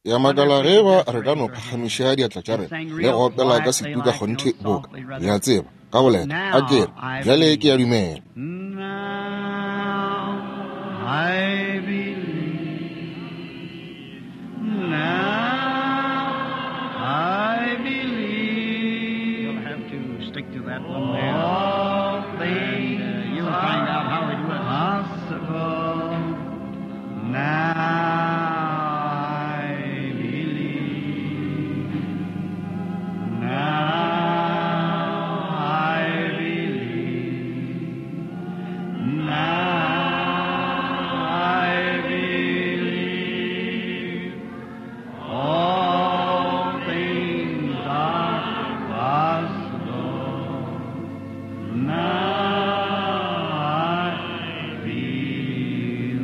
Ke a makala ge eba re ka no phagamiša diatla tša rena le go opela ka setu ka kgonthe boka, le a tseba, ka boleta, a ke re, Bjale ke a dumela. Now I believe. Now I believe. You'll have to stick to that one there. All And things you'll find out how it was. possible. Now I believe. Now I believe. Now I believe. All things are possible. Now I believe.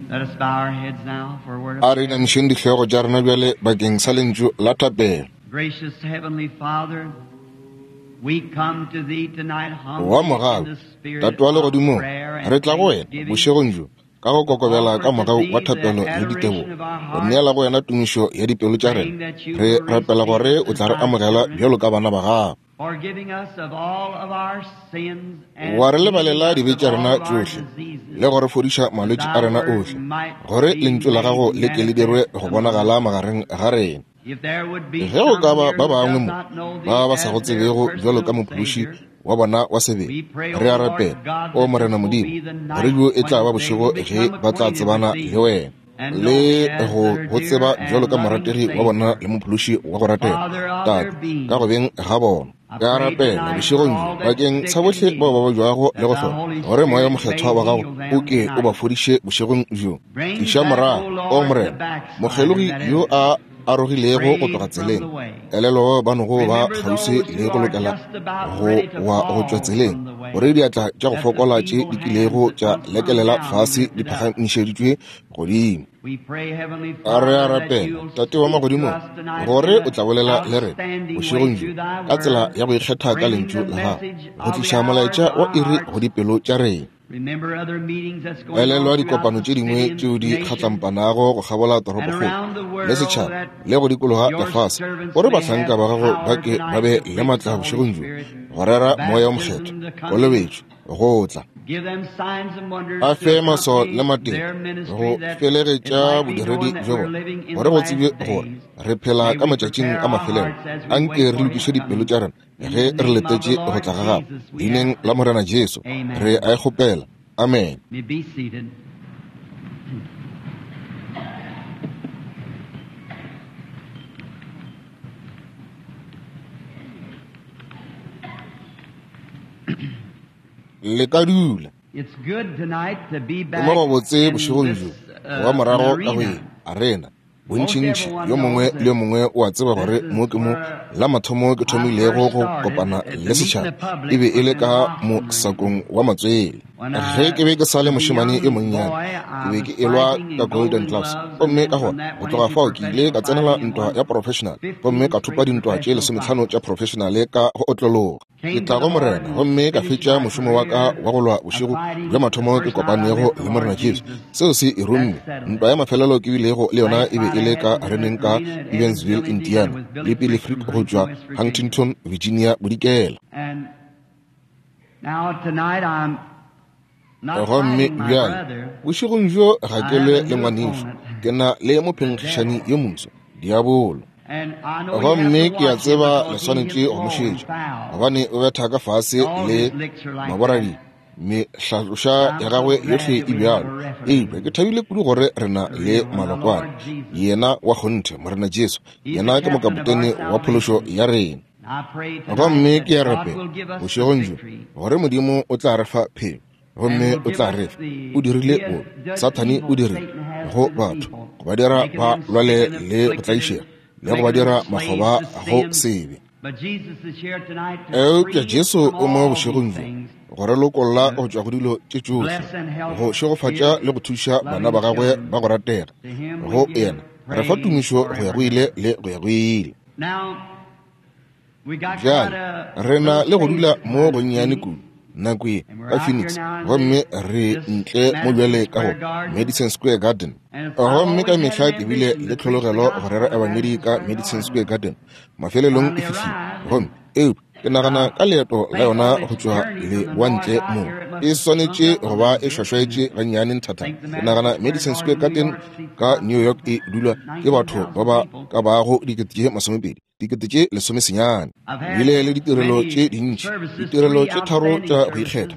Let us bow our heads now for a word of A re inamišeng dihlogo tša rena bjale bakeng sa lentšu la thapelo. Gracious Heavenly Father, we come to Thee tonight Wa humbly in mogau, the spirit Tate wa of legodimong, prayer and re tla go wena thanksgiving bošegong bjo ka go to kokobela offer ka to mogau Thee wa the thapelo le ditebogo, adoration of our go hearts, neela go wena tumišo ya dipelo tša praying rena. that you Re will rapela receive gore us o as tla re Thy amogela children, bjalo ka bana ba gago. forgiving us of all of our sins and Wa re healing lebalela us dibe of tša all rena of our tšohle diseases, le go re fodiša that malwetši a Thy rena word ohle, might gore be lentšu la made gago le ke le dirwe manifest go among bonagala us. magareng ga rena. If there would be Ge go ka some ba here ba who bangwe does mo not know ba Thee ba sa as go their tsebego bjalo ka personal mophološi Savior, wa bona wa sebele, we pray, re O a Lord rapela, God, o that Morena this will Modimo, be the gore night bjo e tla when ba they bošego will ge become ba tla acquainted with tsebana Thee le wena and know le Thee as go their go dear tseba bjalo and ka loving morategi wa bona Savior, le mophološi wa go ratega, Father of their Tate, being. ka go beng ga bona. I Ke a pray rapela tonight for bošegong bjo all that's bakeng sick sa and bohle bao ba needy, babjago le that go Thy hloka, Holy gore Moya o Spirit may Mokgethwa wa gago heal o them ke o ba tonight. fodiše bošegong bjo. Bring Tliša back, O morago, o Lord, the Morena, backslider mokgelogi that yo has a arogilego go strayed tloga from tseleng, the way. elelo ba nogo ba Remember kgauswi those le who go are lokela just about go ready to wa go tšwa fall tseleng, from the way, gore diatla tša go that the fokola tše di feeble hands kilego that tša once hung lekelela down be fase di lifted up. phagamišeditšwe godimo. We pray, Heavenly A re a Father, that rapela, you'll Tate wa speak to magodimong, us tonight gore in o an tla bolela le rena outstanding way bošegong bjo through Thy ka tsela Word, ya go ikgetha ka bringing lentšu the la gago, message go of the tliša hour molaetša to wa our iri go hearts. dipelo tša rena. Remember other meetings that's going Elelwa on throughout dikopano the tše dingwe city and tšeo di nation kgatlampanago go kgabola and toropokgolo around the le world setšhaba that le go dikologa your lefase, servants gore may bahlanka have ba gago ba power ke ba tonight be to le preach the matla Holy bošegong bjo Spirit, go rera Moya o Mokgethwa, baptism to come in, kolobetšo, go tla. give them signs and wonders A to fe maswao le accompany matete their go ministry that it felegetša might be bodiredi known that bjo we're bona, living in gore the go tsebje last gore days. re phela May ka we matšatšing prepare a our mafelelo. hearts as we Anke wait re for His lokiše dipelo coming. tša rena In ge the re name of the letetše go Lord tla ga gago. Jesus, we Leineng ask la it. Morena Jesu re Amen. a e kgopela. Amen. You may be seated. Le ka dula. It's good tonight to be Ke mo back gobotse in bošegong bjo this go ba morago ka go ye arena. arena. Most Bontšintši everyone yo mongwe knows le that yo mongwe o a tseba this gore is mo ke mo where la mathomo ke I thomilego first go started kopana at the le meeting the setšhaba e public be e was le in ka the Boston arena. mosakong wa matswele. When Ge I ke be ke sa le was a mošemane yo young monnyane, boy, ke I be was ke elwa fighting ka in Golden Golden Gloves, Gloves, and gomme then ka from gona that go went tloga into fao ke ile professional ka tsenela fighting and ntwa won ya professional gomme 15 ka thopa straight dintwa tše professional 15 fights. tša professional ka go otlologa. Ke Came to tla the go Lord Morena and gomme ka finished fetša my mošomo wa ka career wa go lwa of bošego bja fighting. The mathomo ke first night I kopanego met the le Morena Lord Jesu. Jesus, Seo se e that rumme. settled Ntwa it. ya mafelelo ke bilego le yona Last e be fight e I le had ka was in areneng an ka arena at Evansville, Evansville, Indiana Indiana, with le Billy Billy Frick Frick from go tšwa Huntington, West Virginia. Huntington, Virginia Bodikela. And now tonight I'm not Gomme fighting my bjale brother. bošegong bjo ga I ke have lwe a le new ngwanešo, opponent, ke na le the mophenkgišani devil. yo moswa, diabolo. And I know you have Gomme to ke a watch him tseba le because he swanetše hits go mo low and šetša, foul. gobane o betha ka fase All le his licks are like that. maboradi. Mehlatloša I'm ya so gagwe glad yohle that e we have bjalo. a referee, Eupša ke thabile kudu gore re na the le real one, the malokwane, Lord Jesus. yena wa kgonthe, Morena Jesu. He's the Yena ke captain of our mokapotene wa phološo salvation. ya rena. And I pray tonight Gomme that ke a God rapela will give us the bošegong bjo victory gore Modimo o tla re fa phenyo and gomme will o give tla us re fa. O the dirile the, bobe, the Sathane o evil dirile Satan has go to the batho people, go ba dira making ba them lwale sick and le go afflicted and tlaišega le go ba making them dira slaves makgoba to go sin. sebe. But Jesus is here tonight to Eupša free us Jesu from o mo all these bošegong bjo things, go re lokolla to go tšwa go dilo tše tšohle, bless and help go šegofatša his le go thuša bana loving ba gagwe children. ba go ratega. To him we Go give yena re fa praise tumišo go ya forever go and ile ever. le go ya go ile. Now, we got quite Bjale a re na little le go space dula mo tonight, gonnyane see. kudu. nako ye ka Phoenix, gomme re ntle mo bjale ka go Madison Square Garden. Gomme ka mehla ke bile le tlhologelo go rera ebangedi ka Madison Square Garden. Mafelelong e fihlile, gomme eupša ke nagana ka leeto la yona go tšwa leboantle mo e swanetše go ba e šwašwaetše gannyane nthathana. Ke nagana Madison Square Garden ka New York e dulwa ke batho ba ba ka bago 20,000, 19,000. Bile le ditirelo tše dintši, ditirelo tše tharo tša go ikgetha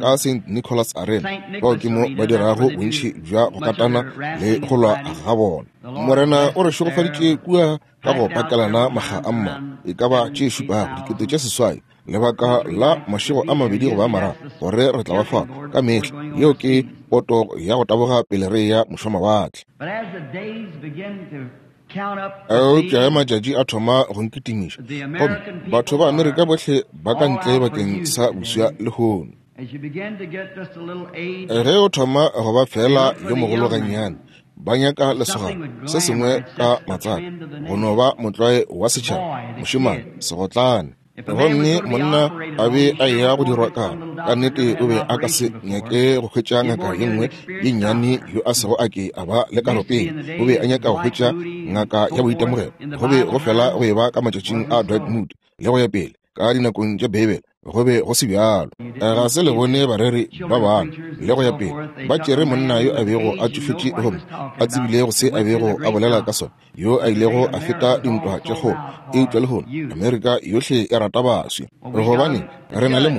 ka St. Nicholas Arena, bao ke mo ba dirago bontši bja go katana le go lwa ga bona. Morena o re šegofaditše kua ka go pakelana makga a mmalwa, e ka ba tše šupago, 8,000, lebaka la mašego a mabedi goba a mararo, gore re tla ba fa ka mehla. Yeo ke poto ya go taboga pele re ya mošwamawatle. Eupša ge matšatši a thoma go nkitimiša, gomme batho ba Amerika bohle ba ka ntle bakeng sa boswa lehono. Ge o thoma go ba fela yo mogolo gannyane, ba nyaka lesogana se sengwe ka matsaka, go no ba motlwae wa setšhaba, mošemane, segotlane. Gomme monna a be a eya go dirwa ka ka nnete, o be a ka se nyake go hwetša ngaka ye nngwe ye nnyane yo a sego a ke a ba le karo pele. O be a nyaka go hwetša ngaka ya boitemogelo. Go be go fela go eba ka matšatšing a Dwight Moody le go ya pele, ka dinakong tša Beibele go be go se bjalo. Ga se le bone bareri ba bangwe le go ya pele ba tšere monna yo a bego a tšofetše gomme a tsebile go se a bego a bolela ka sona, yo a ilego a feta dintwa tše kgolo. Eupša lehono Amerika yohle e rata baswi, gobane re na le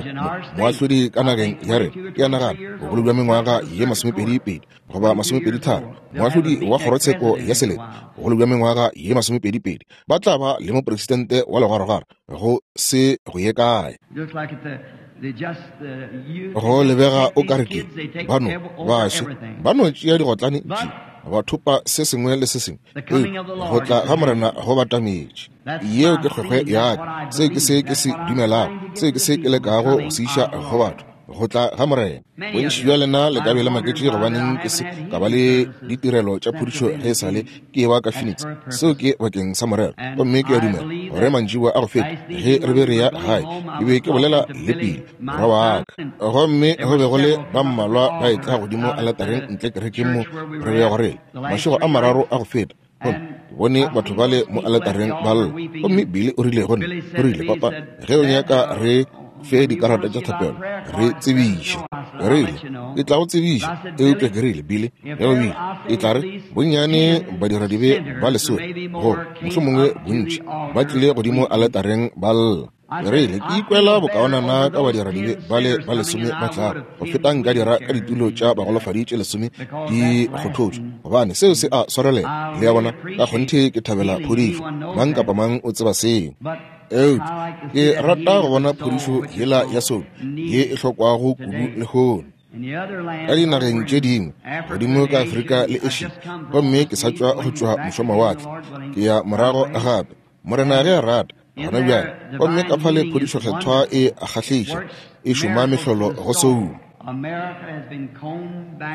moahlodi ka nageng ya rena, ke a nagana bogolo bja mengwaga ye 22 goba 23, moahlodi wa kgorotsheko ya selete, bogolo bja mengwaga ye 22, ba tla ba le mopresidente wa legwaragwara go se go ye kae. Go lebega o ka re ke bano baswi ba no tšea digotlane tše, ba thopa se sengwe le se sengwe. Go tla ga Morena go batametše. Yeo ke kgwekgwe ya ka, se ke se ke se dumelago, se ke se ke lekago go se iša go batho, go tla ga Morena. Bontši bja lena le ka be le maketše gobaneng ke se ka ba le ditirelo tša phodišo ge e sa le ke eba ka Phoenix. Seo ke bakeng sa morero. Gomme ke a dumela gore mantšiboa a go feta ge re be re ya gae, ke be ke bolela le Pili, morwa wa ka, gomme go be go le ba mmalwa ba etla godimo aletareng ntle kerekeng mo re bego re le mašego a mararo a go feta. Gomme ke bone batho bale mo aletareng ba lla. Gomme Billy o rile go nna, o rile, Papa, ge o nyaka re fe dikarata tša thapelo, re tsebiše. Ke rile, ke tla go tsebiša. Eupša ke rile, Billy, ge o bile, e tla re bonnyane badiradibe ba lesome, goba mohlomongwe bontši, ba tlile godimo aletareng ba lla. Ke rile, ke ikwela bokaonana ka badiradibe bale ba lesome ba tlago go feta nka dira ka ditulo tša bagolofadi tše lesome di kgothotšwe, gobane seo se a swarelela. Le a bona? Ka kgonthe ke thabela phodišo, mang kapa mang o tseba seo. Eupša ke rata go bona phodišo yela ya soulo ye e hlokwago kudu lehono ka dinageng tše dingwe godimo ka Afrika le Asia. Gomme ke sa tšwa go tšwa mošwamawatle, ke ya morago gape, Morena ge a rata, gona bjale. Gomme ka fale phodišo kgethwa e a kgahliša, e šoma mehlolo go soulo.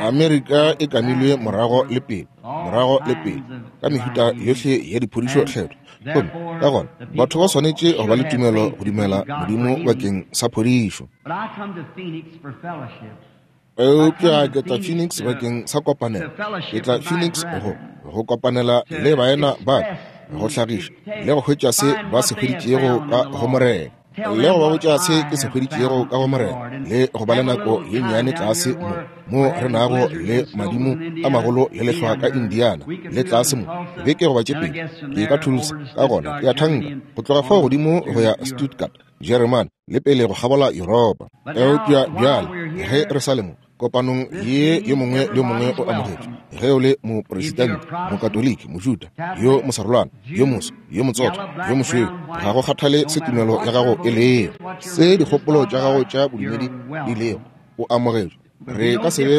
Amerika e kamilwe morago le pele, morago le pele, ka mehuta yohle ya diphodišo kgethwa. Gomme ka gona batho ba swanetše go ba le tumelo go dumela Modimo bakeng sa phodišo. Eupša ke tla Phoenix bakeng sa kopanelo. Ke tla Phoenix go kopanela le baena ba ka, go hlagiša le go hwetša se ba se hweditšego ka go Morena, le go ba botša se ke se hweditšego ka go Morena, le go ba le nako ye nnyane tlase mo mo re nago le madimo a magolo le lehlwa ka Indiana, le tlase mo beke goba tše pedi ke ka Tulsa, ka gona ke a thanka go tloga fao godimo go ya Stuttgart, Jeremane, le pele go kgabola Yuropa. Eupša bjale ge re sa le mo kopanong ye, yo mongwe le yo mongwe o amogetšwe, ge o le mopresidente, mokatoliki, mojuda, yo mosarolwana, yo moso, yo motsotho, yo mošweu, ga go kgathale se tumelo ya gago e lego, se dikgopolo tša gago tša bodumedi di lego, o amogetšwe. Re ka se be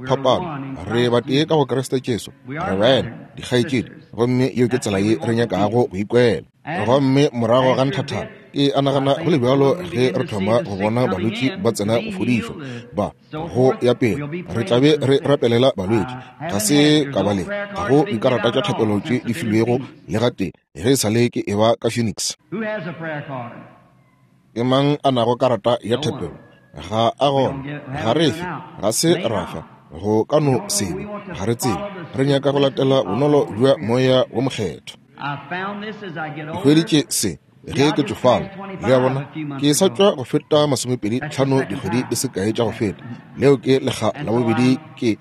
phapano, re batee ka go Kriste Jesu, re baena, dikgaetšedi, gomme yeo ke tsela ye re nyakago go ikwela. Gomme morago ga nthathana, ke a nagana go le bjalo ge re thoma go bona balwetši ba tsena go fodišwa, ba go ya pele, re tla be re rapelela balwetši. Ga se ka ba le, ga go dikarata tša thapelo tše di filwego le gatee ge e sa le ke eba ka Phoenix. Ke mang a nago karata ya thapelo? Ga a gona, ga re fe, ga se ra fa, go ka no se be, ga re tsebe. Re nyaka go latela bonolo bja Moya wo Mokgethwa. Ke hweditše se ge ke tšofala. Le a bona, ke sa tšwa go feta 25 dikgwedi di se kae tša go feta. Leo ke lekga la bobedi ke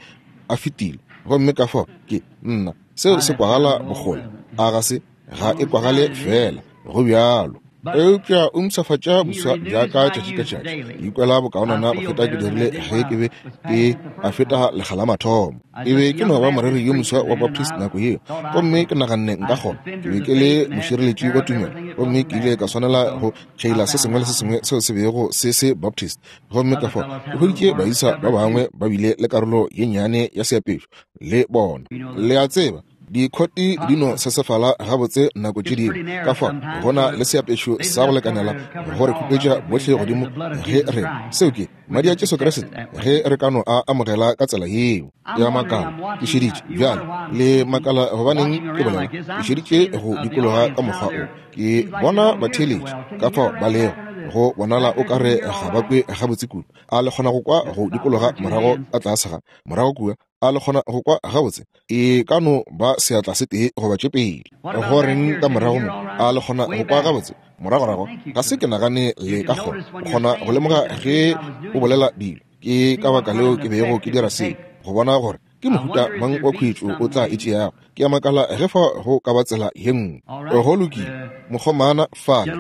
a fetile. Gomme ka fao ke nna, seo se kwagala bokgole, a ga se? Ga e kwagale fela, go bjalo. Eupša o mpshafatša boswa bja ka tšatši ka tšatši. Ke ikwela bokaonana go feta ke dirile ge ke be ke a feta lekga la mathomo. Ke be ke no ba moreri yo moswa wa Baptist nako yeo, gomme ke naganne nka kgona. Ke be ke le mošireletši wa tumelo, gomme ke ile ka swanela go tšhaila se sengwe le se sengwe seo se bego se se Baptist. Gomme ka fao ke hweditše baisa ba bangwe ba bile le karolo ye nnyane ya seapešo le bona. Le a tseba, dikhoti di no sesefala gabotse nako tše dingwe, ka fao go na le seapešo sa go lekanela go re khupetša bohle godimo ge re, seo ke madi a Jesu Kriste, ge re ka no a amogela ka tsela yeo. Ya makala, ke šeditše bjale, le makala gobaneng ke bolela, ke šeditše go dikologa ka mokgwa o, ke bona batheeletši ka fao ba lego, go bonala o ka re ga ba kwe gabotse kudu. A le kgona go kwa go dikologa morago ka tlase ga morago kua? A le kgona go kwa gabotse? E ka no ba seatla se tee goba tše pedi. Go reng ka morago mo? A le kgona go kwa gabotse? Moragorago, ga se ke nagane le ka kgona. O kgona go lemoga ge o bolela dilo. Ke ka baka leo ke bego ke dira seo, go bona gore ke mohuta mang wa khuetšo o tla e tšeago. Ke a makala ge fa go ka ba tsela ye nngwe. Go lokile, mokgomana fale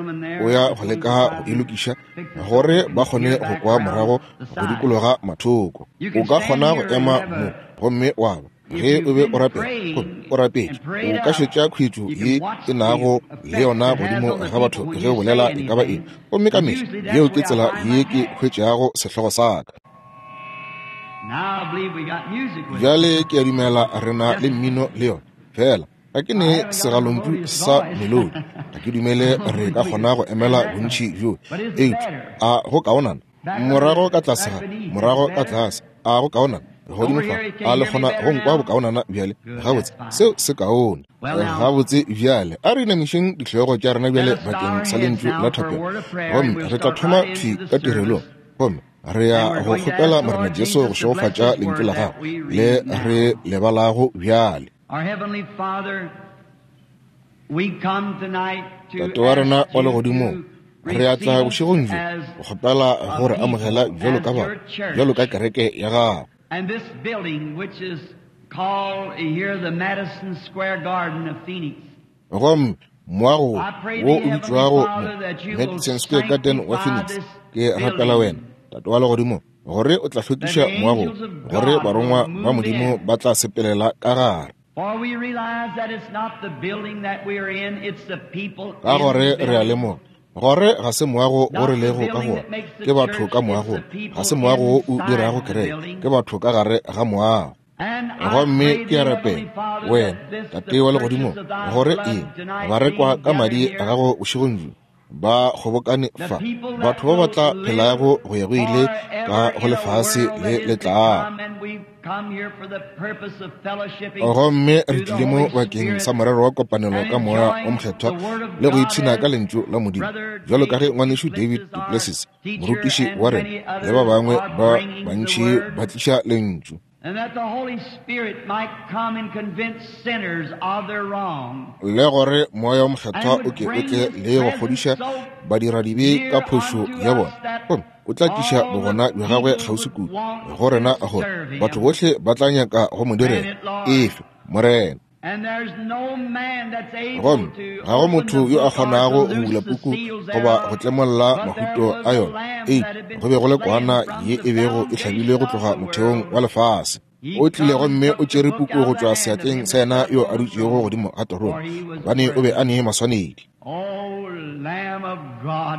o ya go leka go e lokiša gore ba kgone go kwa morago go dikologa mathoko. O ka kgona go ema mo gomme wa ba, ge o be o rapela, gomme o rapetše, o ka šetša khuetšo ye e nago le yona godimo ga batho ge o bolela e ka ba eng. Gomme ka mehla yeo ke tsela ye ke hwetšago sehlogo sa ka. Bjale ke a dumela re na le mmino le yona, fela ga ke ne segalontšu sa melodi. Ga ke dumele re ka kgona go emela bontši bjo, eupša a go kaonana morago ka tlase ga morago ka tlase, a go kaonana godimo fa, a le kgona go nkwa bokaonana bjale? Gabotse, seo se kaone. Gabotse, bjale a re inamišeng dihlogo tša rena bjale bakeng sa lentšu la thapelo, gomme re tla thoma thwi ka tirelong, gomme re ya go kgopela Morena Jesu go šegofatša lentšu la gagwe le re le balago bjale. Tate wa rena wa legodimong, re a tla bošegong bjo go kgopela go re amogela bjalo ka batho, bjalo ka kereke ya gago. And this building, which is called here the Madison Square Garden of Phoenix. Gomme moago wo wo o bitšwago mo Madison Square Garden wa Phoenix, ke rapela wena, Tate wa legodimo, gore o tla hlwekiša moago, gore barongwa ba Modimo ba tla sepelela ka gare. For we realize that it's not the building that we are in, it's the people Ka in gore the re a building. lemoga gore ga se moago o re lego ka go ona, ke batho ka moagong. Ga se moago wo o dirago kereke, ke batho ka gare ga moago. And I Gomme pray ke thee, a Heavenly rapela, Father, wena, that this, the Tate wa purchase legodimong, of thy gore blood eng tonight ba rekwa being ka madi gathered a here, gago bošegong bjo, ba kgobokane the fa, people that batho ba ba will tla live phelago go ya go ile ka forever go in a lefase world le that le is to tlago. come, and we've come here for the purpose of fellowshipping Gomme re through the tlile mo Holy bakeng Spirit sa morero wa kopanelo and ka Moya o enjoying Mokgethwa the Word of le go God ipshina ka as Lentšu la Modimo, Brother bjalo ka ge David ngwanešu David Duplessis, our Duplessis, teacher, morutiši and wa rena, many le ba others bangwe are ba bringing the bantši Word, ba tliša Lentšu. and that the Holy Spirit might come and convince sinners of their wrong, Le gore Moya o Mokgethwa and o would ke o bring tle His le go presence kgodiša so badiradibe ka near phošo unto ya us bona, that gomme o tla tliša all the bogona bja gagwe people kgauswi would kudu want go rena to gore serve batho Him. bohle ba tla nyaka go mo Grant direla. it, Lord. Efe, Morena. And there's no man that's able Gomme to ga go open the motho yo a book or to kgonago go loose bula the puku seals goba go thereof, tlemolla but there mahuto was a a yona. lamb Eupša that had been go be go le slain kwana from ye the e bego e hlabilwe foundation go of tloga the motheong world. wa lefase. He O tlile come and gomme o took the tšere book puku out go of the tšwa hand of seatleng him sa that yena sat yo on a the dutšego throne, godimo ga for terone, he was gobane o be a worthy. ne maswanedi. O Lamb of God,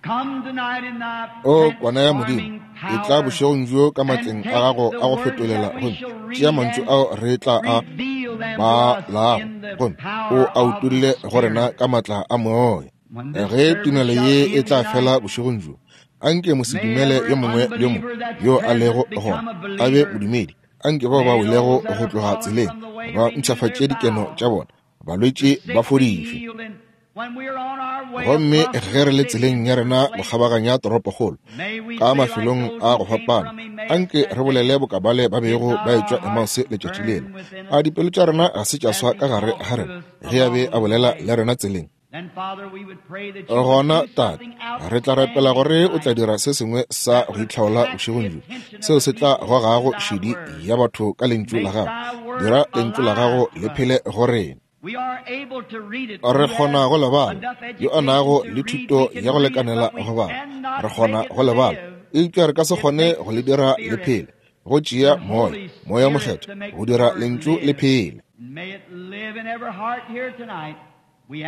come tonight in thy O kwana ya Modimo, transforming e tla power bošegong bjo ka and matleng a take gago the a go words fetolela that we gomme shall tšea read mantšu and ao re tla a reveal them to us balago in the gomme o power a of the utolle go rena Spirit. ka matla a moya. When this Ge service tumelo shall ye e end tla tonight, fela bošegong bjo, anke may mosedumele every yo mongwe le yo mongwe unbeliever that's yo a lego present become gona a a be believer. modumedi. Anke bao ba May welego those that go are tloga fallen tseleng from the way ba renew their mpshafatše dikeno vows, tša bona, the balwetši ba sick be fodišwe. healed, and Gomme ge re le tseleng ya rena go kgabaganya toropokgolo ka mafelong a go fapana, anke re bolele bokabale ba bego ba etšwa Emause letšatši lela. A dipelo tša rena ga se tša swa ka gare ga rena ge a be a bolela le rena tseleng? Gona, Tate, re tla rapela gore o tla dira se sengwe sa go itlhaola bošegong bjo, seo se tla gogago šedi ya batho ka lentšu la gago. Dira lentšu la gago le phele go rena. Re kgona go le bala. Yo a nago le thuto ya go lekanela go bala, re kgona go le bala, eupša re ka se kgone go le dira le phele. Go tšea Moya, Moya Mokgethwa, go dira lentšu le phele.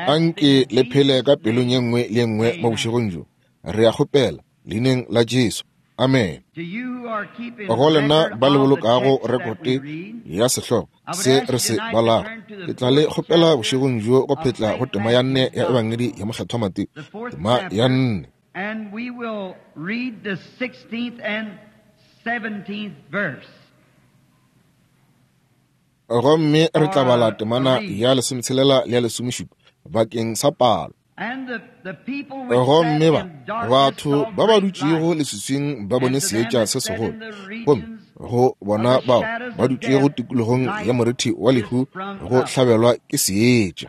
Anke le phele ka pelong ye nngwe le ye nngwe mo bošegong bjo. Re a kgopela, Leineng la Jesu. Amen. Go lena ba le bolokago rekote ya sehlogo se re se balago, ke tla le kgopela bošegong bjo go phetla go tema ya nne ya Ebangedi ya Mokgethwa Mateo, tema ya nne. And we will read the 16th and 17th verse. Gomme re tla bala temana ya lesometshelela le ya lesomešupa bakeng sa palo. Gomme ba batho ba ba dutšego leswiswing ba bone seetša se segolo, gomme go bona bao ba dutšego tikologong ya morithi wa lehu go hlabelwa ke seetša.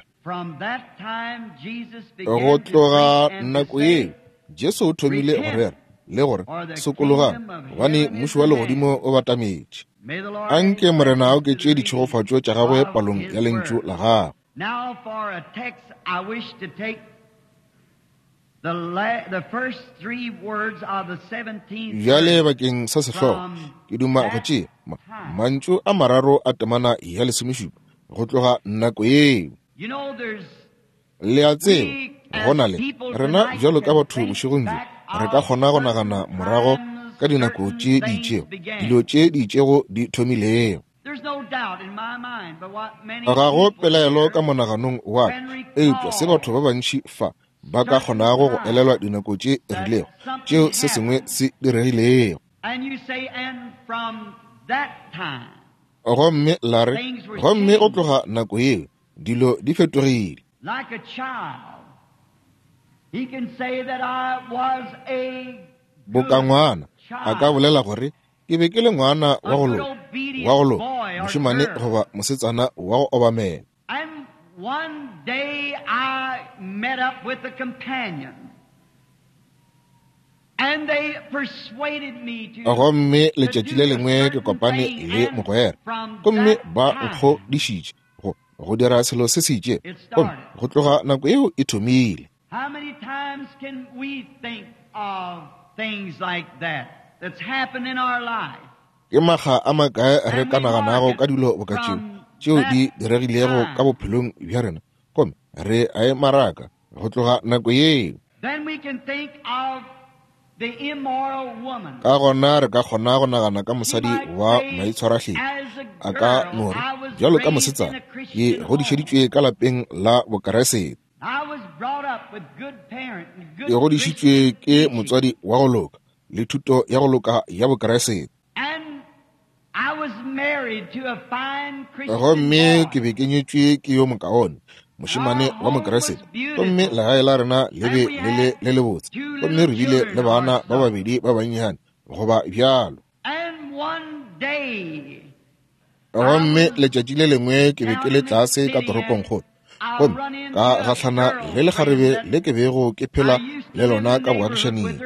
Go tloga nako yeo Jesu o thomile go rera le gore, Sokologang, gobane mmušo wa legodimo o batametše. Anke Morena a oketše ditšhegofatšo tša gagwe palong ya lentšu la gagwe. Now for a text I wish to take the, la the first three words of the 17th Bjale bakeng sa sehlogo ke duma go tšea mantšu a mararo a temana ya lesomešupa go tloga nako yeo. You know, there's Le a tseba, go na le rena bjalo ka batho bošegong bjo re ka kgona go nagana morago ka dinako tše di itšego dilo tše di itšego di thomilego. Ga go pelaelo ka monaganong wa ka, eupša se batho ba bantši fa ba ka kgonago go elelwa dinako tše rilego tšeo se sengwe se diregilego. Gomme la re, gomme go tloga nako yeo dilo di fetogile. Boka ngwana a ka bolela gore, Ke be ke le ngwana wa go loka, wa go loka, mošemane goba mosetsana wa go obamela. And one day I met up with a companion. And they persuaded me to Gomme letšatši le lengwe ke kopane le mogwera, gomme ba nkgodišitše go, go dira selo se se itšego, gomme go tloga nako yeo e thomile. How many times can we think of things like that that's happened in our life? Ke makga a makae re ka naganago ka dilo boka tšeo, tšeo di diregilego ka bophelong bja rena, gomme re a e maraka go tloga nako yeo. Then we can think of the immoral woman. Ka gona re ka kgona go nagana ka mosadi wa maitshwarahleng. A ka no re, bjalo ka mosetsana, ke godišeditšwe ka lapeng la Bokeresete. Ke godišitšwe ke motswadi wa go loka le thuto ya go loka ya Bokeresete. Gomme ke be ke nyetšwe ke yo mokaone mošemane wa Mokeresete, gomme legae la rena le be le le le lebotse, gomme re bile le bana ba babedi ba bannyane goba bjalo. Gomme letšatši le lengwe ke be ke le tlase ka toropongkgolo, gomme ka gahlana le lekgarebe le ke bego ke phela le lona ka boagišaning.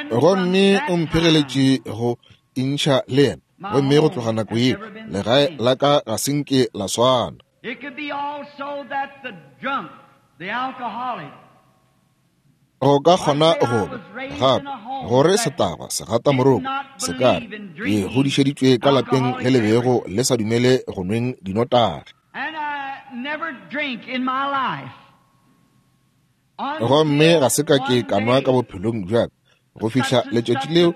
Gomme o mphegeletše go intšha le yena, gomme go tloga nako yeo legae la ka ga se nke la swana. Go ka kgona go ba gape gore setagwa segatamoroko se ka re, Ke godišeditšwe ka lapeng le le bego le sa dumele go nweng dinotagi. Gomme ga se ka ke ka nwa ka bophelong bja ka go fihla letšatši leo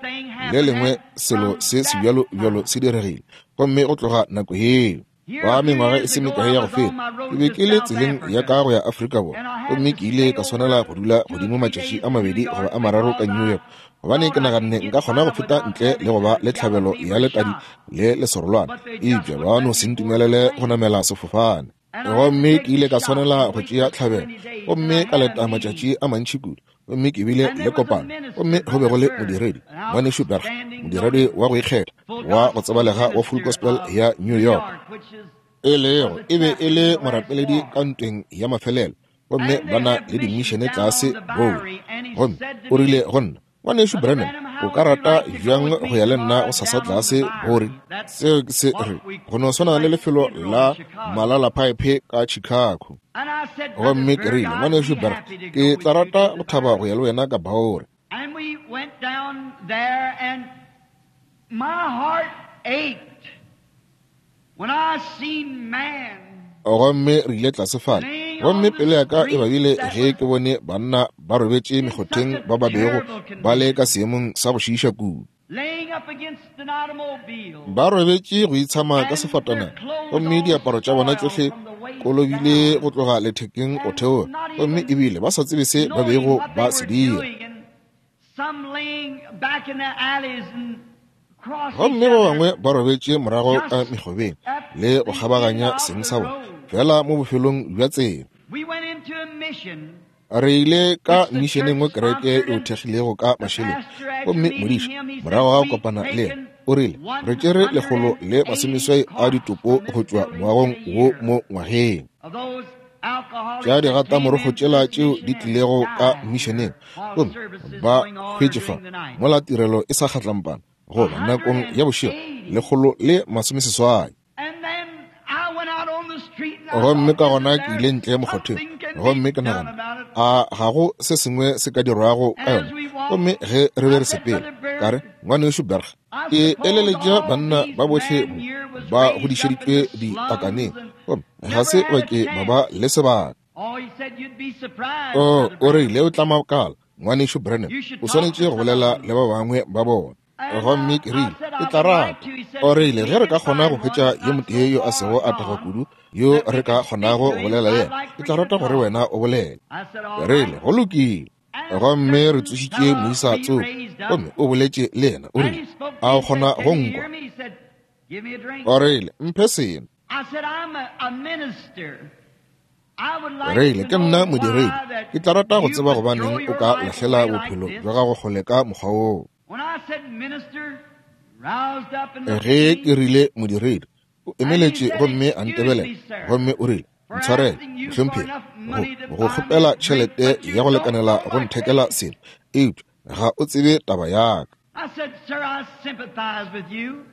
le lengwe selo se sebjalo bjalo se diregile, gomme go tloga nako yeo. Ba mengwaga e se mekae ya go feta, ke be ke le tseleng ya ka go ya Afrika Borwa, gomme ke ile ka swanela go dula godimo matšatši a mabedi goba a mararo ka New York, Gobane ke naganne nka kgona go feta ntle le go ba le tlhabelo ya letadi le lesorolwana, eupša ba no se ntumelele go namela sefofane. Gomme ke ile ka swanela go tšea tlhabelo, gomme ka leta matšatši a mantši kudu. Gomme ke bile le kopano, gomme go be go le modiredi, Ngwanešu Berg, modiredi wa go ikgetha wa go tsebalega wa Full Gospel ya New York, e lego e be e le morapeledi ka ntweng ya mafelelo, gomme ba na le dimišene tlase Bowie. Gomme o rile go nna, Ngwanešu Branham, o ka rata bjang go ya le nna go sasa tlase Borie? Seo ke se re go no swana le lefelo la malalaphaephe ka Chicago. Gomme ke rile, Ngwanešu Berg, ke tla rata go thaba go ya le wena ka Borie. And we went down there, and my heart ached when I seen man. Gomme re ile tlase fale, gomme pelo ya ka e babile ge ke bone banna ba robetše mekgotheng ba ba bego ba le ka seemong sa go šiiša kudu. Laying up against an automobile. Ba robetše go itshama ka sefatanaga, gomme diaparo tša bona tšohle kolobile go tloga lethekeng go theoga, gomme ebile ba sa tsebe se ba bego ba se dira. Some laying back in the alleys and cross Gomme each ba other. bangwe ba robetše morago ka mekgobeng le go kgabaganya seng sa bona fela mo bofelong bja tsela. We went into a mission. Re ile ka mišeneng mo kereke e o thekgilego ka mašeleng, gomme modiši morago ga go kopana le yena o rile re tšere 180 a ditopo go tšwa moagong wo mo ngwageng. Of those alcoholics Tša that came digatamorokgo into tšela this tšeo mission di and tlilego ka died mišeneng, while gomme services ba going on hwetše fa during the night. mola tirelo e sa kgatlampana goba nakong ya bošego 180. And then I went out on the street and I Gomme thought, ka gona isn't ke there ile ntle mokgotheng, something can be gomme ke done nagana, about it? a ga go se sengwe se ka dirwago ka And as yona? we walked, Gomme ge re be I re said, sepela, Brother Berg, ka re, Ngwanešu Berg, I ke suppose eleletša all banna these ba bohle men mo here was ba raised up in godišeditšwe the ditakaneng, slums and gomme ga never se had ba a ke ba ba chance. le sebaka. Oh, he said, you'd be surprised, O Brother o Branham. rile o tla makala, Ngwanešu Branham, You should o talk to swanetše go some of bolela them. le ba bangwe ba bona. And Gomme ke I rile, said, ke I tla would like rata. to. He said, O rile we ge re can ka kgona find go one hwetša that's yo not motee so yo a far sego a tagwa gone kudu yo that we re ka can speak kgonago to go him. bolela le I'd yena, like ke for tla you to rata gore talk. wena o bolele. I said, all Re right. rile go lokile. And a Gomme re certain tsošitše fellow moisa we tsoko, raised up, gomme o boletše le yena. O and rile, he spoke to a me. o He said, kgona can go you nkwa? hear me? He said, give me a drink. O rile, mphe seno. I said, I'm a minister. I would like Rile, to ke nna know modiredi. why that Ke tla rata go you tseba would throw gobaneng o your ka life lahlela away like bophelo this. bja gago kgole ka mokgwa woo. When I said minister, roused up and looked at Ge ke me, rile modiredi, o and he emeletše said, gomme a excuse ntebelela, me, sir, gomme o rile, for ntshwarele, asking you for mohlomphegi, enough go money to go buy me kgopela a drink, tšhelete but you ya go don't lekanela know go my nthekela case. selo, eupša ga o tsebe taba ya ka. I said, sir, I sympathize with you.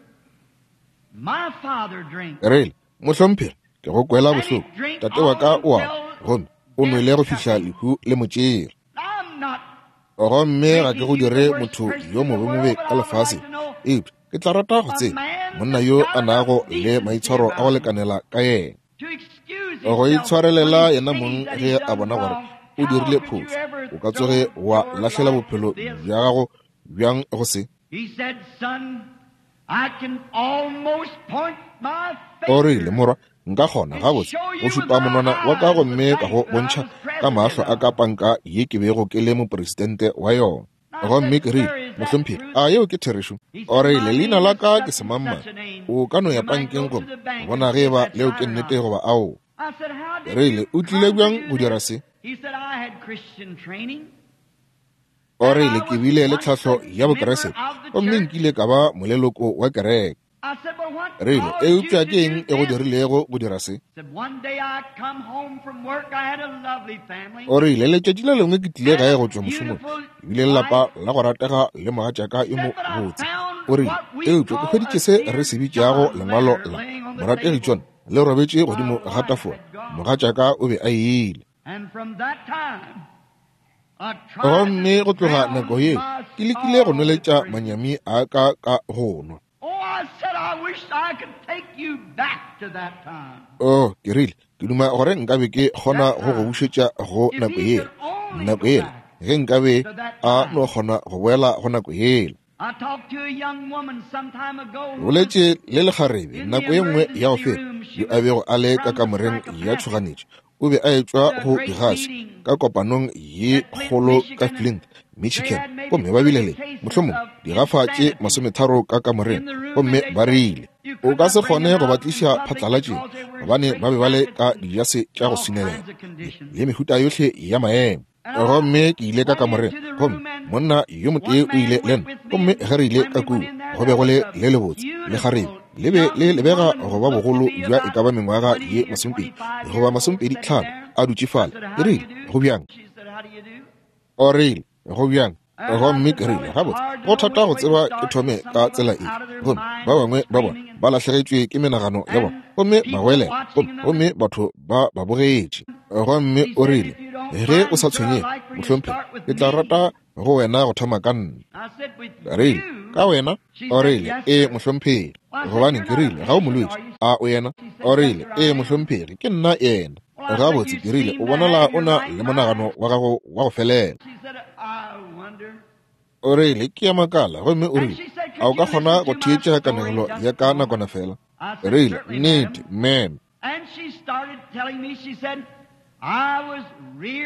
My father drank, Rile, mohlomphegi, ke go kwela and he bohloko, drank tate wa all ka o a until gomme o death nwele go took fihla him. lehu le mo tšere. I'm not Gomme ga ke making go you the dire worst motho person yo in the world, mobemobe but ka I would like lefaseng, to know eupša ke tla rata go a tseba man monna that's yo got a nago enough le decency maitshwaro a go about him lekanela ka yena. to excuse Go himself when itshwarelela he yena sees mong that ge he's a done bona gore wrong. o How dirile could you phošo, ever o ka tsoge throw wa your lahlela life bophelo to this? bja gago bjang go se. He said, son, I can almost point my O rile, finger morwa, nka kgona and gabotse show go you with šupa my monwana wa ka eyes the gomme ka bank go that I bontšha was ka president mahlo a of. ka panka ye ke bego ke le mopresidente wa yona. I Gomme said, ke rile, sir, is that mohlomphegi, truth? a yeo ke therešo? He O said, rile, my leina name la is ka ke such and semangmang. such a name. O ka no ya You might pankeng go to gomme the bank and bona see ge if eba that's leo right ke or nnete not. goba ao. I said, how did Rile, you o tlile come to bjang do go dira this? se? He said, I had Christian training. O And rile, I ke was bile le once tlhahlo a ya member Bokreste, of the gomme church. nkile ka ba moleloko wa kereke. I said, but what Rile, caused you eupša to ke eng do e go this? dirilego go dira se? He said, one day I come home from work, I had a lovely family O rile, letšatši le lengwe ke tlile and gae a go tšwa mošomong, beautiful ke bile le lapa wife. la go ratega le mogatšaka yo Said, but I mobotse. found O rile, what we eupša ke call a hweditše se re dear se bitšago John lengwalo letter la laying on the morategi table. John le robetše My godimo ga wife tafola. had gone. Mogatšaka o be a ile. And from that time, I tried to Gomme go tloga nako drown yeo, my ke lekile go sorrow with nweletša drink. manyami a ka ka go nwa. Oh, I said, I wish I could take you back to that time. Oh, ke rile, ke duma gore nkabe ke kgona That go go time. bušetša go If nako he yela. could only Nako go yela, back ge nkabe to that a no time. kgona go boela go nako yela. I talked to a young woman some time ago Ke who was boletše le lekgarebe in the nako ye nngwe ya go emergency feta room. She yo a was bego a le ka from the kamoreng ya psychopathic tšhoganetšo. O be a etšwa to a go great digase meeting ka kopanong ye at Flint, kgolo ka Michigan. Flint, Michigan, gomme ba bile le mohlomong digafa tše 30 ka kamoreng, gomme ba rile o ka se kgone go ba tliša phatlalatšeng gobane ba be ba le ka dijase tša go swinelela le mehuta yohle ya maemo. Gomme ke ile ka kamoreng, gomme monna yo motee o ile le nna, gomme ge re ile ka kua go be go le le lebotse le kgarebe, le be le lebega go ba bogolo bja e ka ba mengwaga ye 20 goba 25, a dutše fale. Ke rile, go bjang? O rile, go bjang? Gomme ke rile, gabotse, go thata go tseba ke thome ka tsela e. Gomme ba bangwe ba bona ba lahlegetšwe ke menagano ya bona, gomme ba goelela, gomme batho ba ba bogetše. Gomme o rile, ge o sa tshwenyege, mohlomphegi, ke tla rata go wena go thoma ka nna. Rile, ka wena? O rile, ee, mohlomphegi. Gobane ke rile, ga o molwetši, a o yena? O rile, ee, mohlomphegi, ke nna yena. Gabotse, ke rile, o bonala o na le monagano wa gago wa go felela. O rile, ke ya makala. Gomme o rile, a o ka kgona go theetša kanegelo ya ka nakwana fela? Rile, nnete, ma'am.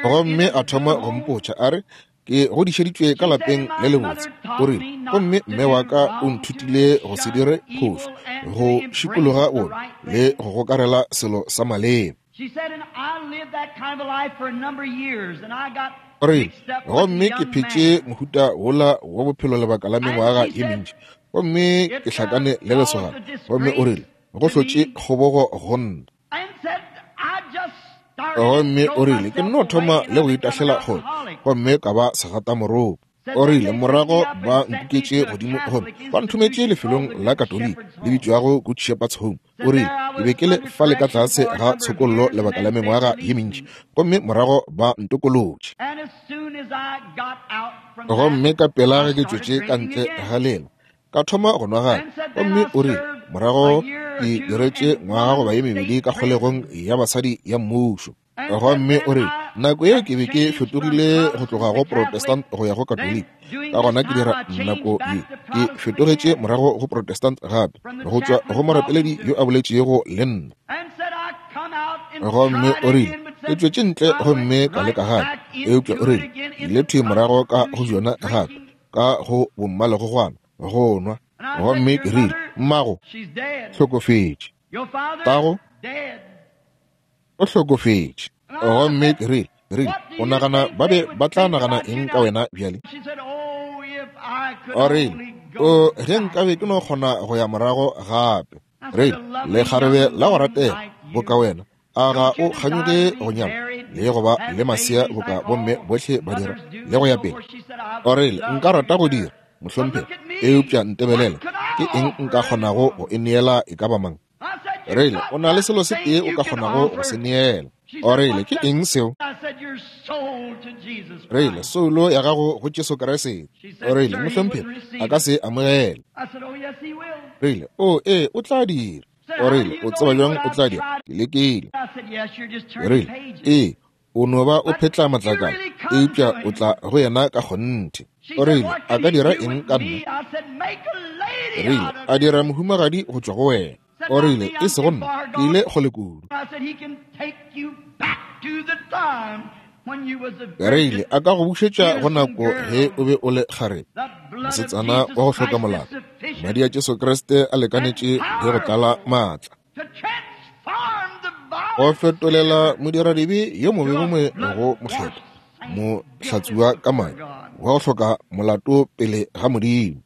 Gomme a thoma go mpotša, a re, ke godišeditšwe ka lapeng le lebotse. O rile, gomme mme wa ka o nthutile go se dire phošo, go šikologa bobe le go gokarela selo sa maleba. O rile, gomme ke phetše mohuta wola wa bophelo lebaka la mengwaga ye mentši, gomme ke hlakane le lesogana. Gomme o rile, go hlotše kgobogo go nna. Gomme o rile, ke nno thoma le go itahlela kgole, gomme ka ba segatamoropo. O rile, morago ba nkuketše godimo gomme ba nthometše lefelong la Katoliki le bitšwago Good Shepherd's Home. O rile, ke be ke le fale ka tlase ga tshokollo lebaka la mengwaga ye mentši, gomme morago ba ntokolotše. Gomme ka pela ge ke tšwetše ka ntle ga lela, ka thoma go nwa gape. Gomme o rile, morago ke diretše ngwaga goba ye mebedi ka kgolegong ya basadi ya mmušo. Gomme o rile, nako ye ke be ke fetogile go tloga go Protestant go ya go Katoliki. Ka gona ke dira nako ye ke fetogetše morago go Protestant gape, go tšwa go morapeledi yo a boletšego le nna. Gomme o rile, ke tšwetše ntle gomme ka leka gape, eupša o rile, ke ile thwi morago ka go bjona gape, ka go bommalegogwana, go nwa. Gomme ke rile, mmago hlokofetše, tago o hlokofetše. Gomme ke rile, o nagana ba be ba tla nagana eng ka wena bjale? O rile, o ge nkabe ke no kgona go ya morago gape. Rile, lekgarebe la go ratega boka wena, a ga o kganyoge go nyala le go ba le masea boka bomme bohle ba dira le go ya pele? O rile, nka rata go dira, mohlomphegi, eupša ntebelela, ke eng nka kgonago go e neela e ka ba mang? Rile, o na le selo se tee o ka kgonago go se neela. O rile, ke eng seo? Rile, soulo ya gago go Jesu Kriste. O rile, mohlomphegi, a ka se amogele. Rile, o ee, o tla dira. O rile, o tseba bjang o tla dira? Ke lekile. Rile, ee, o no ba o phetla matlakala, eupša o tla go yena ka kgonthe. O rile, a ka dira eng ka nna? Rile, a dira mohumagadi go tšwa go wena. O rile, e sego nna, ke ile kgole kudu. Rile, a ka go bušetša go nako ge o be o le kgarebe, mosetsana wa go hloka molato. Madi a Jesu Kriste a lekanetše le go tlala maatla go fetolela modiradibe yo mobe mongwe go mokgethwa, mohlatsuwa ka madi wa go hloka molato pele ga Modimo.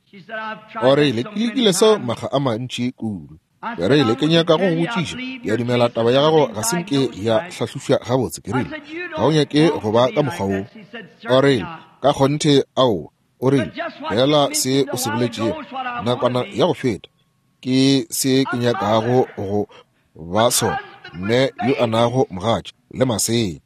O rile, ke lekile seo makga a mantši kudu. Ke rile, ke nyaka go go botšiša, ke a dumela taba ya gago ga se nke ya hlahlošwa gabotse. Ke rile, ga o nyake go ba ka mokgwa wo. O rile, ka kgonthe aowa. O rile, fela se o se boletšego nakwana ya go feta ke se ke nyakago go ba sona, mme yo a nago mogatša le masea,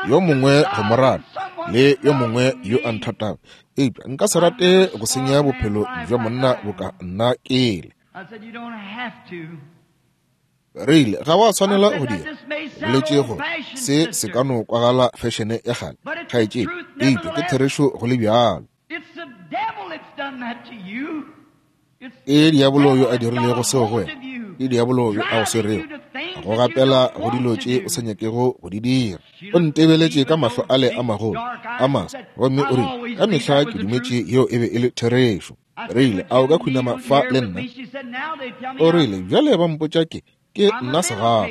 yo mongwe go mo rata le yo mongwe yo a nthatago, eupša nka se rate go senya bophelo bja monna boka nna kele. Rile, ga wa tshwanela go dira. Boletše gore se se ka no kwagala fešene ya kgale, kgaetšedi, eupša ke therešo go le bjalo. Ke diabolo yo a dirilego seo go wena, ke diabolo yo a go swerego. Go gapela go dilo tše o sa nyakego go di dira. O ntebeletše ka mahlo ale a magolo a maso, gomme o rile, Ka mehla ke dumetše yeo e be e le therešo. Rile, A o ka khunama fa le nna? O rile, Bjale ba mpotša ke, ke nna segafa.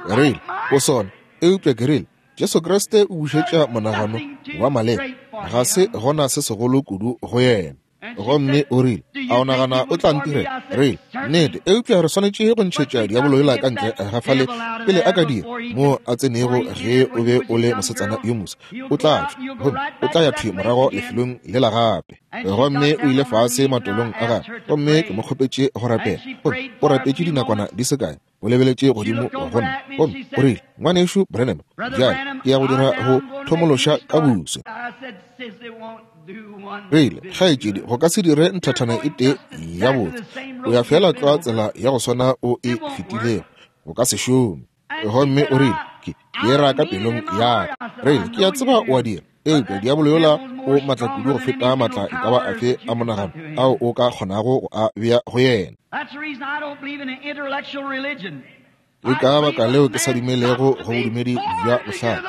Rile, O sona. Eupša ke rile, Jesu Kriste o bušetša monagano wa maleba. Ga se gona se segolo kudu go yena. Gomme o rile, A o nagana o tla ntirela? Rile, Nnete, eupša re swanetše go ntšhetša diabolo yola ka ntle ga fale pele a ka dira mo a tsenego. Ge o be o le mosetsana yo moswa, o tla tšwa gomme o tla ya thwi morago lefelong lela gape. Gomme o ile fase matolong a gagwe, gomme ke mo kgopetše go rapela. Gomme o rapetše dinakwana di se kae. O lebeletše godimo go nna, gomme o rile, Ngwanešu Branham, bjale ke ya go dira go thomološa ka buse. Rile, Kgaetšedi, go ka se dire nthathana e tee ya botse. O ya feela tlwa tsela ya go swana o e fetilego. Go ka se šome. Gomme o rile, Ke, ke e ra ka pelong ya ka. Rile, Ke a tseba o a dira. Eupša diabolo yola o matla kudu go feta matla e ka ba afe a monagano ao o ka kgonago go a bea go yena. Ke ka baka leo ke sa dumelego go bodumedi bja bohlale.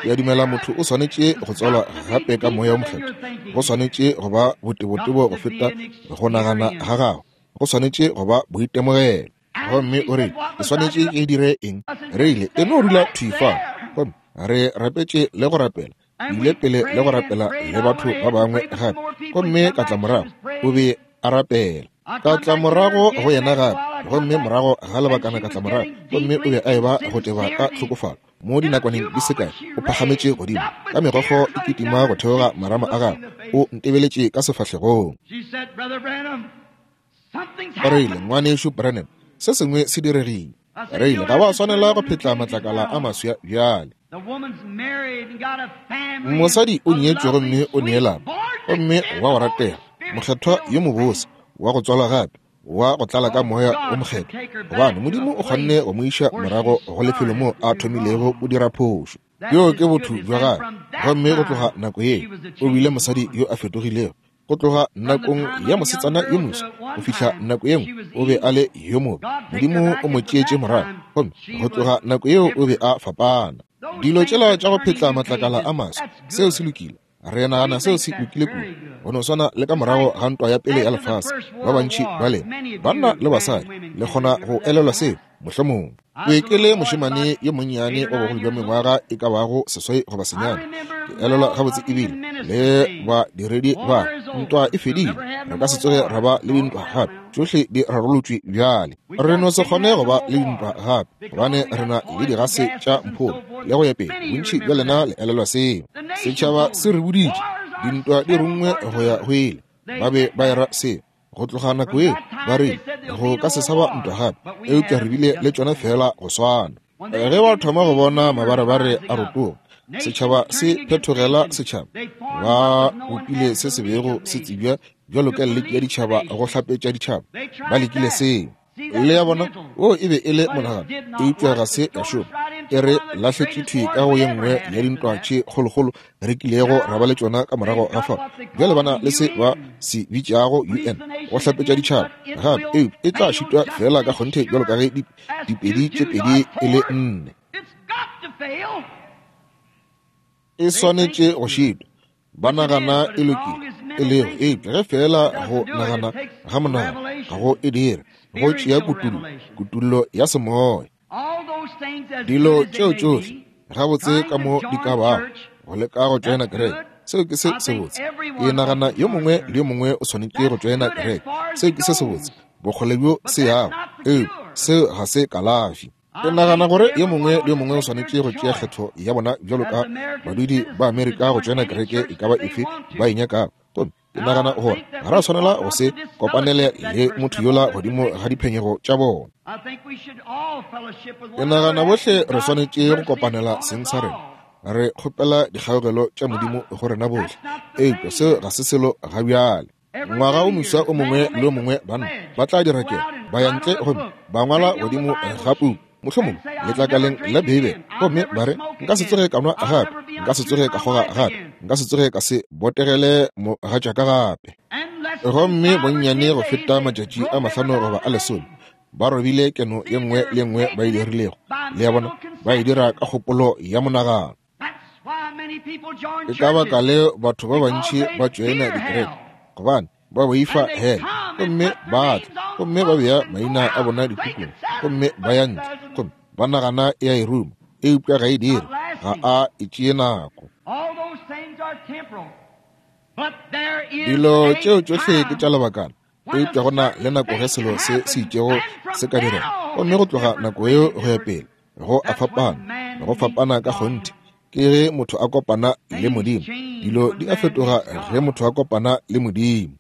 Ke a dumela motho o swanetše go tswalwa gape ka Moya wo Mokgethwa. Go swanetše go ba botebotebo go feta go nagana ga gago. Go swanetše go ba boitemogelo. Gomme o rile, Ke swanetše ke dire eng? Re ile, e no dula thwi fao. Gomme re rapetše le go rapela, ile pele le go rapela le batho ba bangwe gape. Gomme ka tla morago, o be a rapela. Ka tla morago go yena gape, gomme morago ga lebakana ka tla morago, gomme o be a eba go teba ka tlhokofalo. Mo dinakwaneng di se kae, o phagametše godimo, ka megokgo e kitima go theoga marama a gagwe, o ntebeletše ka sefahlegong. O rile, Ngwanešu Branham, se sengwe se diregile. Rile, Ga wa swanela go phetla matlakala a maswa bjale. Mosadi o nyetšwe gomme o ne lapa, gomme wa go ratega, mokgethwa yo mobose, wa go tswalwa gape, wa go tlala ka Moya wo Mokgethwa, gobane Modimo o kgonne go mo iša morago go lefelo moo a thomilego go dira phošo. Bjoo ke botho bja gagwe. Gomme go tloga nako yeo, o bile mosadi yo a fetogilego. Go tloga nakong ya mosetsana yo moswa go fihla nako ye nngwe o be a le yo mobe. Modimo o mo tšeetše morago, gomme go tloga nako yeo o be a fapana. Dilo tšela tša go phetla matlakala a maswa, seo se lokile. Re nagana seo se lokile kudu. Go no swana le ka morago ga ntwa ya pele ya lefase, ba bantši ba lena, banna le basadi, le kgona go elelwa seo, mohlomongwe. Ke ke le mošemane yo monnyane wa bogolo bja mengwaga e ka bago 8 goba 9. Ke elelwa gabotse ebile le badiredi ba ntwa e fedile. Re ka se tsoge ra ba le dintwa gape. Tšohle di rarolotšwe bjale. Re no se kgone go ba le dintwa gape gobane re na le digase tša mpholo le go ya pele. Bontši bja lena le elelwa seo. Setšhaba se re boditše dintwa di rungwe go ya go ile. Ba be ba era seo. Go tloga nako yeo ba re go ka se sa ba ntwa gape, eupša re bile le tšona feela go swana. Ge ba thoma go bona mabarebare a rotoga, setšhaba se phethogela setšhaba. Ba bopile se se bego se tsebja bjalo ka liki ya ditšhaba go hlapetša ditšhaba. Ba lekile seo. Le ya bona, wo e be e le monagano, eupša ga se ya šoma. E re lahletše thwi ka go ye nngwe ya dintwa tše kgolokgolo re kilego ra ba le tšona ka morago ga fao. Bjale ba na le se ba se bitšago UN, go hlapetša ditšhaba gape, eupša e tla šitwa feela ka kgonthe bjalo ka ge dipedi tše pedi e le nne. E swanetše go šitwa. Ba nagana e lokile, e lego, eupša ge feela go nagana ga monagano ga go e dire, go tšea kutullo, kutullo ya semoya. Dilo tšeo tšohle, gabotse ka mo di ka bago, go leka go tšoena kereke, seo ke se sebotse. Ke nagana yo mongwe le yo mongwe o swanetše go tšoena kereke, seo ke se sebotse, bokgole bjo se yago, eupša seo ga se kalafi. Ke nagana gore yo mongwe le yo mongwe o swanetše go tšea kgetho ya bona bjalo ka badudi ba Amerika go tšoena kereke e ka ba efe ba e nyakago. Gomme ke nagana gore ga ra swanela go se kopanele le motho yola godimo ga diphenyego tša bona. Ke nagana bohle re swanetše go kopanela seng sa rena. Re kgopela dikgaogelo tša Modimo go rena bohle. Eupša seo ga se selo ga bjale. Ngwaga o moswa o mongwe le o mongwe banna ba tla dira kelo, ba ya ntle gomme ba ngwala godimo ga puku, mohlomongwe letlakaleng la Beibele, gomme ba re, Nka se tsoge ka nwa gape, nka se tsoge ka kgoga gape. Nka se tsoge ka se botegele mogatšaka gape. Gomme bonnyane go feta matšatši a 5 goba a 10, ba robile keno ye nngwe le nngwe ba e dirilego. Le a bona, ba e dira ka kgopolo ya monagano. Ke ka baka leo batho ba bantši ba tšoena dikereke, gobane ba boifa hell, gomme ba tla gomme ba bea maina a bona dipukung, gomme ba ya ntle, gomme ba nagana e a e ruma, eupša ga e dire, ga a e tšee nako. Dilo tšeo tšohle ke tša lebakana, eupša go na le nako ge selo se se itšego se ka direga, gomme go tloga nako yeo go ya pele go a fapana, go fapana ka kgonthe. Ke ge motho a kopana le Modimo. Dilo di a fetoga ge motho a kopana le Modimo.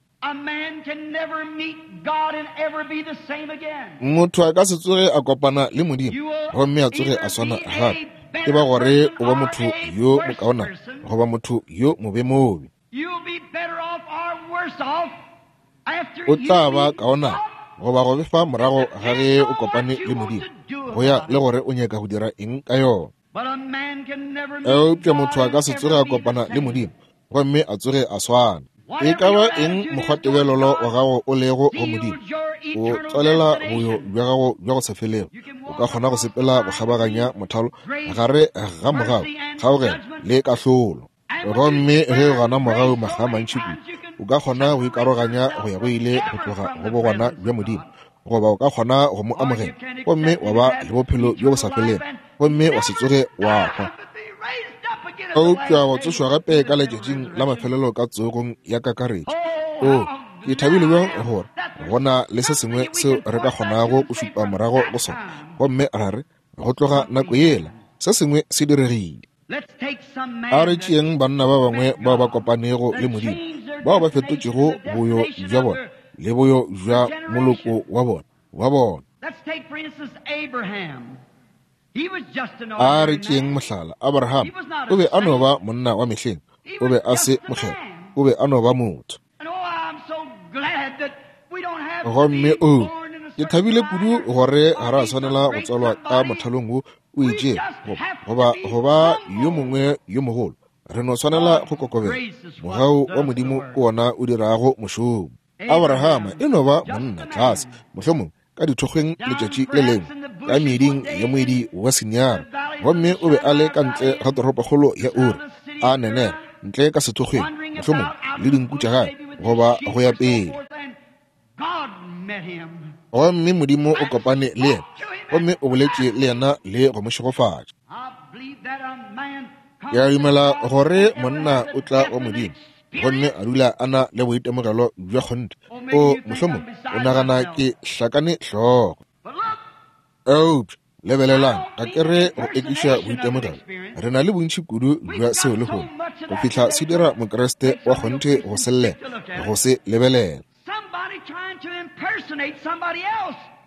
Motho a ka se tsoge a kopana le Modimo gomme a tsoge a swana gape. E ba gore o ba motho yo mokaona goba motho yo mobe-mobe. O tla ba kaona goba go befa morago ga ge o kopane le Modimo, go ya le gore o nyaka go dira eng ka yona. Eupša motho a ka se tsoge a kopana le Modimo gomme a tsoge a swana. E ka ba eng mokgwatebelelo wa gago o lego go Modimo, o tswalela boyo bja gago bja go sa felego. O ka kgona go sepela go kgabaganya mothalo gare ga mogau, kgaogelo le kahlolo. Gomme ge o gana mogau makga a mantši kudu, o ka kgona go ikaroganya go ya go ile go tloga go bogona bja Modimo, goba o ka kgona go mo amogela gomme wa ba le bophelo bjo bo sa felego, gomme wa se tsoge wa hwa, eupša wa tsošwa gape ka letšatšing la mafelelo ka tsogong ya kakaretšo. O, ke thabile bjang gore go na le se sengwe seo re ka kgonago go šupa morago go sona, gomme ra re, go tloga nako yela, se sengwe se diregile. A re tšeeng banna ba bangwe bao ba kopanego le Modimo, bao ba fetotšego boyo bja bona le boyo bja moloko wa bona wa bona. A re tšeeng mohlala, Abraham. O be a no ba monna wa mehleng, o be a se mokgethwa, o be a no ba motho. Gomme o, ke thabile kudu gore ga ra swanela go tswalwa ka mothalong wo o itšego, goba go ba yo mongwe yo mogolo. Re no swanela go kokobela. Mogau wa Modimo ke wona o dirago mošomo. Abrahama e no ba monna tlase, mohlomongwe ka dithokgweng letšatši le lengwe, ka meeding ya moedi wa Sineara, gomme o be a le ka ntle ga toropokgolo ya Uri, a nenera ntle ka sethokgweng, mohlomongwe le dinku tša gagwe, goba go ya pele. Gomme Modimo o kopane le yena, gomme o boletše le yena le go mo šegofatša. Ke a dumela gore monna o tla wa Modimo gomme a dula a na le boitemogelo bja kgonthe. O mohlomong o nagana ke hlakane hlogo. Eupša lebelelang, ga ke re go ekiša boitemogelo. Re na le bontši kudu bja seo lehono, go fihla se dira Mokriste wa kgonthe go se llela, go se lebelela.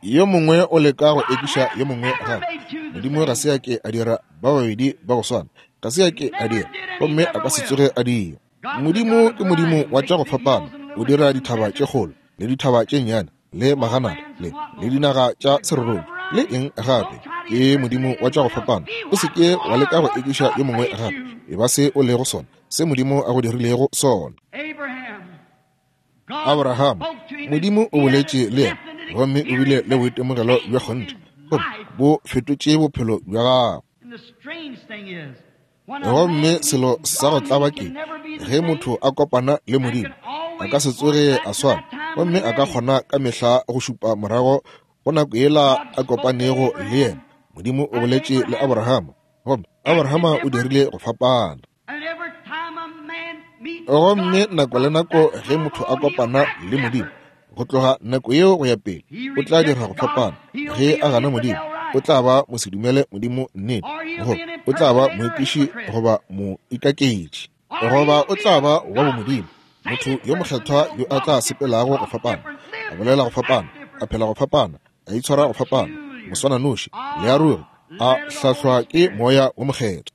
Yo mongwe o leka go ekiša yo mongwe gape. Modimo ga se a ke a dira ba babedi ba go swana, ga se a ke a dira, gomme a ka se tsoge a dira. Modimo ke Modimo wa tša go fapana. O dira dithaba tše kgolo le dithaba tše nnyane le maganata le le dinaga tša serorobja le eng gape. Ke Modimo wa tša go fapana. O se ke wa leka go ekiša yo mongwe gape. E ba se o lego sona, se Modimo a go dirilego sona. Abraham, Modimo o boletše le yena, gomme o bile le boitemogelo bja kgonthe, gomme bo fetotše bophelo bja gagwe. Gomme selo sa go tlaba ke ge motho a kopana le Modimo, a ka se tsoge a swana, gomme a ka kgona ka mehla go šupa morago go nako yela a kopanego le yena. Modimo o boletše le Abrahama, gomme Abrahama o dirile go fapana. Gomme nako le nako ge motho a kopana le Modimo, go tloga nako yeo go ya pele, o tla dira go fapana. Ge a gana Modimo, o tla ba mosedumele Modimo nnete, goba o tla ba moekiši goba moikaketši, goba o tla ba wa bomodimo, motho yo mokgethwa yo a tla sepelago go fapana, a bolela go fapana, a phela go fapana, a itshwara go fapana, moswananoši, le a ruri, a hlahlwa ke Moya wo Mokgethwa.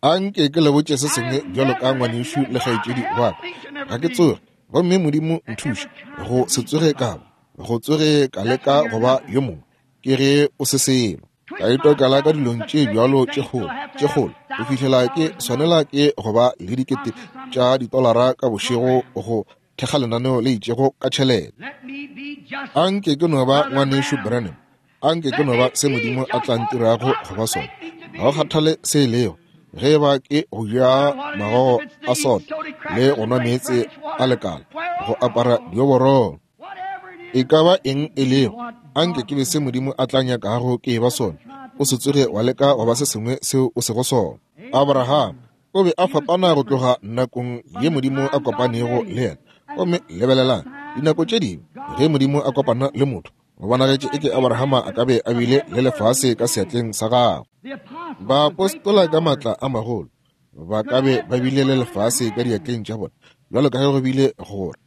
A nke ke le botše se sengwe bjalo ka ngwanešu le kgaetšedi wa ka. Ga ke tsoge, gomme Modimo nthuše go se tsoge ka ba, go tsoge ka leka go ba yo mongwe. Ke ge o se selo. Ka itokela ka dilong tše bjalo tše kgolo, tše kgolo, go fihlela ke swanela ke go ba le dikete tša ditolara ka bošego go thekga lenaneo le itšego ka tšhelete. Anke ke no ba Ngwanešu Branham. Anke ke no ba se Modimo a tla ntirago go ba sona. Ga go kgathale se e lego, ge e ba ke go ja magogo a soto le go nwa meetse a lekala, go apara dioborolo, e ka ba eng e lego, anke ke be se Modimo a tla nyakago ke e ba sona. O se tsoge wa leka go ba se sengwe seo o sego sona. Abraham o be a fapana go tloga nakong ye Modimo a kopanego le yena. Gomme lebelelang, dinako tše dingwe ge Modimo a kopana le motho, go bonagetše eke Abrahama a ka be a bile le lefase ka seatleng sa gagwe. Baapostola ka maatla a magolo ba ka be ba bile le lefase ka diatleng tša bona, bjalo ka ge go bile gore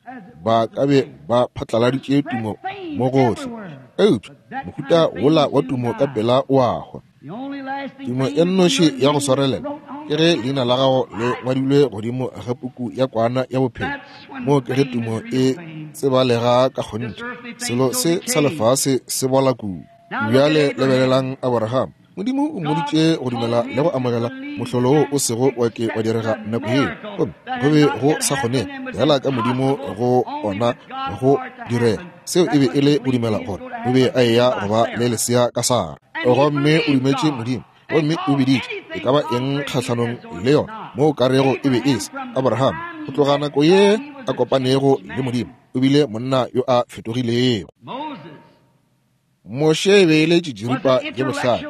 ba ka be ba phatlaladitše tumo mo gohle. Eupša mohuta wola wa tumo ka pela o a hwa. Tumo e nnoši ya go swarelela ke ge leina la gago le ngwadilwe godimo ga puku ya kwana ya bophelo. Moo ke ge tumo e tsebalega ka kgonthe. Selo se sa lefase se bola kudu. Bjale lebelelang Abraham. Modimo o mmoditše go dumela le go amogela mohlolo wo o sego wa ke wa direga nako yeo, gomme go be go sa kgonege fela ka Modimo go ona go direga. Seo e be e le go dumela gore o be a eya go ba le lesea ka Sara. Gomme o dumetše Modimo, gomme o biditše e ka ba eng kgahlanong le yona mo o ka rego e be e se Abraham. Go tloga nako ye a kopanego le Modimo, o bile monna yo a fetogilego. Moshe e be e le tšitširipa ye bohlale.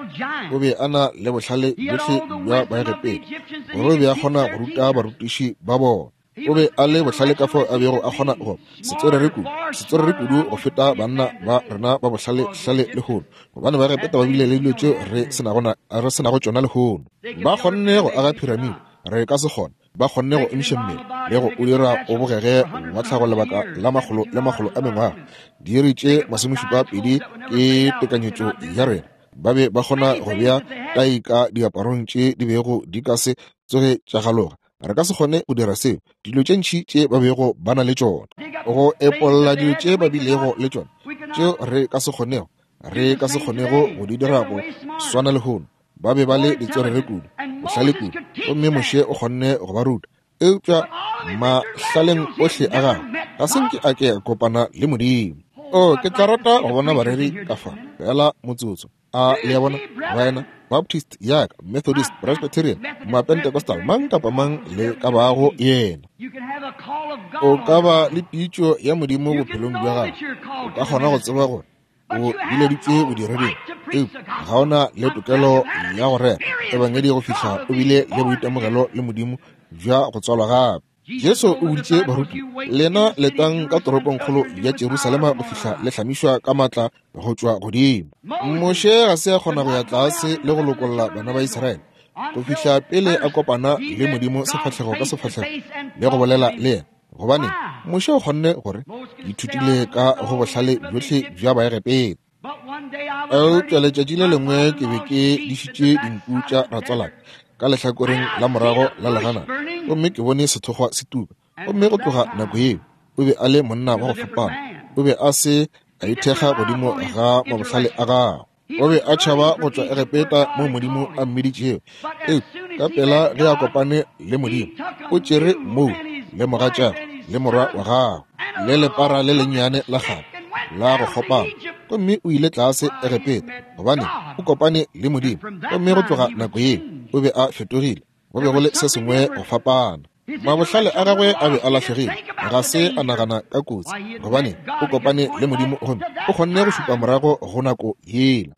O be a na le bohlale bjohle bja Baegepeta, gore o be a kgona go ruta barutiši ba bona. O be a le bohlale ka fao a bego a kgona go setswerere kudu, setswerere kudu go feta banna ba rena ba bohlale-hlale lehono, gobane Baegepeta ba bile le dilo tšeo re se nago tšona lehono. Ba kgonne go aga phiramide, re ka se kgone. Ba kgonne go emiša mmele le go o dira o bogege wa tlhago lebaka la makgolo le makgolo a mengwaga. Diiri tše 72 ke tekanyetšo ya rena. Ba be ba kgona go bea tai ka diaparong tše di bego di ka se tsoge tša galoga. Re ka se kgone go dira seo. Dilo tše ntši tše ba bego ba na le tšona, go epolla dilo tše ba bilego le tšona, tšeo re ka se kgonego, re ka se kgonego go di dira go swana lehono. Ba be ba le ditswerere kudu, bohlale kudu, gomme Moshe o kgonne go ba ruta. Eupša mahlaleng ohle a gagwe ga se nke a ke a kopana le Modimo. O, ke tla rata go bona bareri ka fa fela motsotso. A le a bona, baena? Baptist yaka, Methodist, Presbyterian, Mapentecostal, mang kapa mang le ka bago yena. O ka ba le pitšo ya Modimo bophelong bja gago. O ka kgona go tseba gore o bileditšwe bodireding, eupša ga o na le tokelo ya go rera ebangedi go fihla o bile le boitemogelo le Modimo bja go tswalwa gape. Jesu o boditše baruti, lena letang ka toropongkgolo ya Jerusalema go fihla le hlamišwa ka matla go tšwa godimo. Moshe ga se a kgona go ya tlase le go lokolla bana ba Israele go fihla pele a kopana le Modimo sefahlego ka sefahlego le go bolela le yena. Gobane Moshe o kgonne gore, ke ithutile ka go bohlale bjohle bja Baegepeta. Eupša letšatši le lengwe ke be ke dišitše dinku tša ratswalaka ka lehlakoreng la morago la leganata, gomme ke bone sethokgwa se tuka. Gomme go tloga nako yeo, o be a le monna wa go fapana. O be a se a ithekga godimo ga mabohlale a gagwe. O be a tšhaba go tšwa Egepeta moo Modimo a mmiditšego. Eupša ka pela ge a kopane le Modimo, o tšere moo le mogatšagwe le morwa wa gagwe le lepara le lennyane la kgale la go kgopama, gomme o ile tlase Egepeta gobane o kopane le Modimo. Gomme go tloga nako yeo o be a fetogile, go be go le se sengwe go fapana. Mabohlale a gagwe a be a lahlegile, ga se a nagana ka kotsi, gobane o kopane le Modimo gomme o kgonne go šupa morago go nako yela.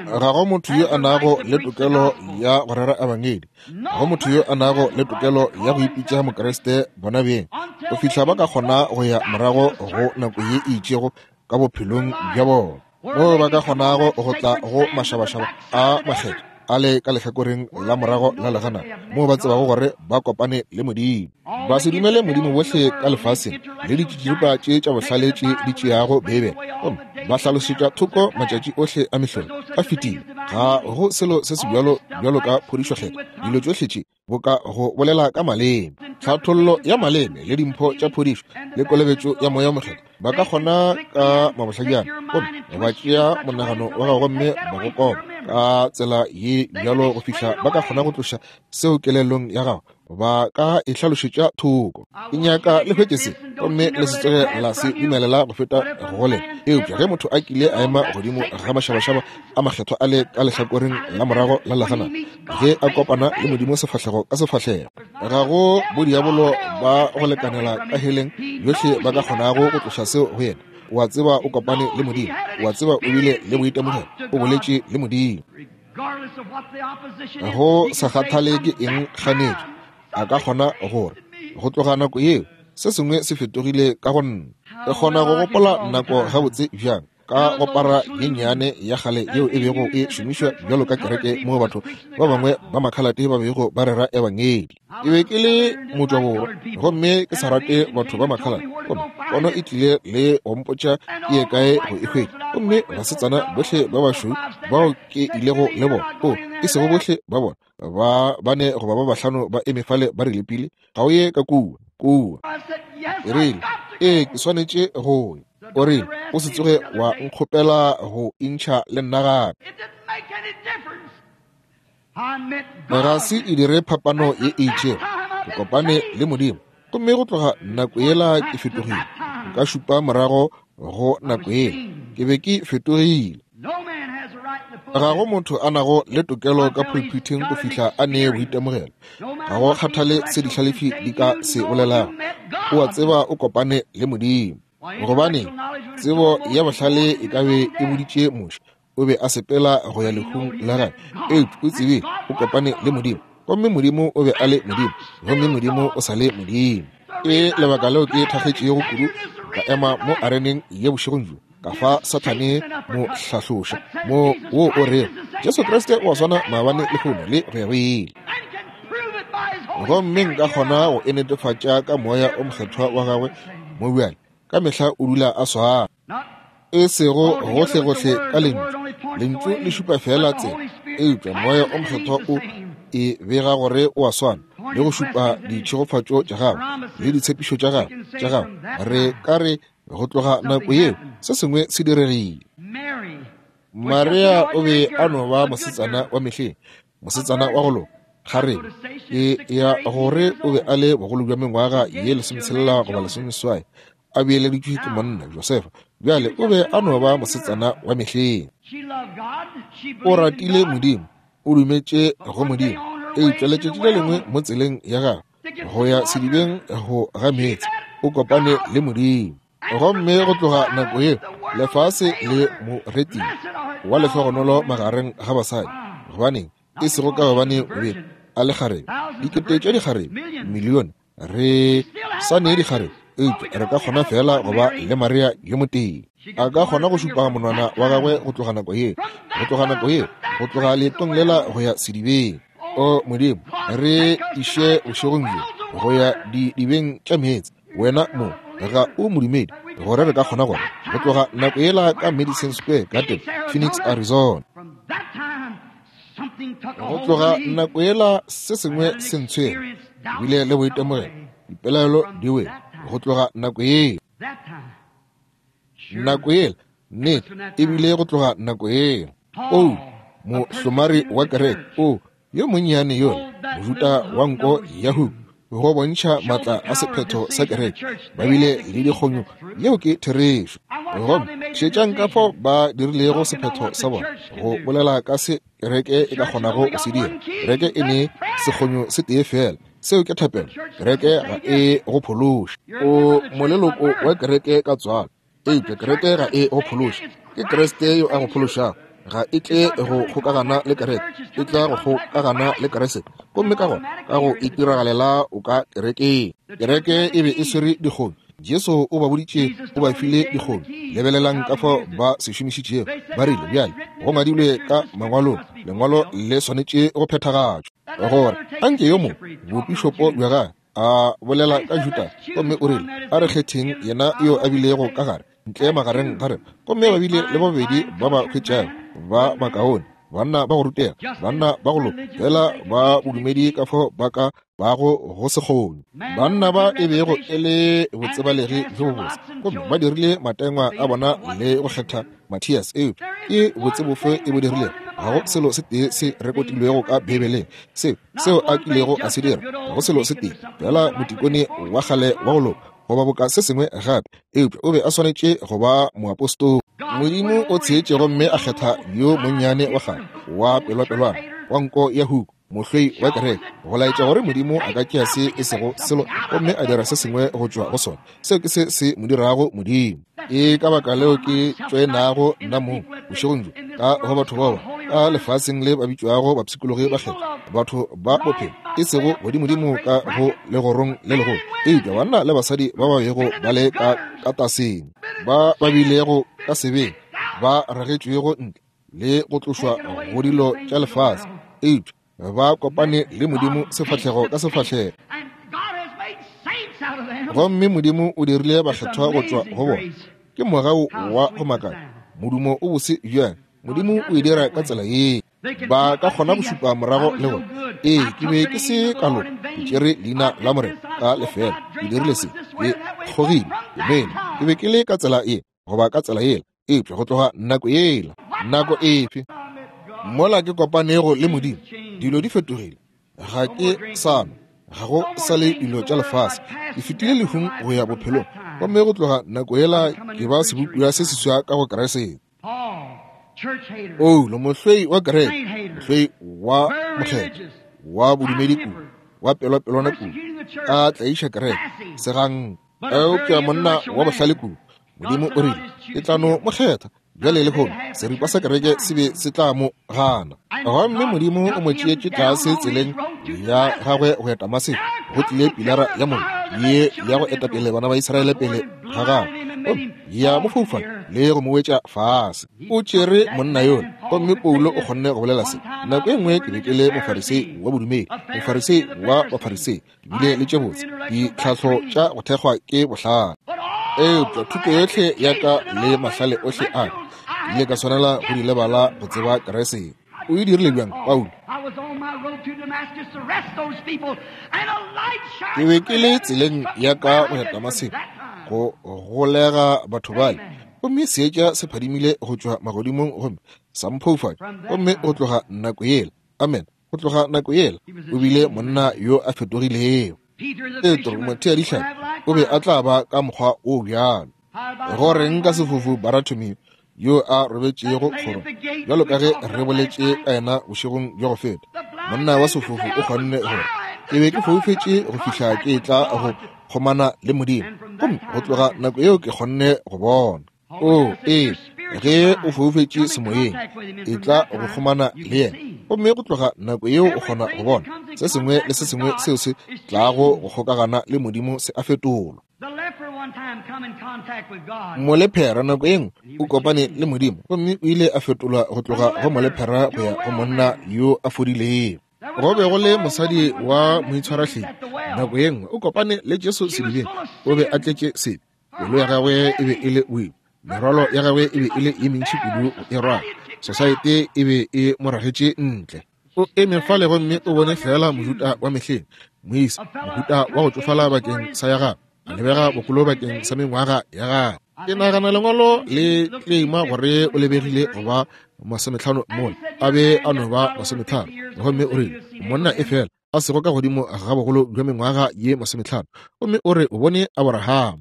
Ga go motho yo a nago le tokelo ya go rera ebangedi, ga go motho yo a nago le tokelo ya go ipitša Mokriste bona beng, go fihla ba ka kgona go ya morago go nako ye e itšego ka bophelong bja bona, moo ba ka kgonago go tla go mašabašaba a makgethwa a le ka lehlakoreng la morago la legana, moo ba tsebago gore ba kopane le Modimo. Ba se dumele Modimo bohle ka lefaseng le ditšitširipa tše tša bohlale tše di tšeago Beibele gomme ba hlalosetša thoko matšatši ohle a mehlolo a fetile. Ga go selo se se bjalo bjalo ka phodišo kgethwa. Dilo tšohle tše boka go bolela ka maleme, tlhathollo ya maleme le dimpho tša phodišo le kolobetšo ya Moya o Mokgethwa, ba ka kgona ka mabohlajana gomme ba tšea monagano wa gago gomme ba go kopa. ka tsela ye bjalo go fihla ba ka kgona go tloša seo kelellong ya gago, ba ka e hlalošetša thoko. Ke nyaka le hwetše se, gomme le se tsoge la se dumelela go feta go lena. Eupša ge motho a kile a ema godimo ga mašabašaba a makgethwa a le ka lehlakoreng la morago la leganata, ge a kopana le Modimo sefahlego ka sefahlego, ga go bodiabolo ba go lekanela ka heleng yohle ba ka kgonago go tloša seo go yena. O a tseba o kopane le Modimo, o a tseba o bile le boitemogelo, o boletše le Modimo. Go sa kgathale ke eng kganetšo, a ka kgona gore go tloga nako yeo se sengwe se fetogile ka go nna. Ke kgona go gopola nako gabotse bjang ka go para ye nnyane ya kgale yeo e bego e šomišwa bjalo ka kereke moo batho ba bangwe ba makhalate ba bego ba rera ebangedi. Ke be ke le motšwaborwa gomme ke sa rate batho ba makhalate, gomme pono e tlile le go mpotša ke ye kae go e hwetša. Gomme basetsana bohle ba bašweu bao ke ilego le bona, o e sego bohle ba bona, ba bane goba ba bahlano ba eme fale ba re lepile, ga o ye ka kua, kua. Ke rile, Ee, ke swanetše go ya. O rile, O se tsoge wa nkgopela go intšha le nna gape. Ga se e dire phapano ye e itšego. Ke kopane le Modimo, gomme go tloga nako yela ke fetogile. Nka šupa morago go nako yela, ke be ke fetogile. Ga go motho a nago le tokelo ka pulpithing go fihla a ne boitemogelo. Ga go kgathale se dihlalefi di ka se bolelago, o a tseba o kopane le Modimo. Gobane tsebo ya bohlale e ka be e boditše Moshe, o be a sepela go ya lehung la gagwe, eupša o tsebile o kopane le Modimo, gomme Modimo o be a le Modimo, gomme Modimo o sa le Modimo. Ke lebaka leo ke thakgetšego kudu ka ema mo areneng ye bošegong bjo, ka fa Sathane mo hlahloša mo wo o rego Jesu Kriste o a swana maabane, lehono le go ya go ile. Gomme nka kgona go e netefatša ka Moya o Mokgethwa wa gagwe mo bjale, ka mehla o dula a swana. E sego gohlegohle ka Lentšu, Lentšu le šupa feela tsela, eupša Moya o Mokgethwa o e bega gore o a swana le go šupa ditšhegofatšo tša gagwe le ditshepišo tša gagwe, tša gagwe. Re ka re go tloga nako yeo se sengwe se diregile. Maria o be a no ba mosetsana wa mehleng, mosetsana wa go loka, kgarebe e ya gore o be a le bogolo bja mengwaga ye 16 goba 18, a beeleditšwe ke monna Josefa. Bjale o be a no ba mosetsana wa mehleng. O ratile Modimo, o dumetše go Modimo, eupša letšatši le lengwe mo tseleng ya gagwe go ya sedibeng go ga meetse, o kopane le Modimo. Gomme go tloga nako yeo lefase le mo retile wa lehlogonolo magareng ga basadi. Gobaneng? E sego ka gobane o be a le kgarebe, dikete tša dikgarebe, milione, re sa ne dikgarebe, eupša re ka kgona feela go ba le Maria yo motee. A ka kgona go šupa monwana wa gagwe go tloga nako yeo, go tloga nako yeo, go tloga leetong lela go ya sedibeng. O Modimo, re iše bošegong bjo go ya didibeng tša meetse. Wena mo ga o modumedi, gore re ka kgona gore go tloga nako yela ka Madison Square Garden, Phoenix, Arizona. Go tloga nako yela se sengwe se ntshwere, bile le boitemogelo, dipelaelo di wele go tloga nako yela. Nako yela, nnete, e bile go tloga nako yela. Paulo, mohlomari wa kereke, o yo monnyane yola, Mojuda wa nko ya huku, go bontšha maatla a sephetho sa kereke, ba bile le dikgonyo. Yeo ke therešo. Gomme šetšang ka fao ba dirilego sephetho sa bona, go bolela ka se kereke e ka kgonago go se dira. Kereke e ne sekgonyo se tee feela, seo ke thapelo. Kereke ga e go phološe. O moleloko wa kereke ka tswalo, eupša kereke ga e go phološe. Ke Kriste yo a go phološago. Ga e tle go kgokagana le kereke, e tla go kgokagana le Kriste. Gomme ka gona ka go itiragalela o ka kerekeng. Kereke e be e swere dikgonyo. Jesu o ba boditše, o ba file dikgonyo. Lebelelang ka fao ba se šomišitšego. Ba rile, bjale, go ngwadilwe ka Mangwalong, Lengwalo le swanetše go phethagatšwa. Gore anke yo mongwe bopišopo bja gagwe a bolela ka Juda, gomme o rile, a re kgetheng yena yo a bilego ka gare, ntle magareng ga rena. Gomme ba bile le babedi ba ba hwetšago ba bakaone, banna ba go rutega, banna ba go loka, fela ba bodumedi ka fao ba ka bago go se kgone. Banna ba e bego e le botsebalegi bjo bobotse, gomme ba dirile matengwa a bona le go kgetha Mathias. Eupša ke botse bofe e bo dirilego? Ga go selo se tee se rekotilwego ka Beibeleng seo, seo a kilego a se dira. Ga go selo se tee, feela motikone wa kgale wa go loka, goba boka se sengwe gape, eupša o be a swanetše go ba moapostola. Modimo o tsheetše gomme a kgetha yo monnyane wa kgale, wa pelwapelwana, wa nko ya huku, mohloi wa kereke, go laetša gore Modimo a ka tšea se e sego selo gomme a dira se sengwe go tšwa go sona. Seo ke se se mo dirago Modimo. Ke ka baka leo ke tšoenago nna mong bošegong bjo ka go batho bao ka lefaseng le ba bitšwago bapshikologi ba kgethwa, batho ba bophelo, e sego godimodimo ka go legorong le legolo, eupša banna le basadi ba ba bego ba le ka kataseng, ba ba bilego ka sebeng, ba ragetšwego ntle le go tlošwa go dilo tša lefase, eupša ba kopane le Modimo sefahlego ka sefahlego. Gomme Modimo o dirile bakgethwa go tšwa go bona. Ke mogau wa go makatša, modumo o bose bjang. Modimo o e dira ka tsela ye. Ba ka kgona go šupa morago le gore, Ee, ke be ke se ka loka, ke tšere leina la Morena ka lefeela, ke dirile se, ke kgogile, ke nwele, ke be ke le ka tsela ye goba ka tsela yela. Eupša go tloga nako yela, nako efe mola ke kopanego le Modimo, dilo di fetogile. Ga ke sa nwa, ga go sa le dilo tša lefase. Ke fetile lehung go ya bophelong, gomme go tloga nako yela ke ba sebopiwa se seswa ka go Kriste. Paulo, mohloi wa kereke, mohloi wa mokgethwa, wa bodumedi kudu, wa pelwapelwana kudu, a tlaiša kereke, segang. Eupša monna wa bohlale kudu, Modimo o rile, Ke tla no mo kgetha. Bjale lehono, seripa sa kereke se be se tla mo gana. Gomme Modimo o mo tšeetše tlase tseleng ya gagwe go ya Damaseko, go tlile pilara ya mollo ye ya go etapele bana ba Israele pele ga gagwe, gomme ya mo foufatša le go mo wetša fase. O tšere monna yola, gomme Paulo o kgonne go bolela se. Nako e nngwe ke be ke le Mofarisei wa bodumedi, Mofarisei wa Bafarisei, ke bile le tše botse ditlhahlo tša go thekgwa ke bohlale, eupša thuto yohle ya ka le mahlale ohle a ka ile ka swanela go di lebala go tseba Kriste. O e dirile bjang, Paulo? Ke be ke le tseleng ya ka go ya Damaseko go golega batho bale, gomme seetša se phadimile go tšwa magodimong gomme sa mphoufatša, gomme go tloga nako yela, amen, Go tloga nako yela, o bile monna yo a fetogilego. Petro, motheadihlapi, o be a tla ba ka mokgwa o bjalo. Go reng ka sefofu Baratomeo yo a robetšego kgorong, bjalo ka ge re boletše ka yena bošegong bja go feta? Monna wa sefofu o kgonne gore, Ke be ke foufetše go fihla ke etla go kgomana le Modimo, gomme go tloga nako yeo ke kgonne go bona. O, ee, ge o foufetše semoyeng, e tla go kgomana le yena, gomme go tloga nako yeo o kgona go bona se sengwe le se sengwe seo se tlago go kgokagana le Modimo se a fetolwa. Molephera nako ye nngwe o kopane le Modimo, gomme o ile a fetolwa go tloga go molephera go ya go monna yo a fodilego. Go be go le mosadi wa moitshwarahlepi nako ye nngwe o kopane le Jesu sedibeng, o be a tletše sebe. Pelo ya gagwe e be e le boima, merwalo ya gagwe e be e le ye mentši kudu go e rwala. Sosaete e be e mo ragetše ntle. O eme fale gomme o bone feela Mojuda wa mehleng, moisa, mohuta wa go tšofala bakeng sa ya gagwe, a lebega bokolo bakeng sa mengwaga ya gagwe. Ke nagana Lengwalo le kleima gore o lebegile go ba masometlhano mola a be a no ba masometharo. Gomme o rile, Monna e fela a sego ka godimo ga bogolo bja mengwaga ye masometlhano, gomme o re o bone Aborahama.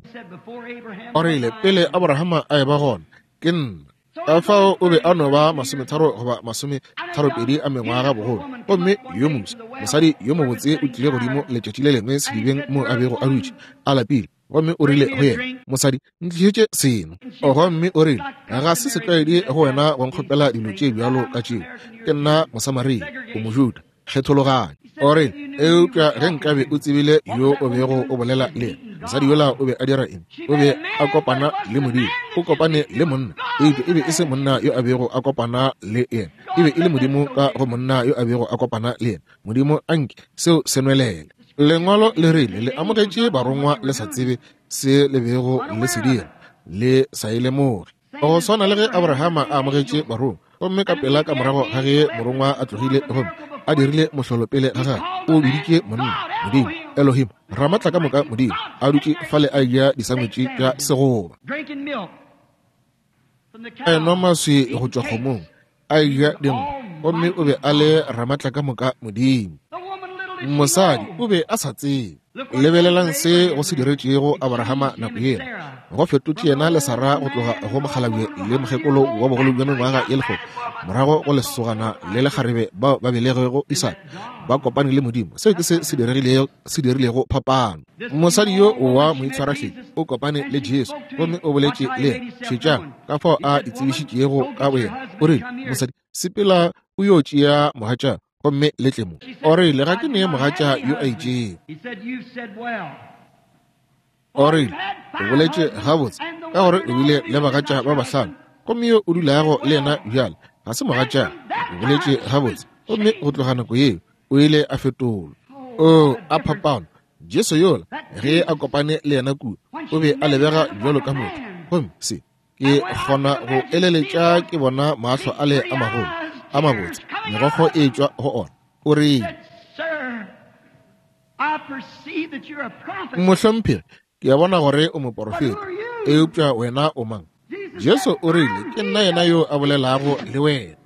O rile, Pele Aborahama a eba gona, ke nna. Ka fao o be a no ba masometharo goba masometharopedi a mengwaga bogolo. Gomme yo mofsa, mosadi yo mobotse o tlile godimo letšatši le lengwe sedibeng moo a bego a dutše, a lapile. Gomme o rile go yena, Mosadi, ntlišetše seno. Gomme o rile, Ga se setlwaedi go wena go nkgopela dilo tše bjalo ka tšeo. Ke nna Mosamaria, o Mojuda. Kgethologanyo. O rile, Eupša ge nkabe o tsebile yo o bego o bolela le yena! Mosadi yola o be a dira eng? O be a kopana le Modimo. O kopane le monna, eupša e be e se monna yo a bego a kopana le yena. E be e le Modimo ka go monna yo a bego a kopana le yena. Modimo, anke seo se nwelele. Lengwalo le rile le amogetše barongwa le sa tsebe se le bego le se dira, le sa e lemoge. Go swana le ge Abrahama a amogetše barongwa, gomme ka pela ka morago ga ge morongwa a tlogile gomme a dirile mohlolo pele ga gagwe, o biditše monna Modimo, Elohim, Ramatlakamoka Modimo, a dutše fale a eja disangwetši tša segoba, a enwa maswi go tšwa kgomong, a eja dinkgwa. Gomme o be a le Ramatlakamoka Modimo. Mosadi o be a sa tsebe. Lebelelang se go se diretšego Abrahama nako yela. Go fetotše yena le Sara go tloga go mokgalabje le mokgekolo wa bogolo bja mengwaga ye lekgolo, morago go lesogana le lekgarebe bao ba belegego Isaka, ba kopane le Modimo. Seo ke se se diregilego, se dirilego phapano. Mosadi yo wa moitshwarahledi o kopane le Jesu gomme o boletše le yena. Šetšang ka fao a itsebišitšego ka boyena. O rile, Mosadi, sepela o yo tšea mogatša gomme le tle mo. O rile, Ga ke ne mogatša yo a itšego. O rile, O boletše gabotse, ka gore o bile le bagatša ba bahlano, gomme yo o dulago le yena bjale ga se mogatša. O boletše gabotse. Gomme go tloga nako yeo o ile a fetolwa. O a phapano. Jesu yola, ge a kopane le yena kua, o be a lebega bjalo ka motho. Gomme se ke kgona go eleletša ke bona mahlo ale a magolo a mabotse, megokgo e tšwa go ona. O rile, Mohlomphegi, ke a bona gore o moporofeta, eupša wena o mang? Jesu o rile, Ke nna yena yo a bolelago le wena.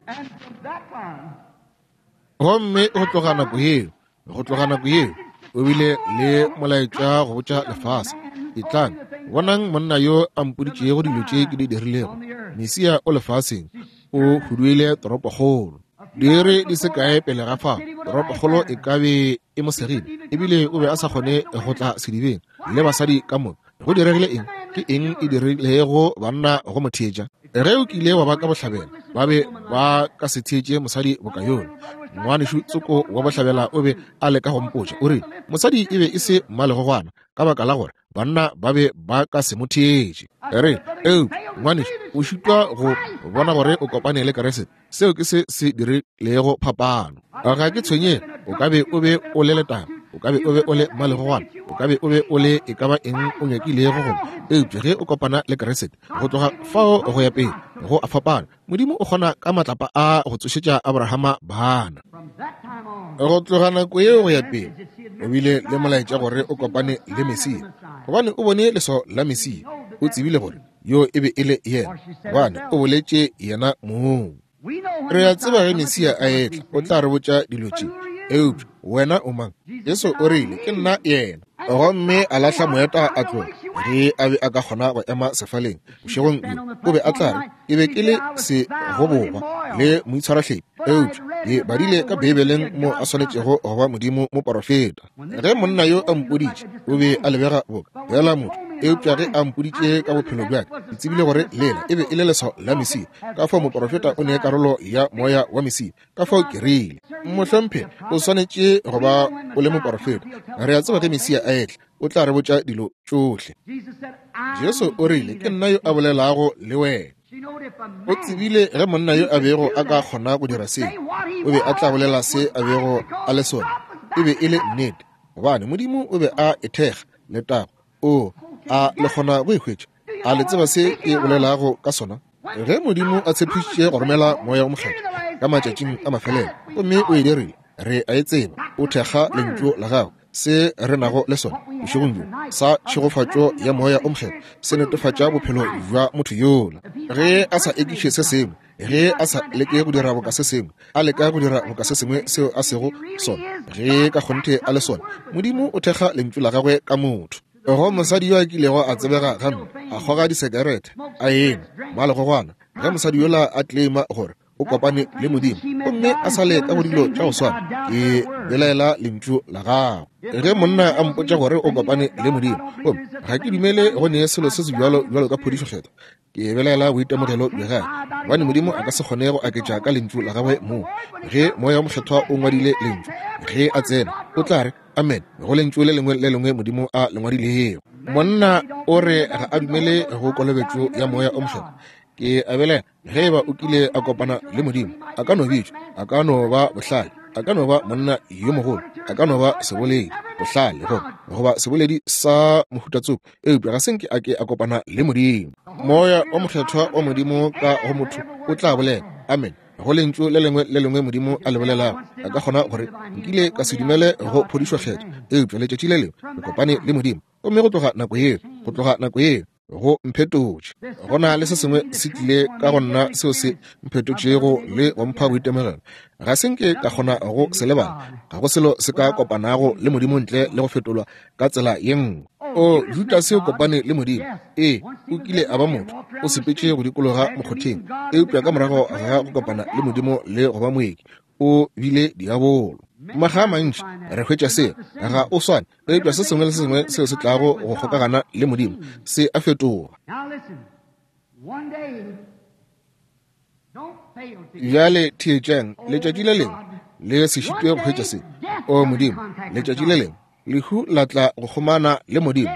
Gomme go tloga nako yeo, go tloga nako yeo, o bile le molaetša go botša lefase, Etlang, bonang monna yo a mpoditšego dilo tše ke di dirilego. Mesia o lefaseng, o huduile toropokgolo. Diiri di se kae pele ga fao, toropokgolo e ka be e mo segile, ebile o be a sa kgone go tla sedibeng le basadi ka moka. Go diregile eng? Ke eng e dirilego banna go mo theetša? Ge o kile wa ba ka bohlabela, ba be ba ka se theetše mosadi boka yola. Ngwanešu tsoko wa bohlabela o be a leka go mpotša, o rile, Mosadi e be e se mmalegogwana, ka baka la gore banna ba be ba ka se mo theetše. Re, eupša, ngwanešu, o šitwa go bona gore o kopane le Keresete. Seo ke se se dirilego phapano. Ga ke tshwenyege, o ka be o be o le letaba, o ka be o be o le mmalegogwana, o ka be o be o le e ka ba eng o nyakilego go, eupša ge o kopana le Keresete, go tloga fao go ya pele, go a fapana. Modimo o kgona ka matlapa a go tsošetša Abrahama bana. Go tloga nako yeo go ya pele, o bile le molaetša gore o kopane le Mesia, gobane o bone leswao la Mesia. O tsebile gore yo e be e le yena, gobane o boletše yena mong. Re a tseba ge Mesia a etla, o tla re botša dilo tše. Eupša wena o mang? Jesu o rile, Ke nna yena. Gomme a lahla moeta a tloga. Ge a be a ka kgona go ema sefaleng bošegong bjo, o be a tla re, Ke be ke le segobogwa le moitshwarahlepi, eupša ke badile ka Beibeleng mo a swanetšego go ba Modimo moporofeta. Ge monna yo a mpoditše, o be a lebega boka fela motho, eupša ge a mpoditše ka bophelo bja ka, ke tsebile gore lela e be e le leswao la Mesia. Ka fao moporofeta o ne karolo ya moya wa Mesia. Ka fao ke rile, Mohlomphegi, o swanetše go ba o le moporofeta. Re a tseba ge Mesia a etla, o tla re botša dilo tšohle. Jesu o rile, Ke nna yo a bolelago le wena. O tsebile ge monna yo a bego a ka kgona go dira seo, o be a tla bolela se a bego a le sona. E be e le nnete, gobane Modimo o be a e thekga. Letago! O a le kgona go e hwetša? A le tseba se ke bolelago ka sona? Ge Modimo a tshepišitše go romela Moya o Mokgethwa ka matšatšing a mafelelo, gomme o e dirile, re a e tseba, o thekga Lentšu la Gagwe. Se re nago le sona bošegong bjo sa tšhegofatšo ya Moya o Mokgethwa se netefatša bophelo bja motho yola. Ge a sa ekiše se sengwe, ge a sa leke go dira boka se sengwe, a leka go dira boka se sengwe seo a sego sona, ge ka kgonthe a le sona, Modimo o thekga Lentšu la Gagwe ka motho. Go mosadi yo a kilego a tsebega gampe, a kgoga disekerete, a enwa malegogwana, ge mosadi yola a claima gore o kopane le Modimo gomme a sa le ka go dilo tša go swana, ke belaela lentšu la gago. Ge monna a mpotša gore o kopane le Modimo, gomme ga ke dumele go ne selo se se bjalo bjalo ka phodišo kgethwa, ke belaela boitemogelo bja gagwe, gobane Modimo a ka se kgone go aketša ka lentšu la gagwe moo. Ge Moya wo Mokgethwa o ngwadile lentšu, ge a tsena, o tla re amen go lentšu le lengwe le lengwe Modimo a le ngwadilego. Monna o re ga a dumele go kolobetšo ya Moya o Mokgethwa. Ke a belaela ge eba o kile a kopana le Modimo. A ka no bitšwa, a ka no ba bohlale, a ka no ba monna yo mogolo, a ka no ba seboledi, bohlale, goba seboledi sa mohutatsoko, eupša ga se nke a ke a kopana le Modimo. Moya o Mokgethwa wa Modimo ka go motho o tla bolela amen go lentšu le lengwe le lengwe Modimo a le bolelago. A ka kgona gore, Nkile ka se dumele go phodišo kgethwa, eupša letšatši le lengwe ke kopane le Modimo, gomme go tloga nako yeo, go tloga nako yeo. Go mphetotše. Go na le se sengwe se tlile ka go nna seo se mphetotšego le go mpha boitemogelo. Ga se nke ka kgona go se lebala. Ga go selo se ka kopanago le Modimo ntle le go fetolwa ka tsela ye nngwe. O, Judase o kopane le Modimo. Ee, o kile a ba motho. O sepetše go dikologa mokgotheng. Eupša ka morago ga go kopana le Modimo le go ba moeki, o bile diabolo. Makga a mantši re hwetša seo. Ga o swane, eupša se sengwe le se sengwe seo se tlago go kgokagana le Modimo se a fetoga. Bjale theetšang, letšatši le lengwe le se šitwe go hwetša se. O Modimo, letšatši le lengwe lehu la tla go kgomana le Modimo.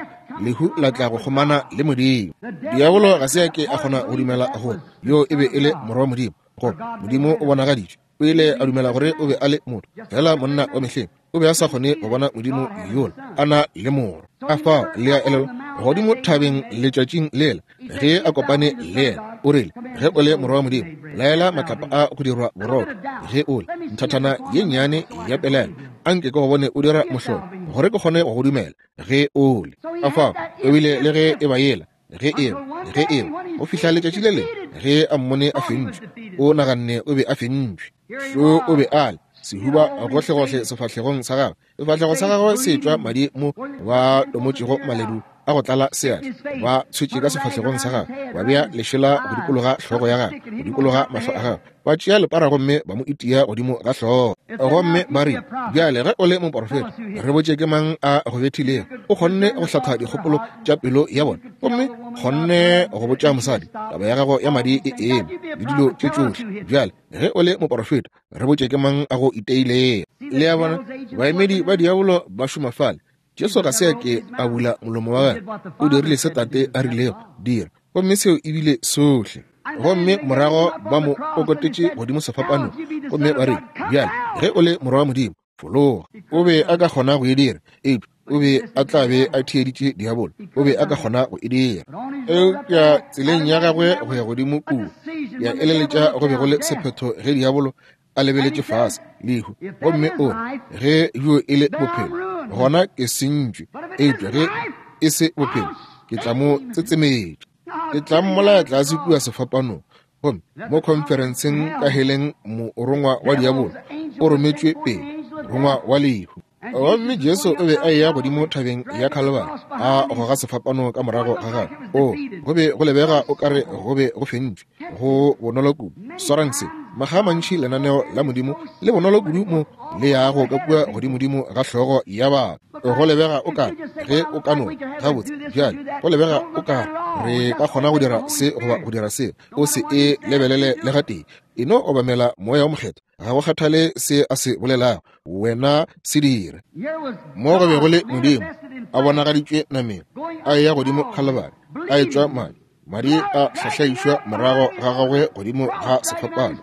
Lehu la tla go kgomana le Modimo. Diabolo ga se a ke a kgona go dumela gore yo e be e le Morwa wa Modimo, gore Modimo o bonagaditšwe. O ile a dumela gore o be a le motho, fela monna wa mehleng. O be a sa kgone go bona Modimo yola a na le morwa. Ka fao le a elelwa godimo thabeng letšatšing lela ge a kopane le yena, o rile, Ge o le morwa wa Modimo, laela matlapa a go dirwa borotho. Ge o le nthathana ye nnyane ya pelaelo, a nke ke go bone o dira mohlolo gore ke kgone go go dumela. Ge o le. Ka fao o bile le ge e ba yela ge eo ge eo go fihla letšatši le lengwe ge a mmone a fentšwe, o naganne o be a fentšwe. Šo o be a le sehuba gohlegohle sefahlegong sa gagwe, sefahlego sa gagwe se tšwa madi mo ba tomotšego maledu a go tlala seatla, ba tshwetše ka sefahlegong sa gagwe, ba bea lešela go dikologa hlogo ya gagwe, go dikologa mahlo a gagwe, ba tšea lepara gomme ba mo itia godimo ga hlogo, gomme ba rile, Bjale ge o le moporofeta, re botše ke mang a go bethilego. O kgonne go hlatha dikgopolo tša pelo ya bona, gomme kgonne go botša mosadi taba ya gago ya madi e eme le dilo tše tšohle. Bjale ge o le moporofeta, re botše ke mang a go iteilego. Le a bona, baemedi ba diabolo ba šoma fale. Jesu ga se a ke a bula molomo wa gagwe, o dirile se Tate a rilego dira, gomme seo e bile sohle. Gomme morago ba mo kokotetše godimo sefapanong, gomme ba re, Bjale, ge o le morwa wa Modimo, fologa. O be a ka kgona go e dira, eupša o be a tla be a theeditše diabolo. O be a ka kgona go e dira. Eupša tseleng ya gagwe go ya godimo kua, ya eleletša go be go le sephetho ge diabolo a lebeletše fase lehu, gomme o re, Ge bjo e le bophelo, gona ke sentšwe, eupša ge e se bophelo, ke tla mo tsetsemetša, ke tla mmolaya tlase kua sefapanong. Gomme mo khonferenseng ka heleng, morongwa wa diabolo o rometšwe pele, morongwa wa lehu. Gomme Jesu o be a eya godimo thabeng ya Khalibari, a goga sefapano ka morago ga gagwe. O, go be go lebega o ka re go be go fentšwe, go bonolo kudu. Swarang se, makga a mantši lenaneo la Modimo le bonolo kudu mo le yago ka kua godimodimo ga hlogo ya batho. Go lebega o ka ge o ka no gabotse bjale, go lebega o ka re ka kgona go dira se goba go dira se, o se e lebelele le gatee. E no obamela Moya wo Mokgethwa, ga go kgathale se a se bolelago, wena se dire. Mo go be go le Modimo a bonagaditšwe nameng, a eya godimo Khalibari, a etšwa madi, madi a hlahlaišwa morago ga gagwe godimo ga sefapano,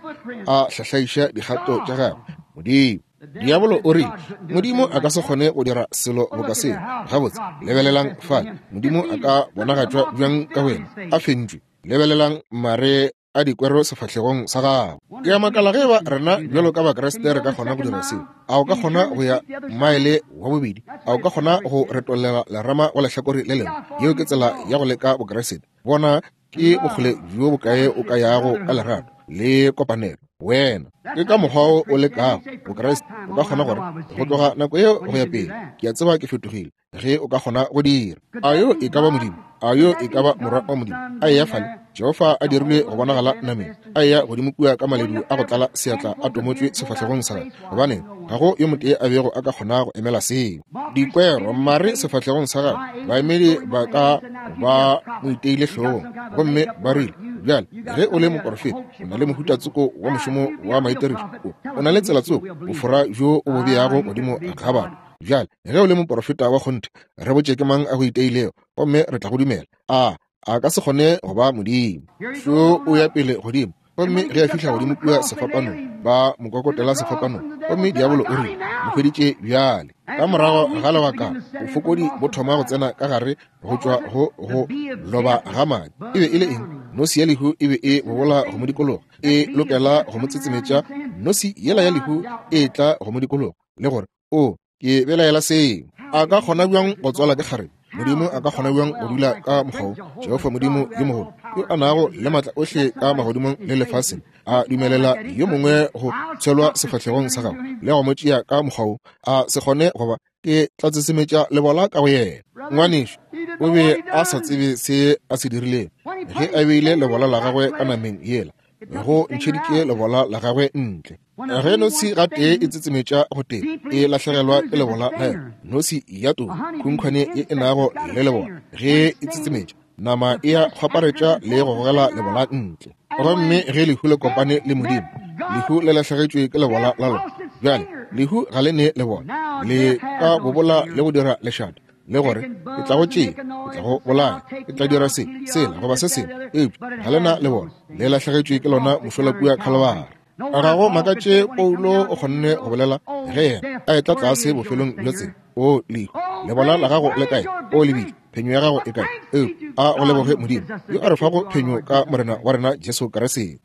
a hlahlaiša dikgato tša gagwe. Modimo. Diabolo o rile, Modimo a ka se kgone go dira selo boka seo. Gabotse, lebelelang fale, Modimo a ka bonagatšwa bjang ka wena a fentšwe? Lebelelang mare a dikwero sefahlegong sa gago. Ke a makala ge eba rena bjalo ka Bakriste re ka kgona go dira seo. A o ka kgona go ya maele wa bobedi? A o ka kgona go retollela lerama go lehlakore le lengwe? Yeo ke tsela ya go leka Bokriste. Bona ke bokgole bjo bokae o ka yago ka lerato le kopanelo. Wena ke ka mokgwa o o lekago Bokriste. O ka kgona gore go tloga nako yeo go ya pele, ke a tseba ke fetogile. Ge o ka kgona go dira. A yo e ka ba Modimo? A yo e ka ba Morwa wa Modimo? A eya fale, Jehofa a dirilwe go bonagala nameng, a eya godimo kua ka maledu a go tlala seatla a tomotšwe sefahlegong sa gagwe. Gobaneng, ga go yo motee a bego a ka kgona go emela seo. Dikwero, mare sefahlegong sa gagwe, baemedi ba ka ba mo iteile hlogong, gomme ba rile, Bjale, ge o le moporofeta, o na le mohuta tsoko wa mošomo wa maitirišo, o na le tsela tsoko, bofora bjo o bo beago godimo ga batho. Bjale, ge o le moporofeta wa kgonthe, re botše ke mang a go iteilego, gomme re tla go dumela. A a ka se kgone go ba Modimo. Šo o ya pele godimo, gomme ge a fihla godimo kua sefapanong, ba mo kokotela sefapanong, gomme diabolo o rile, Mo hweditše bjale. Ka morago ga lebaka, bofokodi bo thoma go tsena ka gare go tšwa go go loba ga madi. E be e le eng? Nosi ya lehu e be e bobola go mo dikologa, e lokela go mo tsetsemetša. Nosi yela ya lehu e tla go mo dikologa, le gore, O, ke belaela seo. A ka kgona bjang go tswala ke kgarebe? Modimo a ka kgona bjang go dula ka mokgwa wo? Jehofa Modimo yo mogolo, yo a nago le maatla ohle ka magodimong le lefaseng, a dumelela yo mongwe go tshelwa sefahlegong sa gagwe le go mo tšea ka mokgwa wo, a se kgone goba ke tla tsesemetša lebola ka go yena. Ngwanešu o be a sa tsebe se a se dirilego ge a beile lebola la gagwe ka nameng yela, go ntšheditše lebola la gagwe ntle. Ge nosi gatee e tsetsemetša go tee, e lahlegelwa ke lebola la yona. Nosi ya too, khunkhwane ye e nago le lebola, ge e tsetsemetša, nama e a kgwaparetša le go gogela lebola ntle. Gomme ge lehu le kopane le Modimo, lehu le lahlegetšwe ke lebola la lona. Bjale, lehu ga le ne lebola, le ka bobola le go dira lešata, le gore ke tla go tšea, ke tla go bolaya, ke tla dira se, sela, goba se sengwe, eupša ga le na lebola, le lahlegetšwe ke lona mošola kua Khalibari. Ga go makatše Paulo o kgonne go bolela ge yena a etla tlase bofelong bja tsela, O lehu, lebola la gago le kae? O lebitla, phenyo ya gago e kae? Eupša a go leboge Modimo yo a re fago phenyo ka Morena wa rena Jesu Kriste.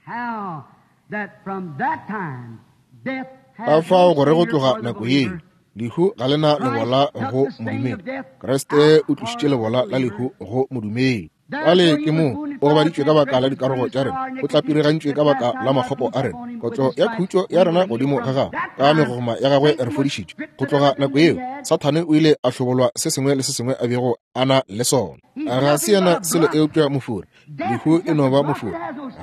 Ka fao gore go tloga nako yeo lehu ga le na lebola go modumedi. Kriste o tlošitše lebola la lehu go modumedi. Bjale ke moo o gobaditšwe ka baka la dikarogo tša rena, o tlapirigantšwe ka baka la makgopo a rena. Kotlo ya khutšo ya rena godimo ga gagwe, ka megogoma ya gagwe re fodišitšwe. Go tloga nako yeo, Sathane o ile a hlobolwa se sengwe le se sengwe a bego a na le sona. Ga se yena selo eupša mofori. Lehu e no ba mofori,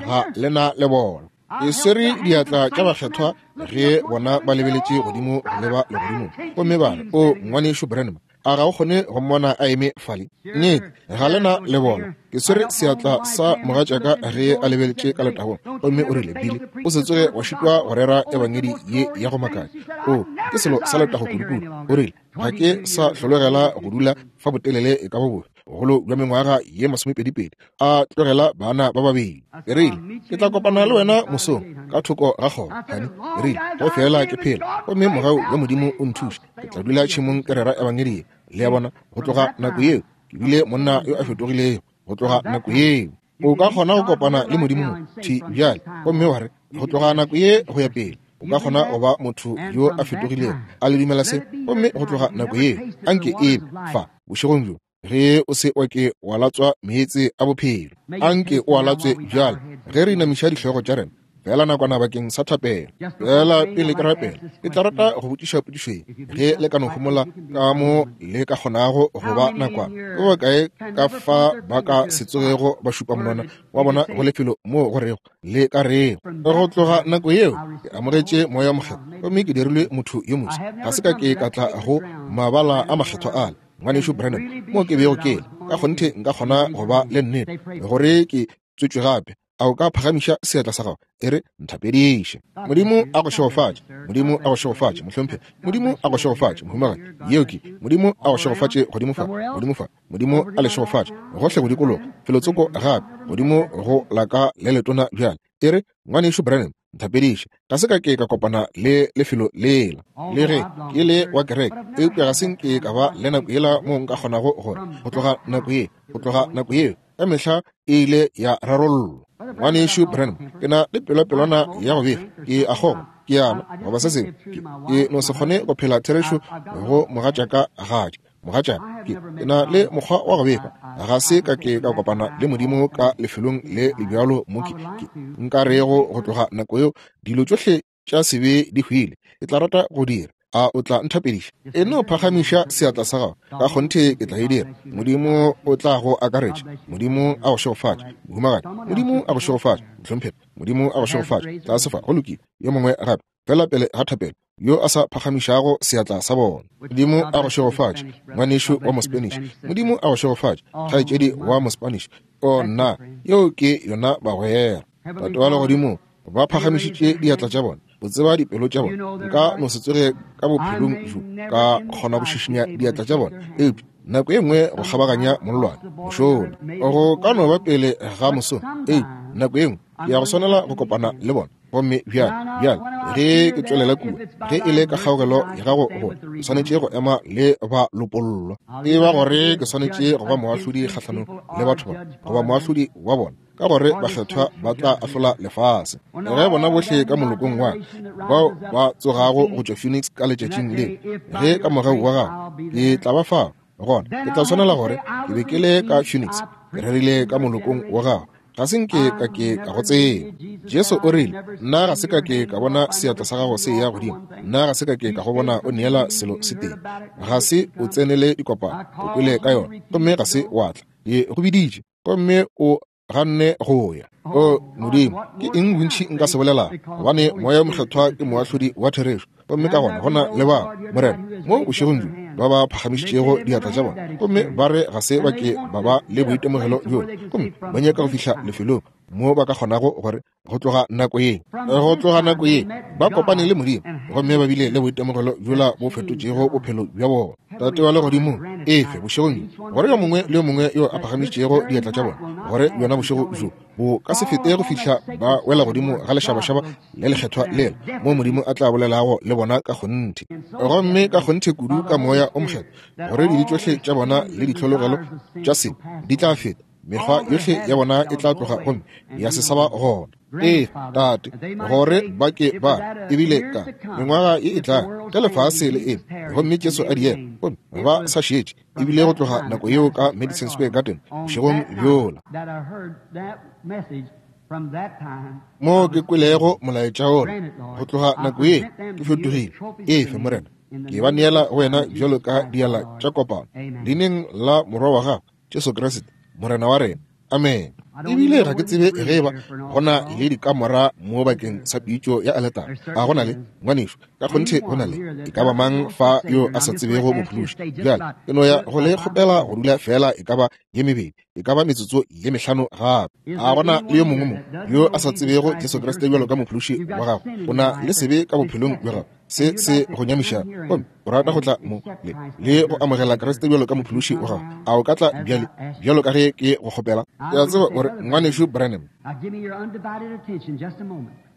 ga le na le bona. E swere diatla tša bakgethwa ge bona ba lebeletše godimo go leba legodimong, gomme ba re, O Ngwanešu Branham, a ga o kgone go mmona a eme fale? Nnete, ga le na le bona. Ke swere seatla sa mogatšaka ge a lebeletše ka letagong, gomme o rile, Billy, o se tsoge wa šitwa go rera ebangedi ye ya go makatša. O, ke selo sa letago kudukudu. O rile, Ga ke sa hlologela go dula fa botelele e ka ba bofe, bogolo bja mengwaga ye masomepedipedi, a tlogela bana ba babedi. Ke rile, Ke tla kopana le wena mosong ka thoko ga kgoro, honey. Ke rile, Ge feela ke phela gomme mogau wa Modimo o nthuša, ke tla dula tšhemong ke rera ebangedi ye. Le a bona, go tloga nako yeo ke bile monna yo a fetogilego. Go tloga nako yeo o ka kgona go kopana le Modimo mo thi bjale, gomme wa re, go tloga nako ye go ya pele o ka kgona go ba motho yo a fetogilego. A le dumela se? Gomme go tloga nako yeo anke e be fa bošegong bjo, ge o se wa ke wa latswa meetse a bophelo, anke o a latswe bjale ge re inamiša dihlogo tša rena feela nakwana bakeng sa thapelo. Feela pele ke rapela, ke tla rata go botšiša potšišo ye, ge le ka no homola ka mo le ka kgonago go ba nakwana. Ke bokae ka fa ba ka se tsogego ba šupa monwana wa bona go lefelo moo go rego le ka rego? Go tloga nako yeo ke amogetše Moya wo Mokgethwa gomme ke dirilwe motho yo moswa. Ga se ka ke ka tla go mabala a makgethwa ale, Ngwanešu Branham, moo ke bego ke le. Ka kgonthe nka kgona go ba le nnete gore ke tswetšwe gape. A o ka phagamiša seatla sa gago e re, Nthapediše. Modimo a go šegofatše. Modimo a go šegofatše, mohlomphegi. Modimo a go šegofatše, mohumagadi. Yeo ke, Modimo a go šegofatše godimo fa, godimo fa. Modimo a le šegofatše gohle go dikologa, felotsoko gape, godimo go la ka le letona bjale. E re, Ngwanešu Branham, nthapediše. Ga se ka ke ka kopana le lefelo lela, le ge ke le wa kereke, eupša ga se nke ka ba le nako yela moo nka kgonago gore go tloga nako ye, go tloga nako yeo, ka mehla e ile ya rarollwa. Ngwanešu Branham, ke na le pelopelwana ya go befa, ke a kgongwa, ke a nwa, goba se sengwe. Ke, ke no se kgone go phela therešo go mogatšaka gadi. Mogatšaka, ke, ke na le mokgwa wa go befa. Ga se ka ke ka kopana le Modimo ka lefelong le le bjalo mo ke, ke nka rego go tloga nako yeo dilo tšohle tša sebe di hwile. Ke tla rata go dira. A o tla nthapediša? E no phagamiša seatla sa gago. Ka kgonthe ke tla e dira. Modimo o tla go akaretša. Modimo a go šegofatše, mohumagadi. Modimo a go šegofatše, mohlomphegi. Modimo a go šegofatše. Tlase fa. Go lokile. Yo mongwe gape, feela pele ga thapelo, yo a sa phagamišago seatla sa bona. Modimo a go šegofatše, ngwanešu wa Mospanish. Modimo a go šegofatše, kgaetšedi wa Mospanish. O nna, yeo ke yona bagwera. Tate wa Legodimo, ba phagamišitše diatla tša bona, o tseba dipelo tša bona. Nka no se tsoge ka bophelong bjo ka kgona go šišinya diatla tša bona, eupša nako e nngwe go kgabaganya mollwane mošola go ka no ba pele ga moso, eupša nako e nngwe ke ya go swanela go kopana le bona. Gomme bjale, bjale ge ke tšwelela kua, ge e le ka kgaogelo ya gago go ke swanetše go ema le ba lopollwa, e ba gore ke swanetše go ba moahlodi kgahlanong le batho ba, goba moahlodi wa bona, ka gore bakgethwa ba tla ahlola lefase. Ge bona bohle ka molokong wa bao ba tsogago go tšwa Phoenix ka letšatšing le, ge ka mogau wa gago ke tla ba fao. Gona ke tla swanela gore ke be ke le ka Phoenix, ke rerile ka molokong wa gago. Ga se nke ka ke ka go tseba. Jesu o rile, Nna ga se ka ke ka bona seatla sa gago se eya godimo. Nna ga se ka ke ka go bona o neela selo se tee. Ga se o tsenele dikopano, o kwele ka yona, gomme ga se wa tla. Ke go biditše, gomme o ganne go ya. O Modimo, ke eng bontši nka se bolelago? Gobane Moya wo Mokgethwa ke moahlodi wa therešo. Gomme ka gona go na le bao, Morena, mo bošegong bjo, ba ba phagamišitšego diatla tša bona, gomme ba re ga se ba ke ba ba le boitemogelo bjola, gomme ba nyaka go fihla lefelong mo ba ka kgonago gore go tloga nako ye, go tloga nako ye, ba kopane le Modimo, gomme ba bile le boitemogelo bjola bo fetotšego bophelo bja bona. Tate wa Legodimong, efe bošegong bjo, gore yo mongwe le yo mongwe yo a phagamišitšego diatla tša bona, gore bjona bošego bjo bo ka se fete go fihla ba wela godimo ga lešabašaba le lekgethwa lela, moo Modimo a tla bolelago le bona ka kgonthe, gomme ka kgonthe kudu ka Moya o Mokgethwa, gore dibe tšohle tša bona le ditlhologelo tša sebe di tla feta, mekgwa yohle ya bona e tla tloga gomme ya se sa ba gona. Ee, Tate, gore ba ke ba ebile ka mengwaga ye e tla ge lefase le eme gomme Jesu a diela, gomme ba sa šetše ebile go tloga nako yeo ka Madison Square Garden bošegong bjola mo ke kwelego molaetša wola, go tloga nako ye ke fetogile. Efe, Morena, ke ba neela go wena bjalo ka diala tša kopano, leineng la Morwa wa gago Jesu Kriste, Morena wa rena. Amen. Ebile ga ke tsebe ge eba go na le dikamora mo bakeng sa pitšo ya aletara. A go na le, ngwanešu? Ka kgonthe go na le. E ka ba mang fa yo a sa tsebego Mophološi? Bjale ke no ya go le kgopela go dula feela e ka ba ye mebedi, e ka ba metsotso ye mehlano gape. A go na le yo mongwe mo yo a sa tsebego Jesu Kriste bjalo ka Mophološi wa gago? O na le sebe ka bophelong bja gago, se se go nyamišago, gomme o rata go tla mo le, le go amogela Kriste bjalo ka Mophološi wa gago, a o ka tla bjale, bjalo ka ge ke go kgopela? Ke a tseba gore Ngwanešu Branham.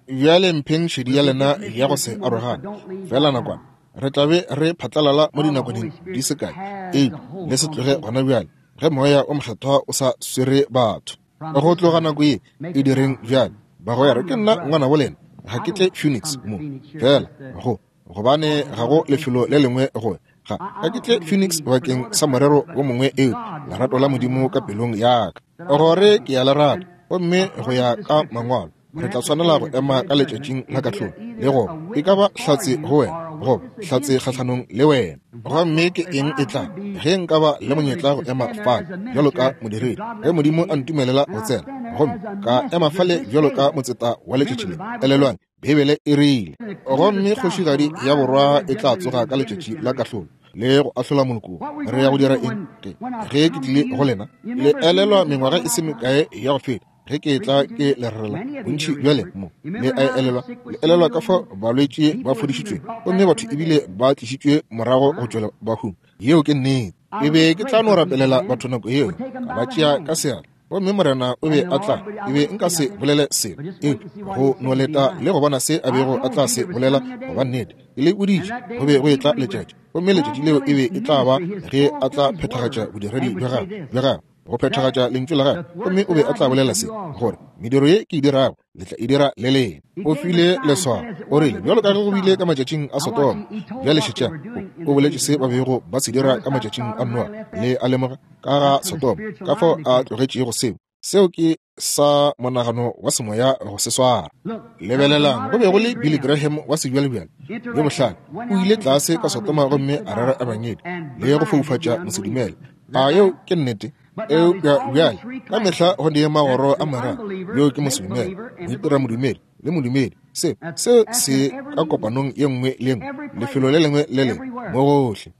Bjale mpheng šedi ya lena ya go se arogane, feela nakwana. Re tla be re phatlalala mo dinakwaneng di se kae, eupša le se tloge gona bjale, ge Moya o Mokgethwa o sa swere batho. Go tloga nako ye e direng bjale, bagwera, ke nna ngwanabo lena, ga ke tle Phoenix mo, feela go, gobane ga go lefelo le lengwe go ga ga ke tle Phoenix bakeng sa morero wo mongwe eupša lerato la Modimo ka pelong ya ka, gore ke ya le rata, gomme go ya ka Mangwalo re tla swanela go ema ka letšatšing la kahlolo le go e ka ba hlatse go wena goba hlatse kgahlanong le wena. Gomme ke eng e tla ge nka ba le monyetla go ema fale bjalo ka modiredi, ge Modimo a ntumelela go tsena gomme ka ema fale bjalo ka motseta wa letšatši le? Elelwang, Beibele e rile, Gomme kgošigadi ya borwa e tla tsoga ka letšatši la kahlolo le go ahlola moloko. Re ya go dira eng ge ke tlile go lena? Le elelwa mengwaga e se mekae ya go feta ge ke etla ke le rerela bontši bja lena mo, le a elelwa, le elelwa ka fao balwetši ba fodišitšweng gomme batho ebile ba tlišitšwe morago go tšwela bahung. Yeo ke nnete. Ke be ke tla no rapelela batho nako yeo, ka ba tšea ka seatla, gomme Morena o be a tla, ke be nka se bolele selo eupša go no leta le go bona se a bego a tla se bolela go ba nnete. Ke le boditše go be go etla letšatši, gomme letšatši leo e be e tla ba ge a tla phethagatša bodiredi bja gagwe, bja gagwe, go phethagatša lentšu la gagwe, gomme o be a tla bolela se, gore mediro ye ke e dirago le tla e dira le lena. O file leswao, o rile, bjalo ka ge go bile ka matšatšing a Sodoma. Bjale šetšang, o boletše se ba bego ba se dira ka matšatšing a Noa, le a lemoga ka ga Sodoma, ka fao a tlogetšego seo. Seo ke sa monagano wa semoya go se swara. Lebelelang, go be go le Billy Graham wa sebjalebjale yo bohlale, o ile tlase ka Sodoma gomme a rera ebangedi le go foufatša mosedumele. A yeo ke nnete? Eupša bjale ka mehla go ne magoro a mararo, yo ke mosedumele, moitiramodumedi le modumedi. Se, se se ka kopanong ye nngwe le ye nngwe, lefelo le lengwe le lengwe, mo gohle.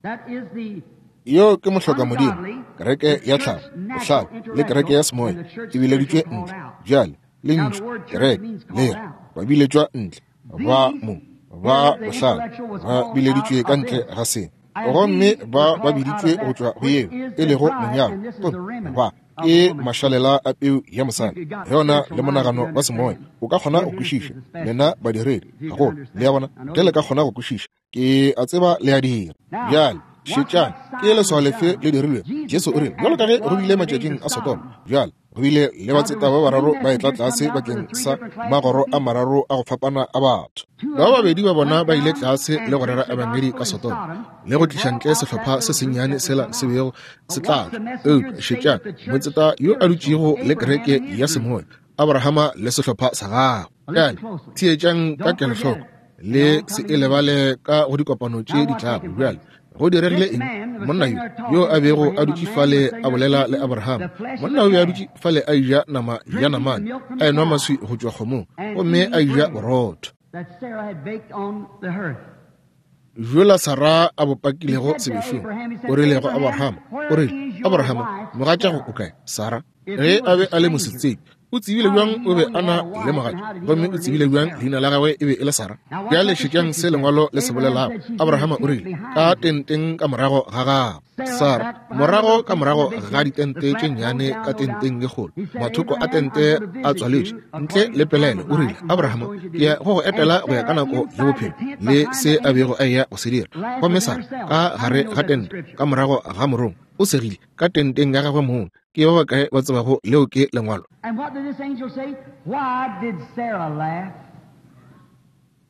Yo ke mohlokamodimo, kereke ya tlhago, bohlale, le kereke ya semoya e bileditšwe ntle. Bjale, lentšu kereke le re ba biletšwa ntle, ba mo ba bohlale ba bileditšwe ka ntle ga se, gomme ba ba biditšwe go tšwa go yeo e lego monyalo, gomme ba ke mašalela a peu ya mosadi. Ge o na le monagano wa semoya, o ka kgona go kwešiša. Lena badiredi, gagolo, le a bona, ge le ka kgona go kwešiša, ke a tseba le a dira. Bjale šetšang, ke leswao lefe le dirilwego? Jesu o rile, bjalo ka ge go bile matšatšing a Sodoma. Bjale Go bile le batseta ba bararo ba etla tlase bakeng sa magoro a mararo a go fapana a batho. Ba babedi ba bona ba ile tlase le go rera ebangedi ka Sodoma, le go tliša ntle sehlopha se sennyane sela se bego se tla tla. Eupša šetšang motseta yo a dutšego le kereke ya semoya, Abrahama le sehlopha sa gagwe. Bjale theetšang ka kelohloko, le se e lebale ka go dikopano tše di tlago. Bjale go diregile eng? Monna yo yo a bego a dutše fale a bolela le Abraham, monna o be a dutše fale a eja nama ya namane, a enwa maswi go tšwa kgomong, gomme a eja borotho bjola Sara a bo pakilego sebešong. O rile go Abraham, o rile, Abraham, mogatšago o kae? Sara, ge a be a le mosetsebje, o tsebile bjang o be a na le mogatša, gomme o tsebile bjang leina la gagwe e be e le Sara? Bjale šetšang se lengwalo le se bolelago. Abrahama o rile, ka tenteng ka morago ga gagwe, Sara, morago ka morago ga ditente tše nnyane ka tenteng ye kgolo, mathoko a tente a tswaletše, ntle le pelaelo, o rile, Abrahama, ke ya go go etela go ya ka nako ya bophelo le se a bego a eya go se dira. Gomme Sara, ka gare ga tente, ka morago ga morongwa, o segile ka tenteng ya gagwe mong. Ke ba bakae ba tsebago leo ke lengwalo?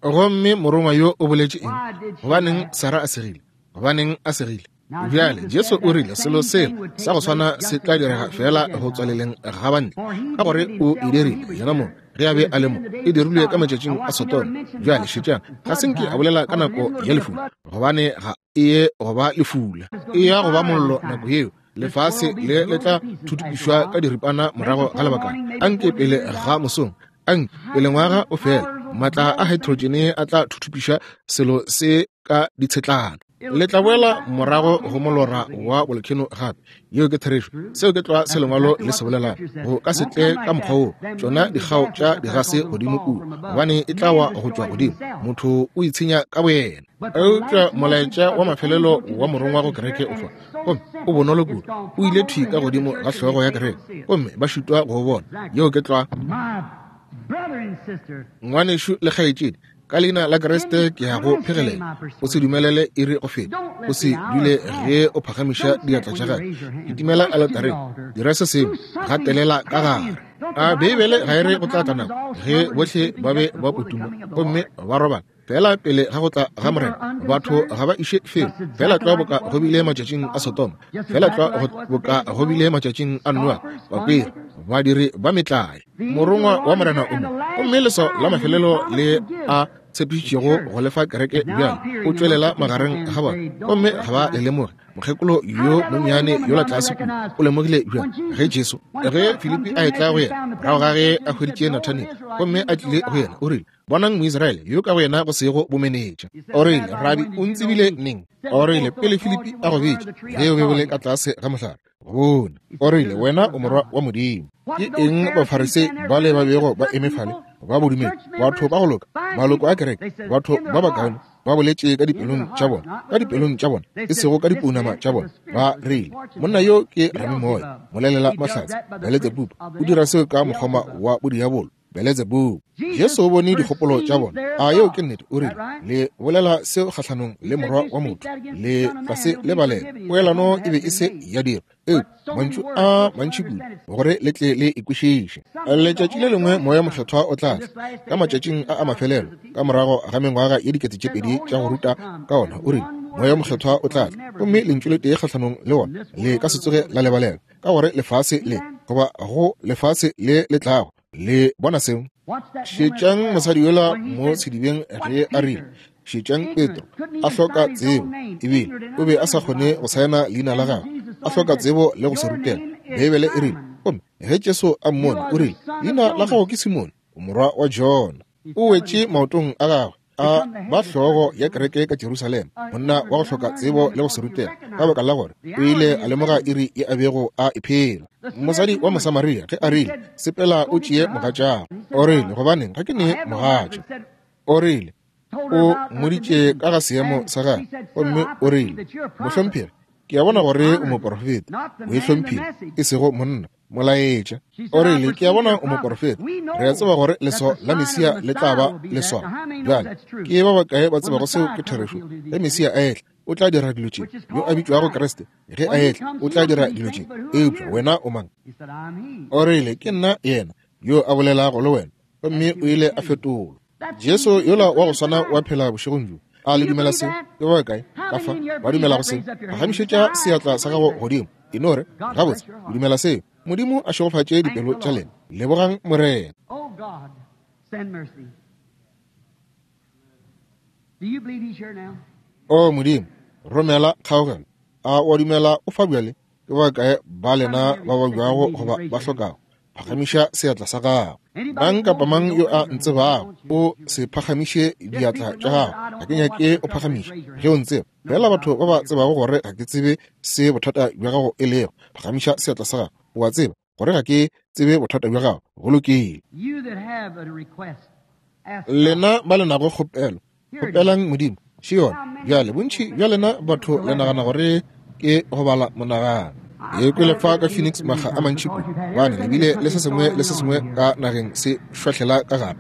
Gomme morongwa yo o boletše eng? Gobaneng Sara a segile? Gobaneng a segile? Bjale Jesu o rile selo seo sa go swana se tla direga fela go tswaleleng ga bantle, ka gore o e dirile yena mong ge a be a le mo, e dirilwe ka matšatšing a Sodoma. Bjale šetšang, ga se nke a bolela ka nako ya lefula, gobane ga e ye go ba lefula, e ya go ba mollo nako yeo. Lefase le le tla thuthupišwa ka diripana morago ga lebakana. Anke pele ga mosong, anke pele ngwaga o fela, maatla a hydrogene a tla thuthupiša selo se ka ditshetlana. Le tla boela morago go molora wa bolkheno gape. Yeo ke therešo. Seo ke tlwa se lengwalo le se bolelago. Go ka se tle ka mokgwa woo, tšona dikgao tša digase godimo kua, gobane e tla wa go tšwa godimo. Motho o itshenya ka boyena. Eupša molaetša wa mafelelo wa morongwa go kereke o fa, gomme o bonolo kudu, o ile thwi ka godimo ga hlogo ya kereke, gomme ba šitwa go o bona. Yeo ke tlwa. Ngwanešu le kgaetšedi, ka leina la Kriste ke ya go phegelela. O se dumelele iri go feta. O se dule ge o phagamiša diatla tša gago. Kitimela aletareng, dira se sengwe, gatelela ka gare. A Beibele ga e re go tla tla nako ge bohle ba be ba potuma gomme ba robala? Fela pele ga go tla ga Morena, batho ga ba iše felo. Fela tlwa boka go bile matšatšing a Sodoma, fela tlwa boka go bile matšatšing a Noa, bakweri, badiri ba metlae. Morongwa wa Morena o mo, gomme leswao la mafelelo le a tshepišitšego go lefa kereke bjale o tšwelela magareng ga bona, gomme ga ba le lemoge. Mokgekolo yo monnyane yola tlase kua o lemogile bjang ge Jesu, ge Filipi a etla go yena morago ga ge a hweditše Nathaniele gomme a tlile go yena, o rile, Bonang Moisraele yo ka go yena go sego bomenetša. O rile, Rabi, o ntsebile neng? O rile, Pele Filipi a go bitša, ge o be o le ka tlase ga mohlare, go bone. O rile, Wena o Morwa wa Modimo. Ke eng Bafarisei bale ba bego ba eme fale, ba bodumedi, batho ba go loka, maloko a kereke, batho ba bakaone, ba boletše ka dipelong tša bona, ka dipelong tša bona, e sego ka dipounama tša bona, ba rile, Monna yo ke ramimoya, molelela mahlatse, Beletsebubu, o dira seo ka mokgoma wa bodiabolo. Beletsebubu. Jesu o bone dikgopolo tša bona. A yeo ke nnete? O rile, Le bolela seo kgahlanong le Morwa wa motho, le tla se lebalela. Poelano e be e se ya dirwa, eupša mantšu a mantši kudu gore le tle le e kwešiše. Letšatši le lengwe Moya Mokgethwa o tla tla, ka matšatšing a a mafelelo, ka morago ga mengwaga ye 2000 tša go ruta ka ona, o rile, Moya Mokgethwa o tla tla, gomme lentšu le tee kgahlanong le wona le ka se tsoge la lebalelwa, ka gore lefase le, goba go lefase le le tlago, Le bona seo? Šetšang mosadi yola mo sedibeng ge a rile, šetšang Petro, a hloka tsebo, ebile o be a sa kgone go saena leina la gagwe, a hloka tsebo le go se rutela. Beibele e rile, gomme ge Jesu a mmone, o rile, Leina la gago ke Simone, o morwa wa Jona. O wetše maotong a gagwe, a ba hlogo ya kereke ka Jerusalema, monna wa go hloka tsebo le go se rutega, ka baka la gore o ile a lemoga iri ye a bego a e phela. Mosadi wa Mosamaria ge a rile, Sepela o tšee mogatšago, o rile, Gobaneng, ga ke ne mogatša. O rile, o mmoditše ka ga seemo sa gagwe, gomme o rile, Mohlomphegi, ke a bona gore o moporofeta. O e hlomphile, e sego monna. Molaetša. O rile, Ke a bona o moporofeta. Re a tseba gore leswao la Mesia le tla ba leswao. Bjale, ke ba bakae ba tsebago seo ke therešo? Ge Mesia a etla, o tla dira dilo tše, yo a bitšwago Kriste, ge a etla, o tla dira dilo tše. Eupša wena o mang? O rile, Ke nna yena yo a bolelago le wena. Gomme o ile a fetolwa. Jesu yola wa go swana wa phela bošegong bjo. A le dumela seo? Ke ba kae ka fa ba dumelago seo? Phagamišetša seatla sa gago godimo. E no re, Gabotse, ke dumela seo. Modimo a šegofatše dipelo tša lena. Lebogang Morena. Oh God, send mercy. Do you believe he's here now? O Modimo, romela kgaogelo. A o a dumela o fa bjale? Ke ba kae ba lena ba babjago goba ba hlokago? Phagamiša seatla sa gago. Mang kapa mang yo a ntsebago, o se phagamiše diatla tša gago. Ga ke nyake o phagamiše ge o ntseba. Fela batho ba ba tsebago gore ga ke tsebe se bothata bja gago e lego, phagamiša seatla sa gago. O a tseba gore ga ke tsebe bothata bja gago. Go lokile. Lena ba le nago kgopelo, kgopelang Modimo. Še yona. Bjale, bontši bja lena batho le nagana gore ke go bala monagano. E kwele fa ka Phoenix makga a mantši kudu, gobane le bile le se sengwe le se sengwe ka nageng se šwahlela ka gare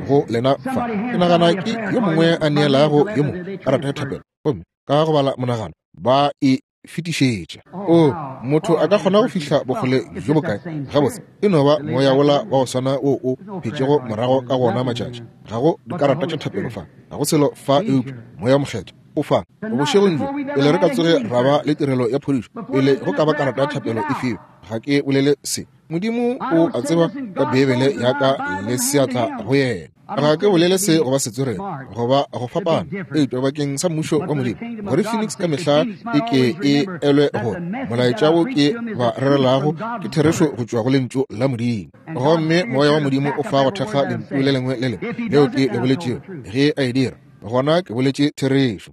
go lena fa. Ke nagana ke yo mongwe a neelago yo mongwe karata ya thapelo, gomme ka go bala monagano ba e fetišetša. O, motho a ka kgona go fihla bokgole bjo bokae? Gabotse, e no ba moya wola wa go swana wo o phetšego morago ka go ona matšatši. Ga go dikarata tša thapelo fa, ga go selo fa eupša Moya wo Mokgethwa o fa. Bošegong bjo, pele re ka tsoge ra ba le tirelo ya phodišo, pele go ka ba karata ya thapelo e fiwa, ga ke bolele se. Modimo o a tseba ka Beibele ya ka le seatla go yena. Ga ke bolele se goba setswerere goba go fapana, eupša bakeng sa mmušo wa Modimo, gore Phoenix ka mehla e ke e elwe gore molaetša wo ke ba rerelago ke therešo go tšwa go Lentšu la Modimo. Gomme Moya wa Modimo o fa go thekga Lentšu le lengwe le lengwe leo ke le boletšego. Ge a e dira, gona ke boletše therešo.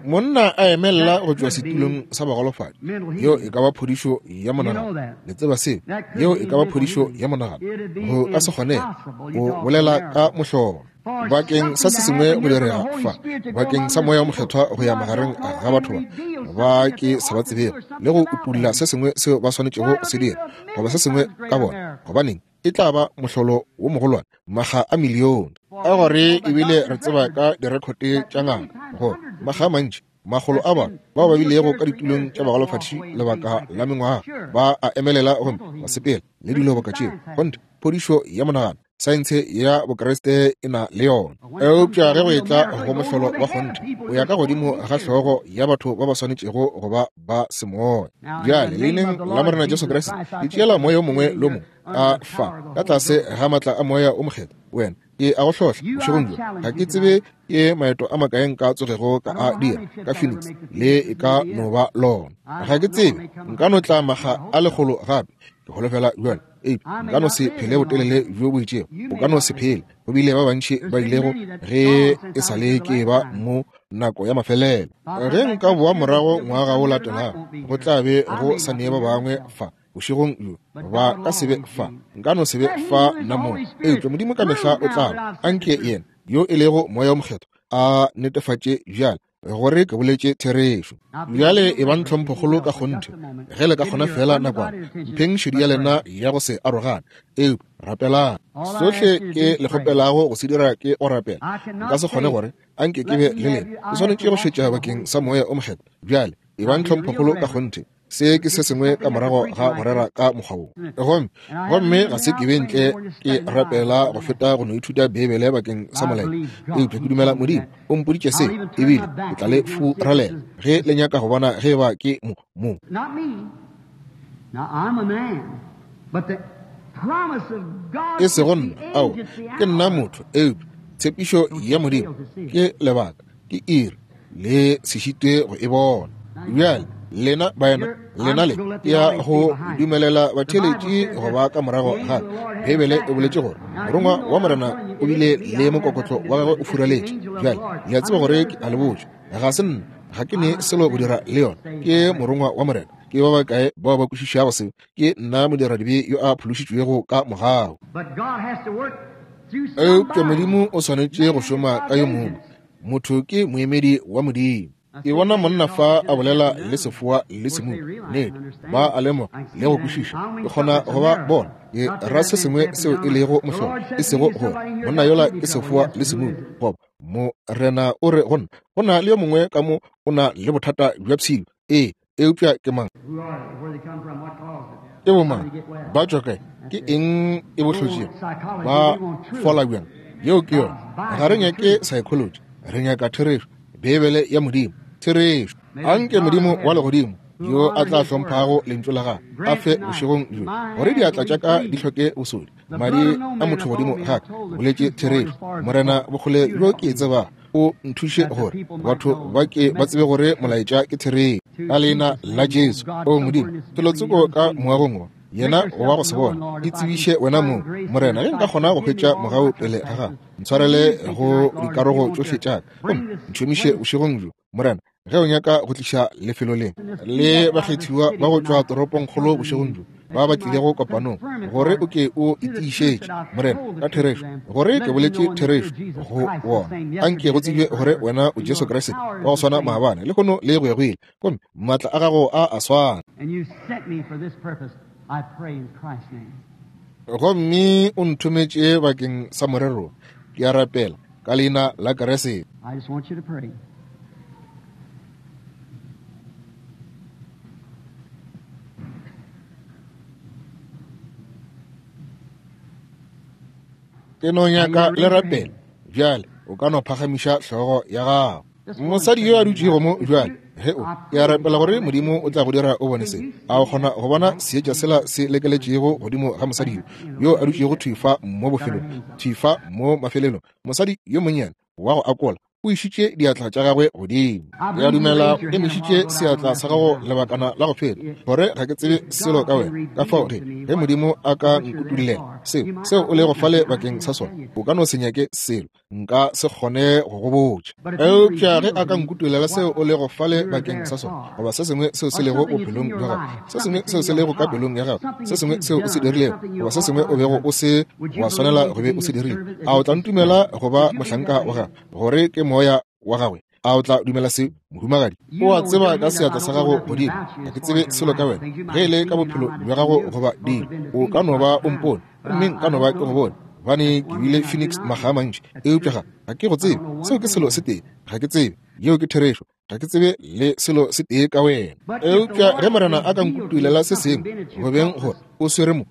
Monna a emelela go tšwa setulong sa bagolofadi, yeo e ka ba phodišo ya monagano. Le tseba seo? Yeo e ka ba phodišo ya monagano. Go ka se kgonege go bolela ka mohlolo bakeng sa se sengwe go direga fa, bakeng sa Moya wo Mokgethwa go ya magareng ga batho ba ba ke sa ba tsebego le go utolla se sengwe seo ba swanetšego go se dira goba se sengwe ka bona. Gobaneng, e tla ba mohlolo wo mogolwane makga a milione. Ka gore ebile re tseba ka direkhote tša ngaka gore makga a mantši makgolo a batho bao ba bilego ka ditulong tša bagolofadi lebaka la mengwaga ba a emelela gomme ba sepela le dilo boka tšeo. Kgonthe, phodišo ya monagano, saense ya Bokriste e na le yona. Eupša ge go etla go mohlolo wa kgonthe, o ya ka godimo ga hlogo ya batho ba ba swanetšego go ba ba semoya. Bjale, leineng la Morena Jesu Kriste, ke tšeela moya o mongwe le o mongwe a fa ka tlase ga matla a Moya o Mokgethwa. Wena, ke a go hlohla bošegong bjo. Ga ke tsebe ke maeto a makae nka tsogego ka a dira ka Phoenix, le e ka no ba lona. Ga ke tsebe, nka no tla makga a lekgolo gape. Ke holofela bjale, eupša nka no se phele botelele bjo bo itšego. O ka no se phele. Go bile ba bantši ba ilego ge e sa le ke ba mo nako ya mafelelo. Ge nka boa morago ngwaga o latelago, go tla be go sa ne ba bangwe fa bošegong bjo. Ba ka se be fa, nka no se be fa nna mong, eupša Modimo ka mehla o tla ba. Anke yena yo e lego Moya wo Mokgethwa a netefatše bjale gore ke boletše therešo. Bjale e bang tlhomphokgolo ka kgonthe, ge le ka kgona feela nakwana, mpheng šedi ya lena ya go se arogane, eupša rapelang. Sohle ke le kgopelago go se dira ke go rapela. Nka se kgone gore anke ke be le lena. Ke swanetše go šetša bakeng sa Moya o Mokgethwa. Bjale e bang tlhomphokgolo ka kgonthe. Se ke se sengwe ka morago ga go rera ka mokgwa wo. Gomme, gomme ga se ke be ntle ke rapela go feta go no ithuta Beibele bakeng sa molaetša. Eupša ke dumela Modimo o mpoditše se, ebile ke tla le furalela ge le nyaka go bona ge eba ke mo, mo. E sego nna, ao, ke nna motho, eupša tshepišo ya Modimo ke lebaka, ke iri, le se šitwe go e bona. Bjale, lena baena, lena le ya go dumelela batheeletši go ba ka morago ga Beibele e boletše gore morongwa wa Morena o bile le mokokotlo wa gagwe o furaletše. Bjale, le a tseba gore ke a le botša, ga se nna, ga ke ne selo go dira le yona, ke morongwa wa Morena. Ke ba bakae bao ba kwešišago seo? Ke nna modiradibe yo a phološitšwego ka mogau. Eupša Modimo o swanetše go šoma ka yo mongwe. Motho ke moemedi wa Modimo. Ke bona monna fa a bolela le sefoa le semumu. Nnete, ba a lemoga le go kwešiša. Ke kgona go ba bona. Ke ra se sengwe seo e lego mohlolo, e sego gore monna yola ke sefoa le semumu, goba. Morena o re go nna, go na le yo mongwe ka mo o na le bothata bja pshilo. Ee, eupša ke mang? Ke bomang? Ba tšwa kae? Ke eng e bo hlotšego? Ba fola bjang? Yeo ke yona. Ga re nyake psychology, re nyaka therešo, Beibele ya Modimo, therešo. Anke Modimo wa legodimo, yo a tla hlomphago lentšu la gagwe, a fe bošegong bjo gore diatla tša ka di hloke bosodi, madi a motho godimo ga ka boletše therešo. Morena, bokgole bjo ke e tsebago, o nthuše gore batho ba ke ba tsebe gore molaetša ke therešo. Ka leina la Jesu, o Modimo, felotsoko ka moagong wo, yena wa go se bona, itsebiše wena mong, Morena, ge nka kgona go hwetša mogau pele ga gago, ntshwarele go dikarogo tšohle tša ka, gomme ntšhomiše bošegong bjo, Morena, ge o nyaka go tliša lefelo le le bakgethiwa ba go tšwa toropongkgolo bošegong bjo, ba ba tlilego kopanong, gore o ke o itiišetše, Morena, ka therešo, gore ke boletše therešo go wona. Anke go tsebje gore wena o Jesu Kriste wa go swana maabane, lehono le go ya go ile, gomme maatla a gago a a swana. Gomme o nthometše bakeng sa morero, ke a rapela ka leina la Kriste. I just want you to pray. Ke no nyaka le rapela bjale. O ka no phagamiša hlogo ya gago. Mosadi yo a dutšego mo bjale, ge o, ke a rapela gore Modimo o tla go dira o bone se. A o kgona go bona seetša sela se lekeletšego godimo ga mosadi yo, yo a dutšego thwi fa mo bofelong, thwi fa mo mafelelong? Mosadi yo monnyane wa go akola o išitše diatla tša gagwe godimo. Ke a dumela o emišitše seatla sa gago lebakana la go feta, gore ga ke tsebe selo ka wena. Ka fao ge, ge Modimo a ka nkutullela seo, seo o lego fale bakeng sa sona, o ka no se nyake selo, nka se kgone go go botša. Eupša ge a ka nkutulela seo o lego fale bakeng sa sona, goba se sengwe seo se lego bophelong bja gago, se sengwe seo se lego ka pelong ya gago, se sengwe seo o se dirilego, goba se sengwe o bego o se wa swanela go be o se dirile, a o tla ntumela go ba mohlanka wa gagwe, gore ke moya wa gagwe? A o tla dumela seo, mohumagadi? O a tseba ka seatla sa gago godimo, ga ke tsebe selo ka wena, ge e le ka bophelo bja gago goba dilo. O ka no ba o mpone, gomme nka no ba ke go bone, gobane ke bile Phoenix makga a mantši, eupša ga, ga ke go tsebe. Seo ke selo se tee, ga ke tsebe. Yeo ke therešo. Ga ke tsebe le selo se tee ka wena. Eupša ge Morena a ka nkutulela se sengwe, go beng gore o swere mo,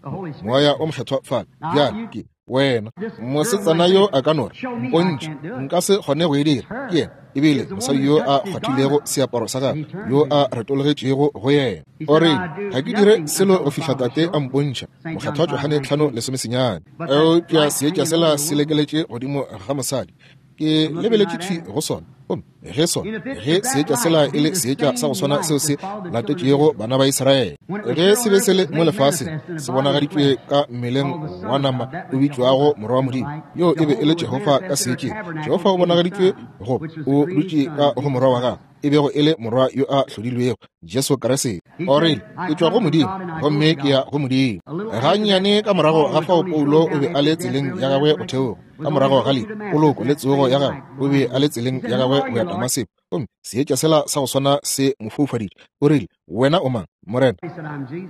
Moya o Mokgethwa fale, bjale ke wena. Mosetsana yo a ka no re, Mpontšhe, nka se kgone go e dira. Ke yena, ebile mosadi yo a kgwathilego seaparo sa gagwe, yo a retologetšego go yena. O re, Ga ke dire selo go fihla Tate a mpontšha. Mokgethwa Johane 5:19. Eupša seetša sela se lekeletše godimo ga mosadi. Ke lebeletše thwi go sona, gomme ge sona, ge seetša sela e le seetša sa go swana seo se latetšego bana ba Israele, ge se be se le mo lefaseng, se bonagaditšwe ka mmeleng wa nama o bitšwago Morwa wa Modimo, yoo e be e le Jehofa ka seetšeng. Jehofa o bonagaditšwe go, o dutše ka go Morwa wa gagwe, e bego e le Morwa yo a hlodilwego, Jesu Kriste. O rile, Ke tšwa go Modimo, gomme ke ya go Modimo. Gannyane ka morago ga fao Paulo o be a le tseleng ya gagwe go theoga, ka morago ga lehu, poloko le tsogo ya gagwe, o be a le tseleng ya gagwe go ya Damaseko, gomme seetša sela sa go swana se mo foufaditše. O rile, Wena o mang, Morena?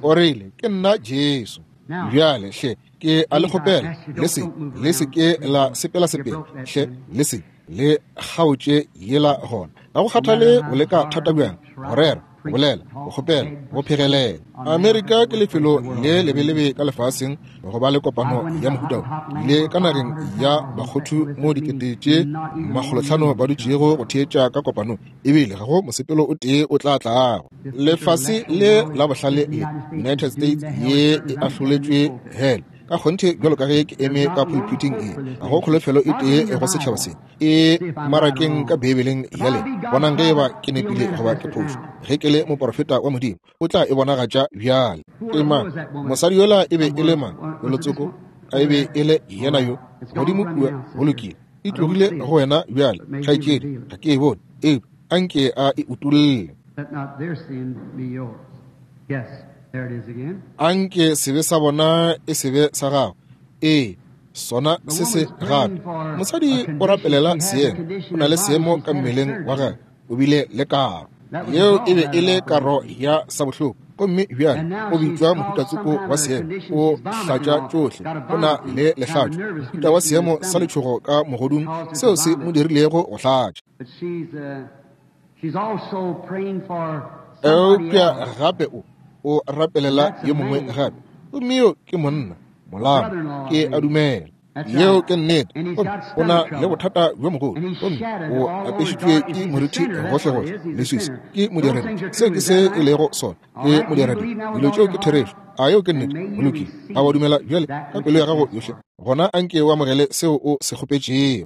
O rile, Ke nna Jesu. Bjale, hle, ke a le kgopela, le se, le se ke la sepela-sepela, hle, le se le kgaotše yela gona. Ga go kgathale o leka thata bjang go rera, go bolela, go kgopela, go phegelela. Amerika ke lefelo le lebelebe ka lefaseng go ba le kopano ya mohuta wo. Ile ka nageng ya Bakgothu mo dikete tše makgolotlhano ba dutšego go theetša ka kopanong, ebile ga go mosepelo o tee o tla tlago. Lefase le la bohlale le, United States ye e ahloletšwe hell ka kgonthe bjalo ka ge ke eme ka pulpiting e, ga go kholofelo e tee go setšhaba se. E marakeng ka Beibeleng ya lena, bonang ge eba ke nepile goba ke phošo. Ge ke le moporofeta wa Modimo, o tla e bonagatša bjale. Ke mang mosadi yola? E be e le mang? Felotsoko a e be e le yena yo godimo kua? Go lokile, e tlogile go wena bjale, kgaetšedi. Ga ke e bone, eupša a nke a e utolle. A nke sebe sa bona e se be sa gago. Ee, sona se se gape. Mosadi o rapelela seemo. O na le seemo ka mmeleng wa gagwe. O bile le karo. Yeo e be e le karo ya sabohloko. Gomme bjale o bitšwa mohutatsoko wa seemo, o hlatša tšohle, o na le lehlatšo, mohuta wa seemo sa letšhogo ka mogodung seo se mo dirilego go hlatša. Eupša gape o rapelela yo mongwe gape, gomme yo ke monna, molamo, ke a dumela. Yeo ke nnete. Gomme o na le bothata bjo mogolo, gomme o apešitšwe ke morithi gohlegohle, leswiswi. Ke modiredi. Seo ke se e lego sona. Ke modiredi. Dilo tšeo ke therešo. A yeo ke nnete? Go lokile. A wa dumela bjale ka pelo ya gago yohle? Gona anke o amogele seo o se kgopetšego.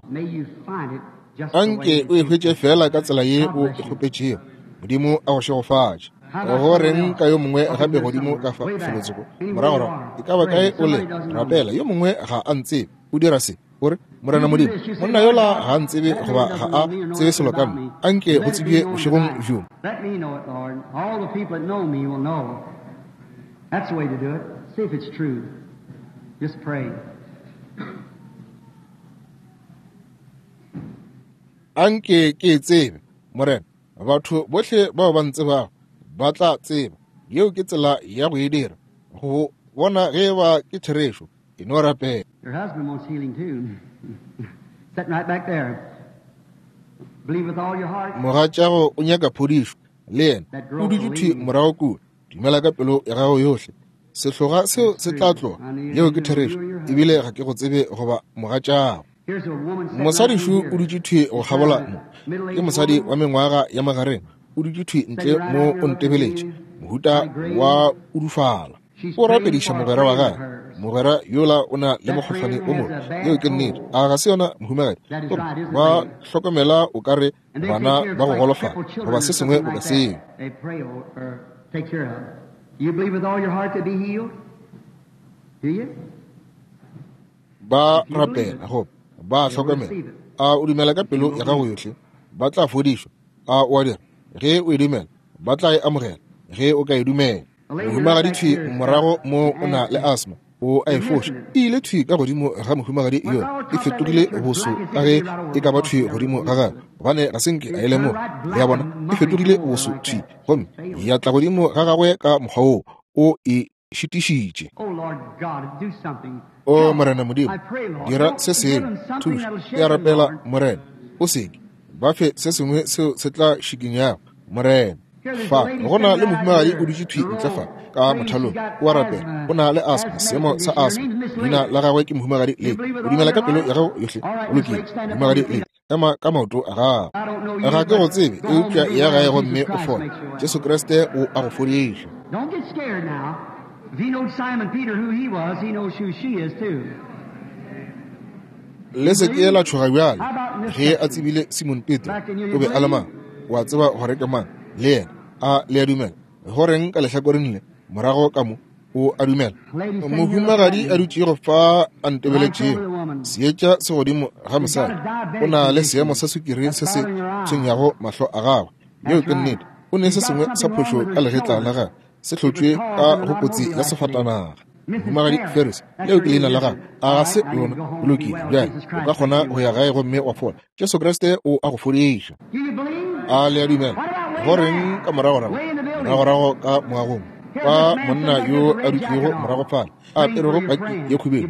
Anke o e hwetše feela ka tsela ye o e kgopetšego. Modimo a go šegofatše. Go reng ka yo mongwe gape godimo ka fa felotsoko moragorago? E ka ba kae o le rapela? Yo mongwe ga a ntsebe. O dira se, o re, Morena Modimo, monna yola ga a ntsebe goba ga a tsebe selo ka nna. Anke go tsebje bošegong bjo. Anke ke e tsebe, Morena. Batho bohle bao ba ntsebago ba tla tseba. Yeo ke tsela ya go e dira, go bona ge eba ke therešo. E no rapela. Your husband wants healing too. Sitting right back there. Believe with all your heart. Mogatšago o nyaka phodišo, le yena. O dutše thwi morago kua. Dumela ka pelo ya gago yohle. Sehloga seo se tla tloga. Yeo ke therešo. Ebile ga ke go tsebe goba mogatšago. Mosadišu o dutše thwi go kgabola mo. Ke mosadi wa mengwaga ya magareng. O dutše thwi ntle mo o ntebeletše. Mohuta wa udufala. O rapediša mogwera wa gagwe. Mogwera yola o na le mokgohlwane o mobe. Yeo ke nnete. A ga se yona, mohumagadi? Gomme ba hlokomela o ka re bana ba go golofala goba se sengwe boka seo. Ba rapela goba ba hlokomela. A o dumela ka pelo ya gago yohle? Ba tla fodišwa. A o a dira? Ge o e dumela, ba tla e amogela. Ge o ka e dumela. Mohumagadi thwi morago mo o na le asma, o a e foša. E ile thwi ka godimo ga mohumagadi yola, e fetogile boso ka ge e ka ba thwi godimo ga gagwe, gobane ga se nke a e lemoga. Le a bona, e fetogile boso thwi gomme ya tla godimo ga gagwe ka mokgwa woo. O e šitišitše. O Morena Modimo, dira se sengwe, thuša. Ke a rapela, Morena, o seke ba fe se sengwe seo se tla šikinyago, Morena. Fa go na le mohumagadi o dutše thwi ntle fa ka mothalong, o a rapela, o na le asma, seemo sa asma. Leina la gagwe ke mohumagadi Le. O dumela ka pelo ya gago yohle? Go lokile, mohumagadi Le, ema ka maoto a gago. Ga ke go tsebe, eupša ya gae gomme o fole. Jesu Kriste o a go fodiša. Don't get scared now. If he knows Simon Peter who he was, he knows who she is too. Le se ke la tšhoga bjale. Ge a tsebile Simon Petro o be a le mang, o a tseba gore ke mang le yena. A le a dumela? Go reng ka lehlakoreng le morago ka mo? O a dumela? Mohumagadi a dutšego fa a ntebeletšego, seetša se godimo ga mosadi, o na le seemo sa sukiri se se tshwenyago mahlo a gagwe. Yeo ke nnete. O ne se sengwe sa phošo ka legetla la gagwe, se hlotšwe ka go kotsi ya sefatanaga. Mohumagadi Ferris, leo ke leina la gagwe, a ga se lona? Go lokile, bjale o ka kgona go ya gae gomme wa fola. Jesu Kriste o a go fodiša. A le a dumela? Go reng ka moragorago, moragorago ka moagong, ka monna yo a dutšego morago fale, a aperego paki ye khubedu,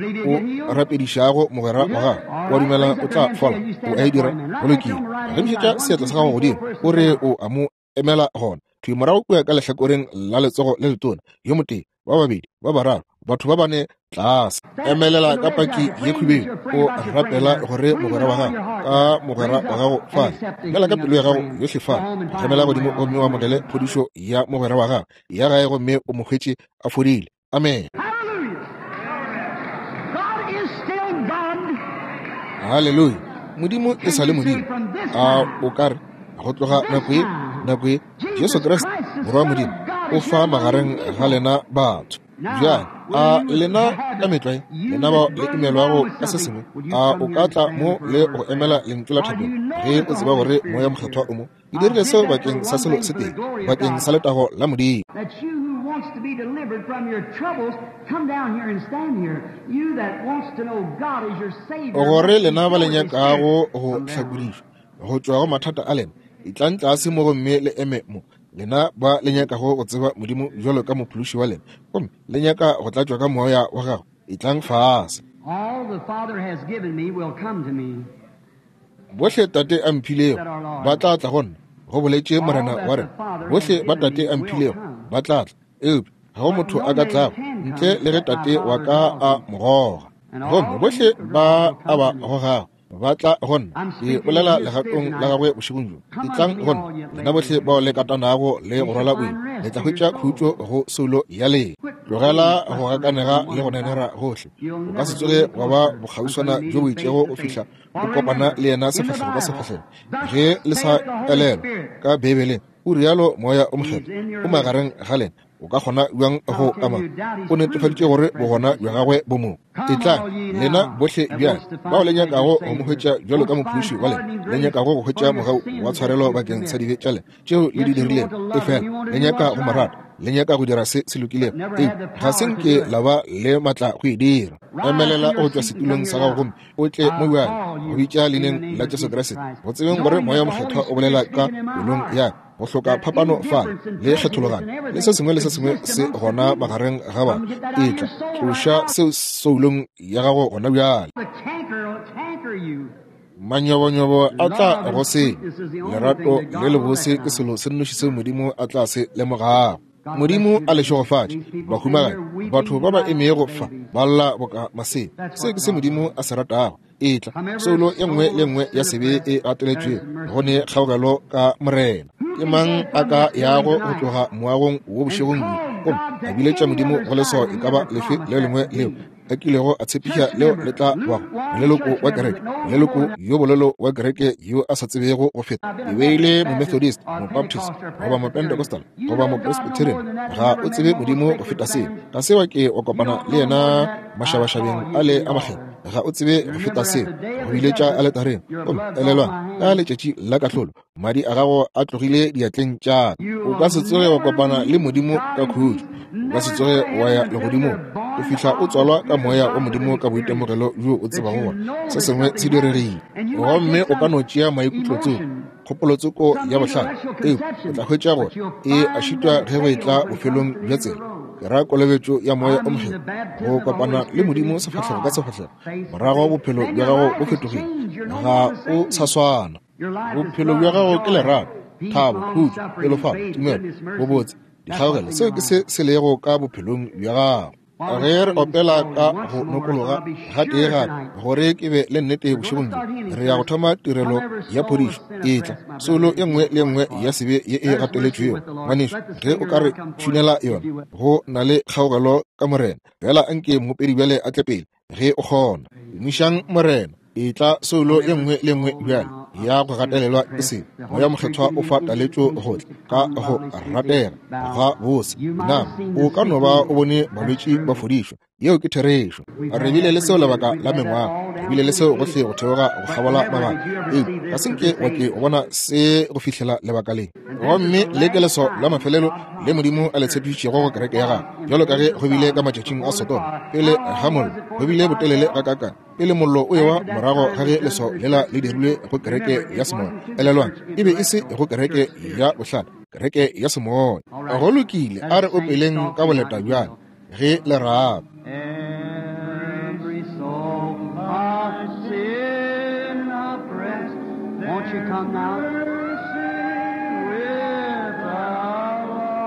o rapedišago mogwera wa gagwe? O a dumela o tla fola? O a e dira? Go lokile, gemišetša seatla sa gago godimo, o re o a mo emela gona. Thwi morago kua ka lehlakoreng la letsogo le letona, yo motee, ba babedi, ba bararo, batho ba bane tlase. Emelela ka paki ye khubedu, o rapela gore mogwera wa gago, ka mogwera wa gago fale. Dumela ka pelo ya gago yohle fale. Gemela godimo gomme o amogele phodišo ya mogwera wa gago ya gae gomme o mo hwetše a fodile. Amen. Haleluya. Modimo e sa le Modimo. A o ka re go tloga nako ye, nako ye, Jesu Kriste, Morwa wa Modimo, o fa magareng ga lena batho. Bjale, a lena ka metlwae, lena bao le imelwago ka se sengwe, a o ka tla mo le go emela lentšu la thapelo ge o tseba gore Moya Mokgethwa o mo? Ke dirile seo bakeng sa selo se tee, bakeng sa letago la Modimo. Gore lena ba le nyakago go hlakodišwa go tšwa go mathata a lena, Etlang tlase mo gomme le eme mo, lena ba le nyakago go tseba Modimo bjalo ka Mophološi wa lena, gomme le nyaka go tlatšwa ka Moya wa Gagwe. Etlang fase. Bohle Tate a mphilego ba tla tla go nna, go boletše Morena wa rena. Bohle ba Tate a mphilego ba tla tla, eupša ga go motho a ka tlago ntle le ge Tate wa ka a mo goga. Gomme bohle ba a ba gogago ba tla go nna. Ke bolela legatong la gagwe bošegong bjo. Etlang go nna, lena bohle bao le katanago le go rwala boima, le tla hwetša khutšo go soulo ya lena. Tlogela go gakanega le go nenera gohle. O ka se tsoge wa ba bokgauswana bjo bo itšego go fihla o kopana le yena sefahlego ka sefahlego. Ge le sa elelwa ka Beibeleng, o rialo Moya o Mokgethwa o magareng ga lena. O ka kgona bjang go ama? O netefaditše gore bogona bja gagwe bo mo. Etlang, lena bohle bjale, bao le nyakago go mo hwetša bjalo ka Mophološi wa lena, le nyakago go hwetša mogau wa tshwarelo bakeng sa dibe tša lena tšeo le di dirilego, efela le nyaka go mo rata, le nyaka go dira se se lokilego, eupša ga se nke la ba le matla go e dira. Emelela go tšwa setulong sa gago gomme o tle mo bjale, go bitša leineng la Jesu Kriste, go tsebeng gore Moya wo Mokgethwa o bolela ka pelong ya ka. Go hloka phapano fa le kgethologano le se sengwe le se sengwe se gona magareng ga ba. Etla, tloša seo soulong ya gago gona bjale. Manyobonyobo a tla go senya. Lerato le lebose ke selo se nnoši seo Modimo a tla se lemogago. Modimo a le šegofatše, bahumagadi, batho ba ba emego fa ba lla boka masea. Se ke se Modimo a se ratago. Etla, soulo e nngwe le nngwe ya sebe e gateletšwego, go ne kgaogelo ka Morena. Ke mang a ka yago go tloga moagong wo bošegong bjo gomme a biletša Modimo go leswao e ka ba lefe le lengwe leo a kilego a tshepiša leo le tla bago moleloko wa kereke, moleloko yo bolelo wa kereke yo a sa tsebego go feta e be e le Momethodist, Mobaptist, goba Mopentecostal, goba Mopresbyterian? Ga o tsebe Modimo go feta seo. Ga se wa ke wa kopana le yena mašabašabeng a le a makgethwa. Ga o tsebe go feta seo, go biletša aletareng. Gomme elelwang, ka letšatši la kahlolo, madi a gago a tlogile diatleng tša ka. O ka se tsoge wa kopana le Modimo ka khutšo. O ka se tsoge wa ya legodimong go fihla o tswalwa ka Moya wa Modimo ka boitemogelo bjo o tsebago gore se sengwe se diregile. Gomme o ka no tšea maikutlotsoko, kgopolotsoko ya bohlale, eupša o tla hwetša gore e a šitwa ge go etla bofelong bja tsela. Ke ra kolobetšo ya Moya o Mokgethwa, go kopana le Modimo sefahlego ka sefahlego. Morago bophelo bja gago bo fetogile, ga o sa swana. Bophelo bja gago ke lerato, thabo, khutšo, pelofalo, tumelo, bobotse, dikgaogelo. Seo ke se se lego ka bophelong bja gago. Ge re opela ka go nokologa gatee gape, gore ke be le nnete bošegong bjo, re ya go thoma tirelo ya phodišo. Etla, soulo e nngwe le nngwe ya sebe ye e gateletšwego, ngwanešu, ge o ka re tšhunela yona, go na le kgaogelo ka Morena. Fela anke moopedi bjale a tle pele, ge o kgona. Tumišang Morena. Etla, soulo ye nngwe le nngwe bjale ya go gatelelwa ke sebe. Moya Mokgethwa o fa taletšo go tla ka go ratega ga bose. Na o ka no ba o bone balwetši ba fodišwa? Yeo ke therešo. Re bile le seo lebaka la mengwaga. Re bile le seo gohle go theoga go kgabola mabaka. Eupša ga se nke wa ke o bona se go fihlela lebaka le. Gomme le ke leswao la mafelelo le Modimo a le tshepišitšego go kereke ya gagwe, bjalo ka ge go bile ka matšatšing a Sodoma pele ga mollo. Go bile botelele gakaakang pele mollo o ewa morago ga ge leswao lela le dirilwe go kereke ya semoya. Elelwang, e be e se go kereke ya bohlale, kereke ya semoya. Go lokile, a re opeleng ka boleta bjale ge le rata. Every soul of sin oppressed, won't you come now? With the Lord,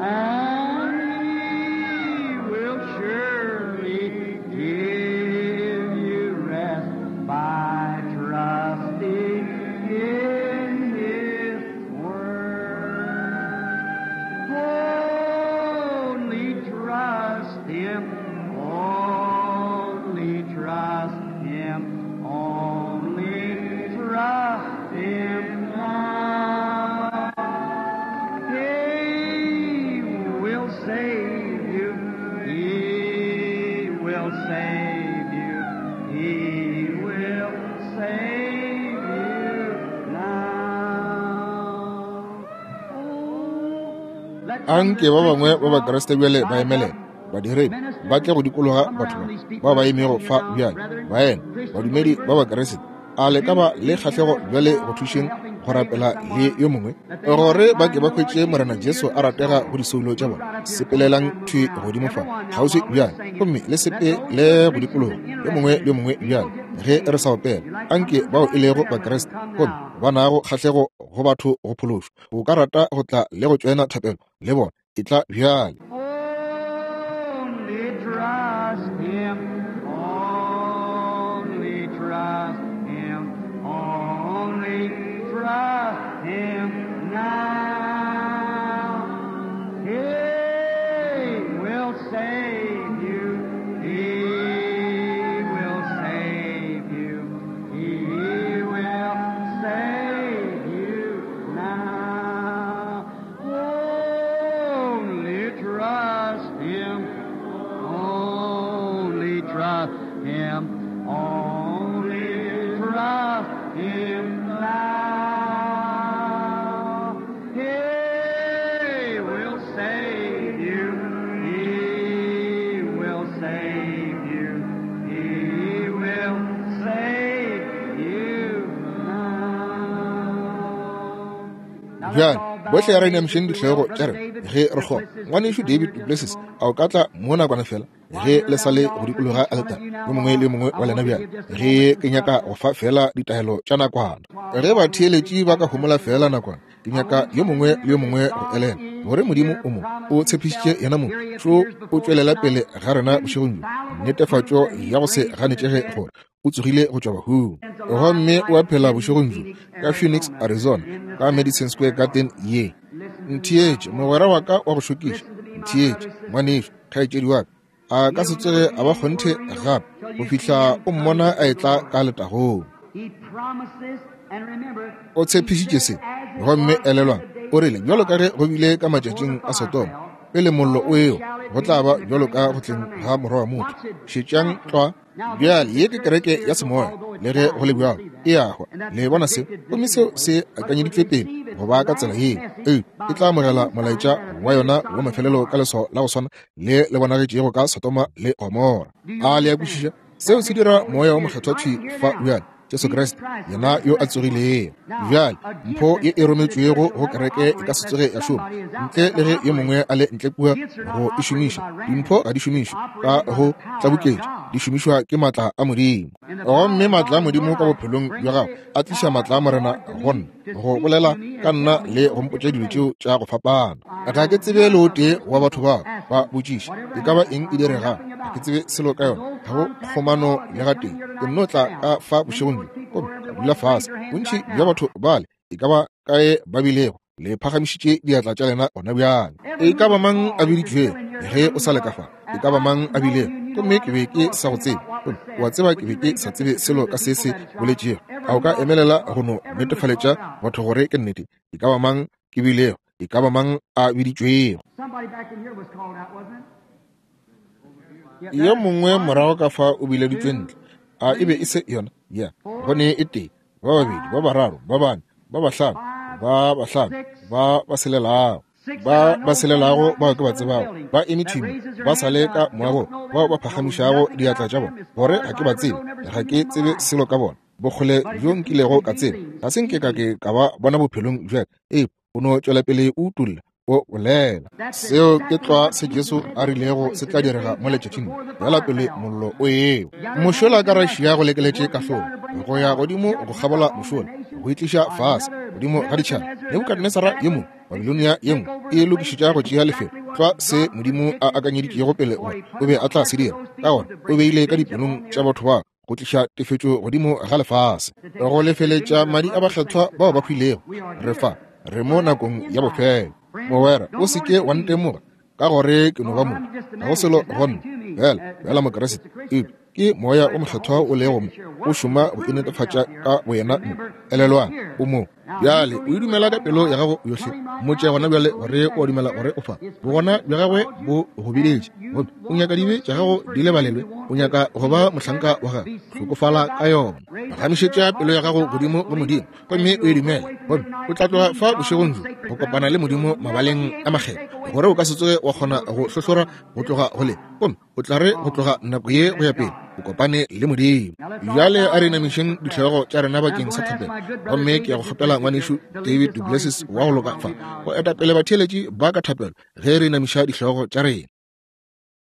and He will surely give you rest by trusting in His word. Only trust Him, only trust Him, only trust Him now. He will save you, He will save you, He will save you now. Oh, let Anke ba bangwe ba Bakriste bjale ba emelele, badiredi ba tle go dikologa batho ba ba ba emego fa bjale, baena, badumedi ba Bakriste. A le ka ba le kgahlego bjale go thušeng go rapela le yo mongwe, gore ba ke ba hwetše Morena Jesu a ratega go disoulo tša bona? Sepelelang thwi godimo fa kgauswi bjale, gomme le sepele go dikologa yo mongwe le yo mongwe bjale ge re sa opela. Anke bao e lego Bakriste gomme ba nago kgahlego go batho go phološwa, o ka rata go tla le go tšoena thapelo le bona, e tla bjale. Only trust him, only trust him, only trust him now. He will save you, he will save you, he will save you now. Only trust him, only trust him, only trust him now. He will save you, he will save you, he will save you now. Bjale bohle ya re inamišeng dihlogo tša rena ge re kgona. Ngwanešu David duPlessis, a o ka tla mo nakwana fela ge le sa le go dikologa aletare, yo mongwe le yo mongwe wa lena bjale, ge ke nyaka go fa fela ditaelo tša nakwana. Ge batheeletši ba ka homola fela nakwana, ke nyaka yo mongwe le yo mongwe go elela gore Modimo o mo o tshepišitše yena mong šo o tšwelela pele ga rena bošegong bjo, netefatšo ya go se ganetšege gore o tsogile go tšwa bahung gomme o a phela bošegong bjo ka Phoenix, Arizona, ka Madison Square Garden ye. Ntheetše, mogwera wa ka wa go šokiša, ntheetše, ngwanešu, kgaetšedi wa ka, a ka se tsoge a ba kgonthe gape go fihla o mmona a etla ka letagong. He promises, and remember, O tshepišitše se, gomme elelwang, o rile bjalo ka ge go bile ka matšatšing a Sodoma, pele mollo o ewa, go tla ba bjalo ka go tleng ga Morwa wa motho. Šetšang tlwa. Bjale ye ke kereke ya semoya, le ge go le bjalo e a hwa. Le bona se? Gomme seo se akanyeditšwe pele go ba ka tsela yeo. Eupša e tla amogela molaetša wa yona wa mafelelo ka leswao la go swana le le bonagetšego ka Sodoma le Gomora. A le a kwešiša? Seo se dira Moya wo Mokgethwa thwi fa bjale, Jesu Kriste, yena yo a tsogilego. Bjale mpho ye e rometšwego go kereke e ka se tsoge ya šoma ntle le ge yo mongwe a le ntle kua go e šomiša. Dimpho ga di šomišwe ka go tlaboketša, di šomišwa ke maatla a Modimo. Gomme maatla a Modimo ka bophelong bja gago a tliša maatla a Morena go nna, go bolela ka nna le go mpotša dilo tšeo tša go fapana. Ga ke tsebe le o tee wa batho bao ba botšiša e ka ba eng e diregang, ga ke tsebe selo ka yona, ga go kgomano le gatee. Ke nno tla ka fa bošegong bjo gomme ka dula fase. Bontši bja batho bale e ka ba kae ba bilego, le phagamišitše diatla tša lena gona bjale. E ka ba mang a biditšwego ge o sa le ka fa? E ka ba mang a bilego? Gomme ke be ke sa go tsebe, gomme o a tseba ke be ke sa tsebe selo ka se se boletšego. A o ka emelela go no netefaletša batho gore ke nnete? E ka ba mang ke bilego? E ka ba mang a biditšwego? Somebody back in here was called out, wasn't it? Yo mongwe morago ka fa o bileditšwe ntle. A e be e se yona? Ya, go ne e tee, ba babedi, ba bararo, ba bane, ba bahlano, ba bahlano, ba ba selelago, ba ba selelago bao ke ba tsebago, ba eme thwi mo, ba sa le ka moagong, bao ba phagamišago diatla tša bona, gore ga ke ba tsebe, ga ke tsebe selo ka bona, bokgole bjo nkilego ka tseba, ga se nke ka ke ka ba bona bophelong bja ka. Ee, o no tšwela pele o utolla, o bolela. Seo ke tlwa se Jesu a rilego se tla direga mo letšatšing bjala pele mollo o ewa. Mošola ka Russia go lekeletše kahlolo go ya godimo go kgabola mošola, go itliša fase godimo ga ditšhaba. Nebukadnesara ye mongwe, Babilonia ye nngwe e lokišetša go tšea lefelo, tlwa se Modimo a akanyeditšego pele gore o be a tla se dira. Ka gona o beile ka dipelong tša batho ba go tliša tefetšo godimo ga lefase, go lefeletša madi a bakgethwa bao ba hwilego. Re fa, re mo nakong ya bofelo. Mogwera, o se ke wa ntemoga ka gore ke no ba motho, ga go selo go nna, fela fela Mokriste. Eupša ke Moya o Mokgethwa o lego mo, o šoma go inetefatša ka boyena mo. Elelwang, o mo. Bjale o e dumela ka pelo ya gago yohle. Mmotše gona bjale gore o a dumela gore o fa. Bogona bja gagwe bo go biletše, gomme o nyaka dibe tša gago di lebalelwe. O nyaka go ba mohlanka wa gagwe. Hlokofala ka yona. Phagamišetša pelo ya gago godimo go Modimo, gomme o e dumele, gomme o tla tloga fa bošegong bjo go kopana le Modimo mabaleng a makgethwa, gore o ka se tsoge wa kgona go hlohlora go tloga go le, gomme o tla re go tloga nako ye go ya pele. O kopane le Modimo. Bjale a re inamišeng dihlogo tša rena bakeng sa thapelo. Gomme ke ya go kgopela ngwanešu David duPlessis wa go loka fa go etapele batheeletši ba ka thapelo ge re inamiša dihlogo tša rena.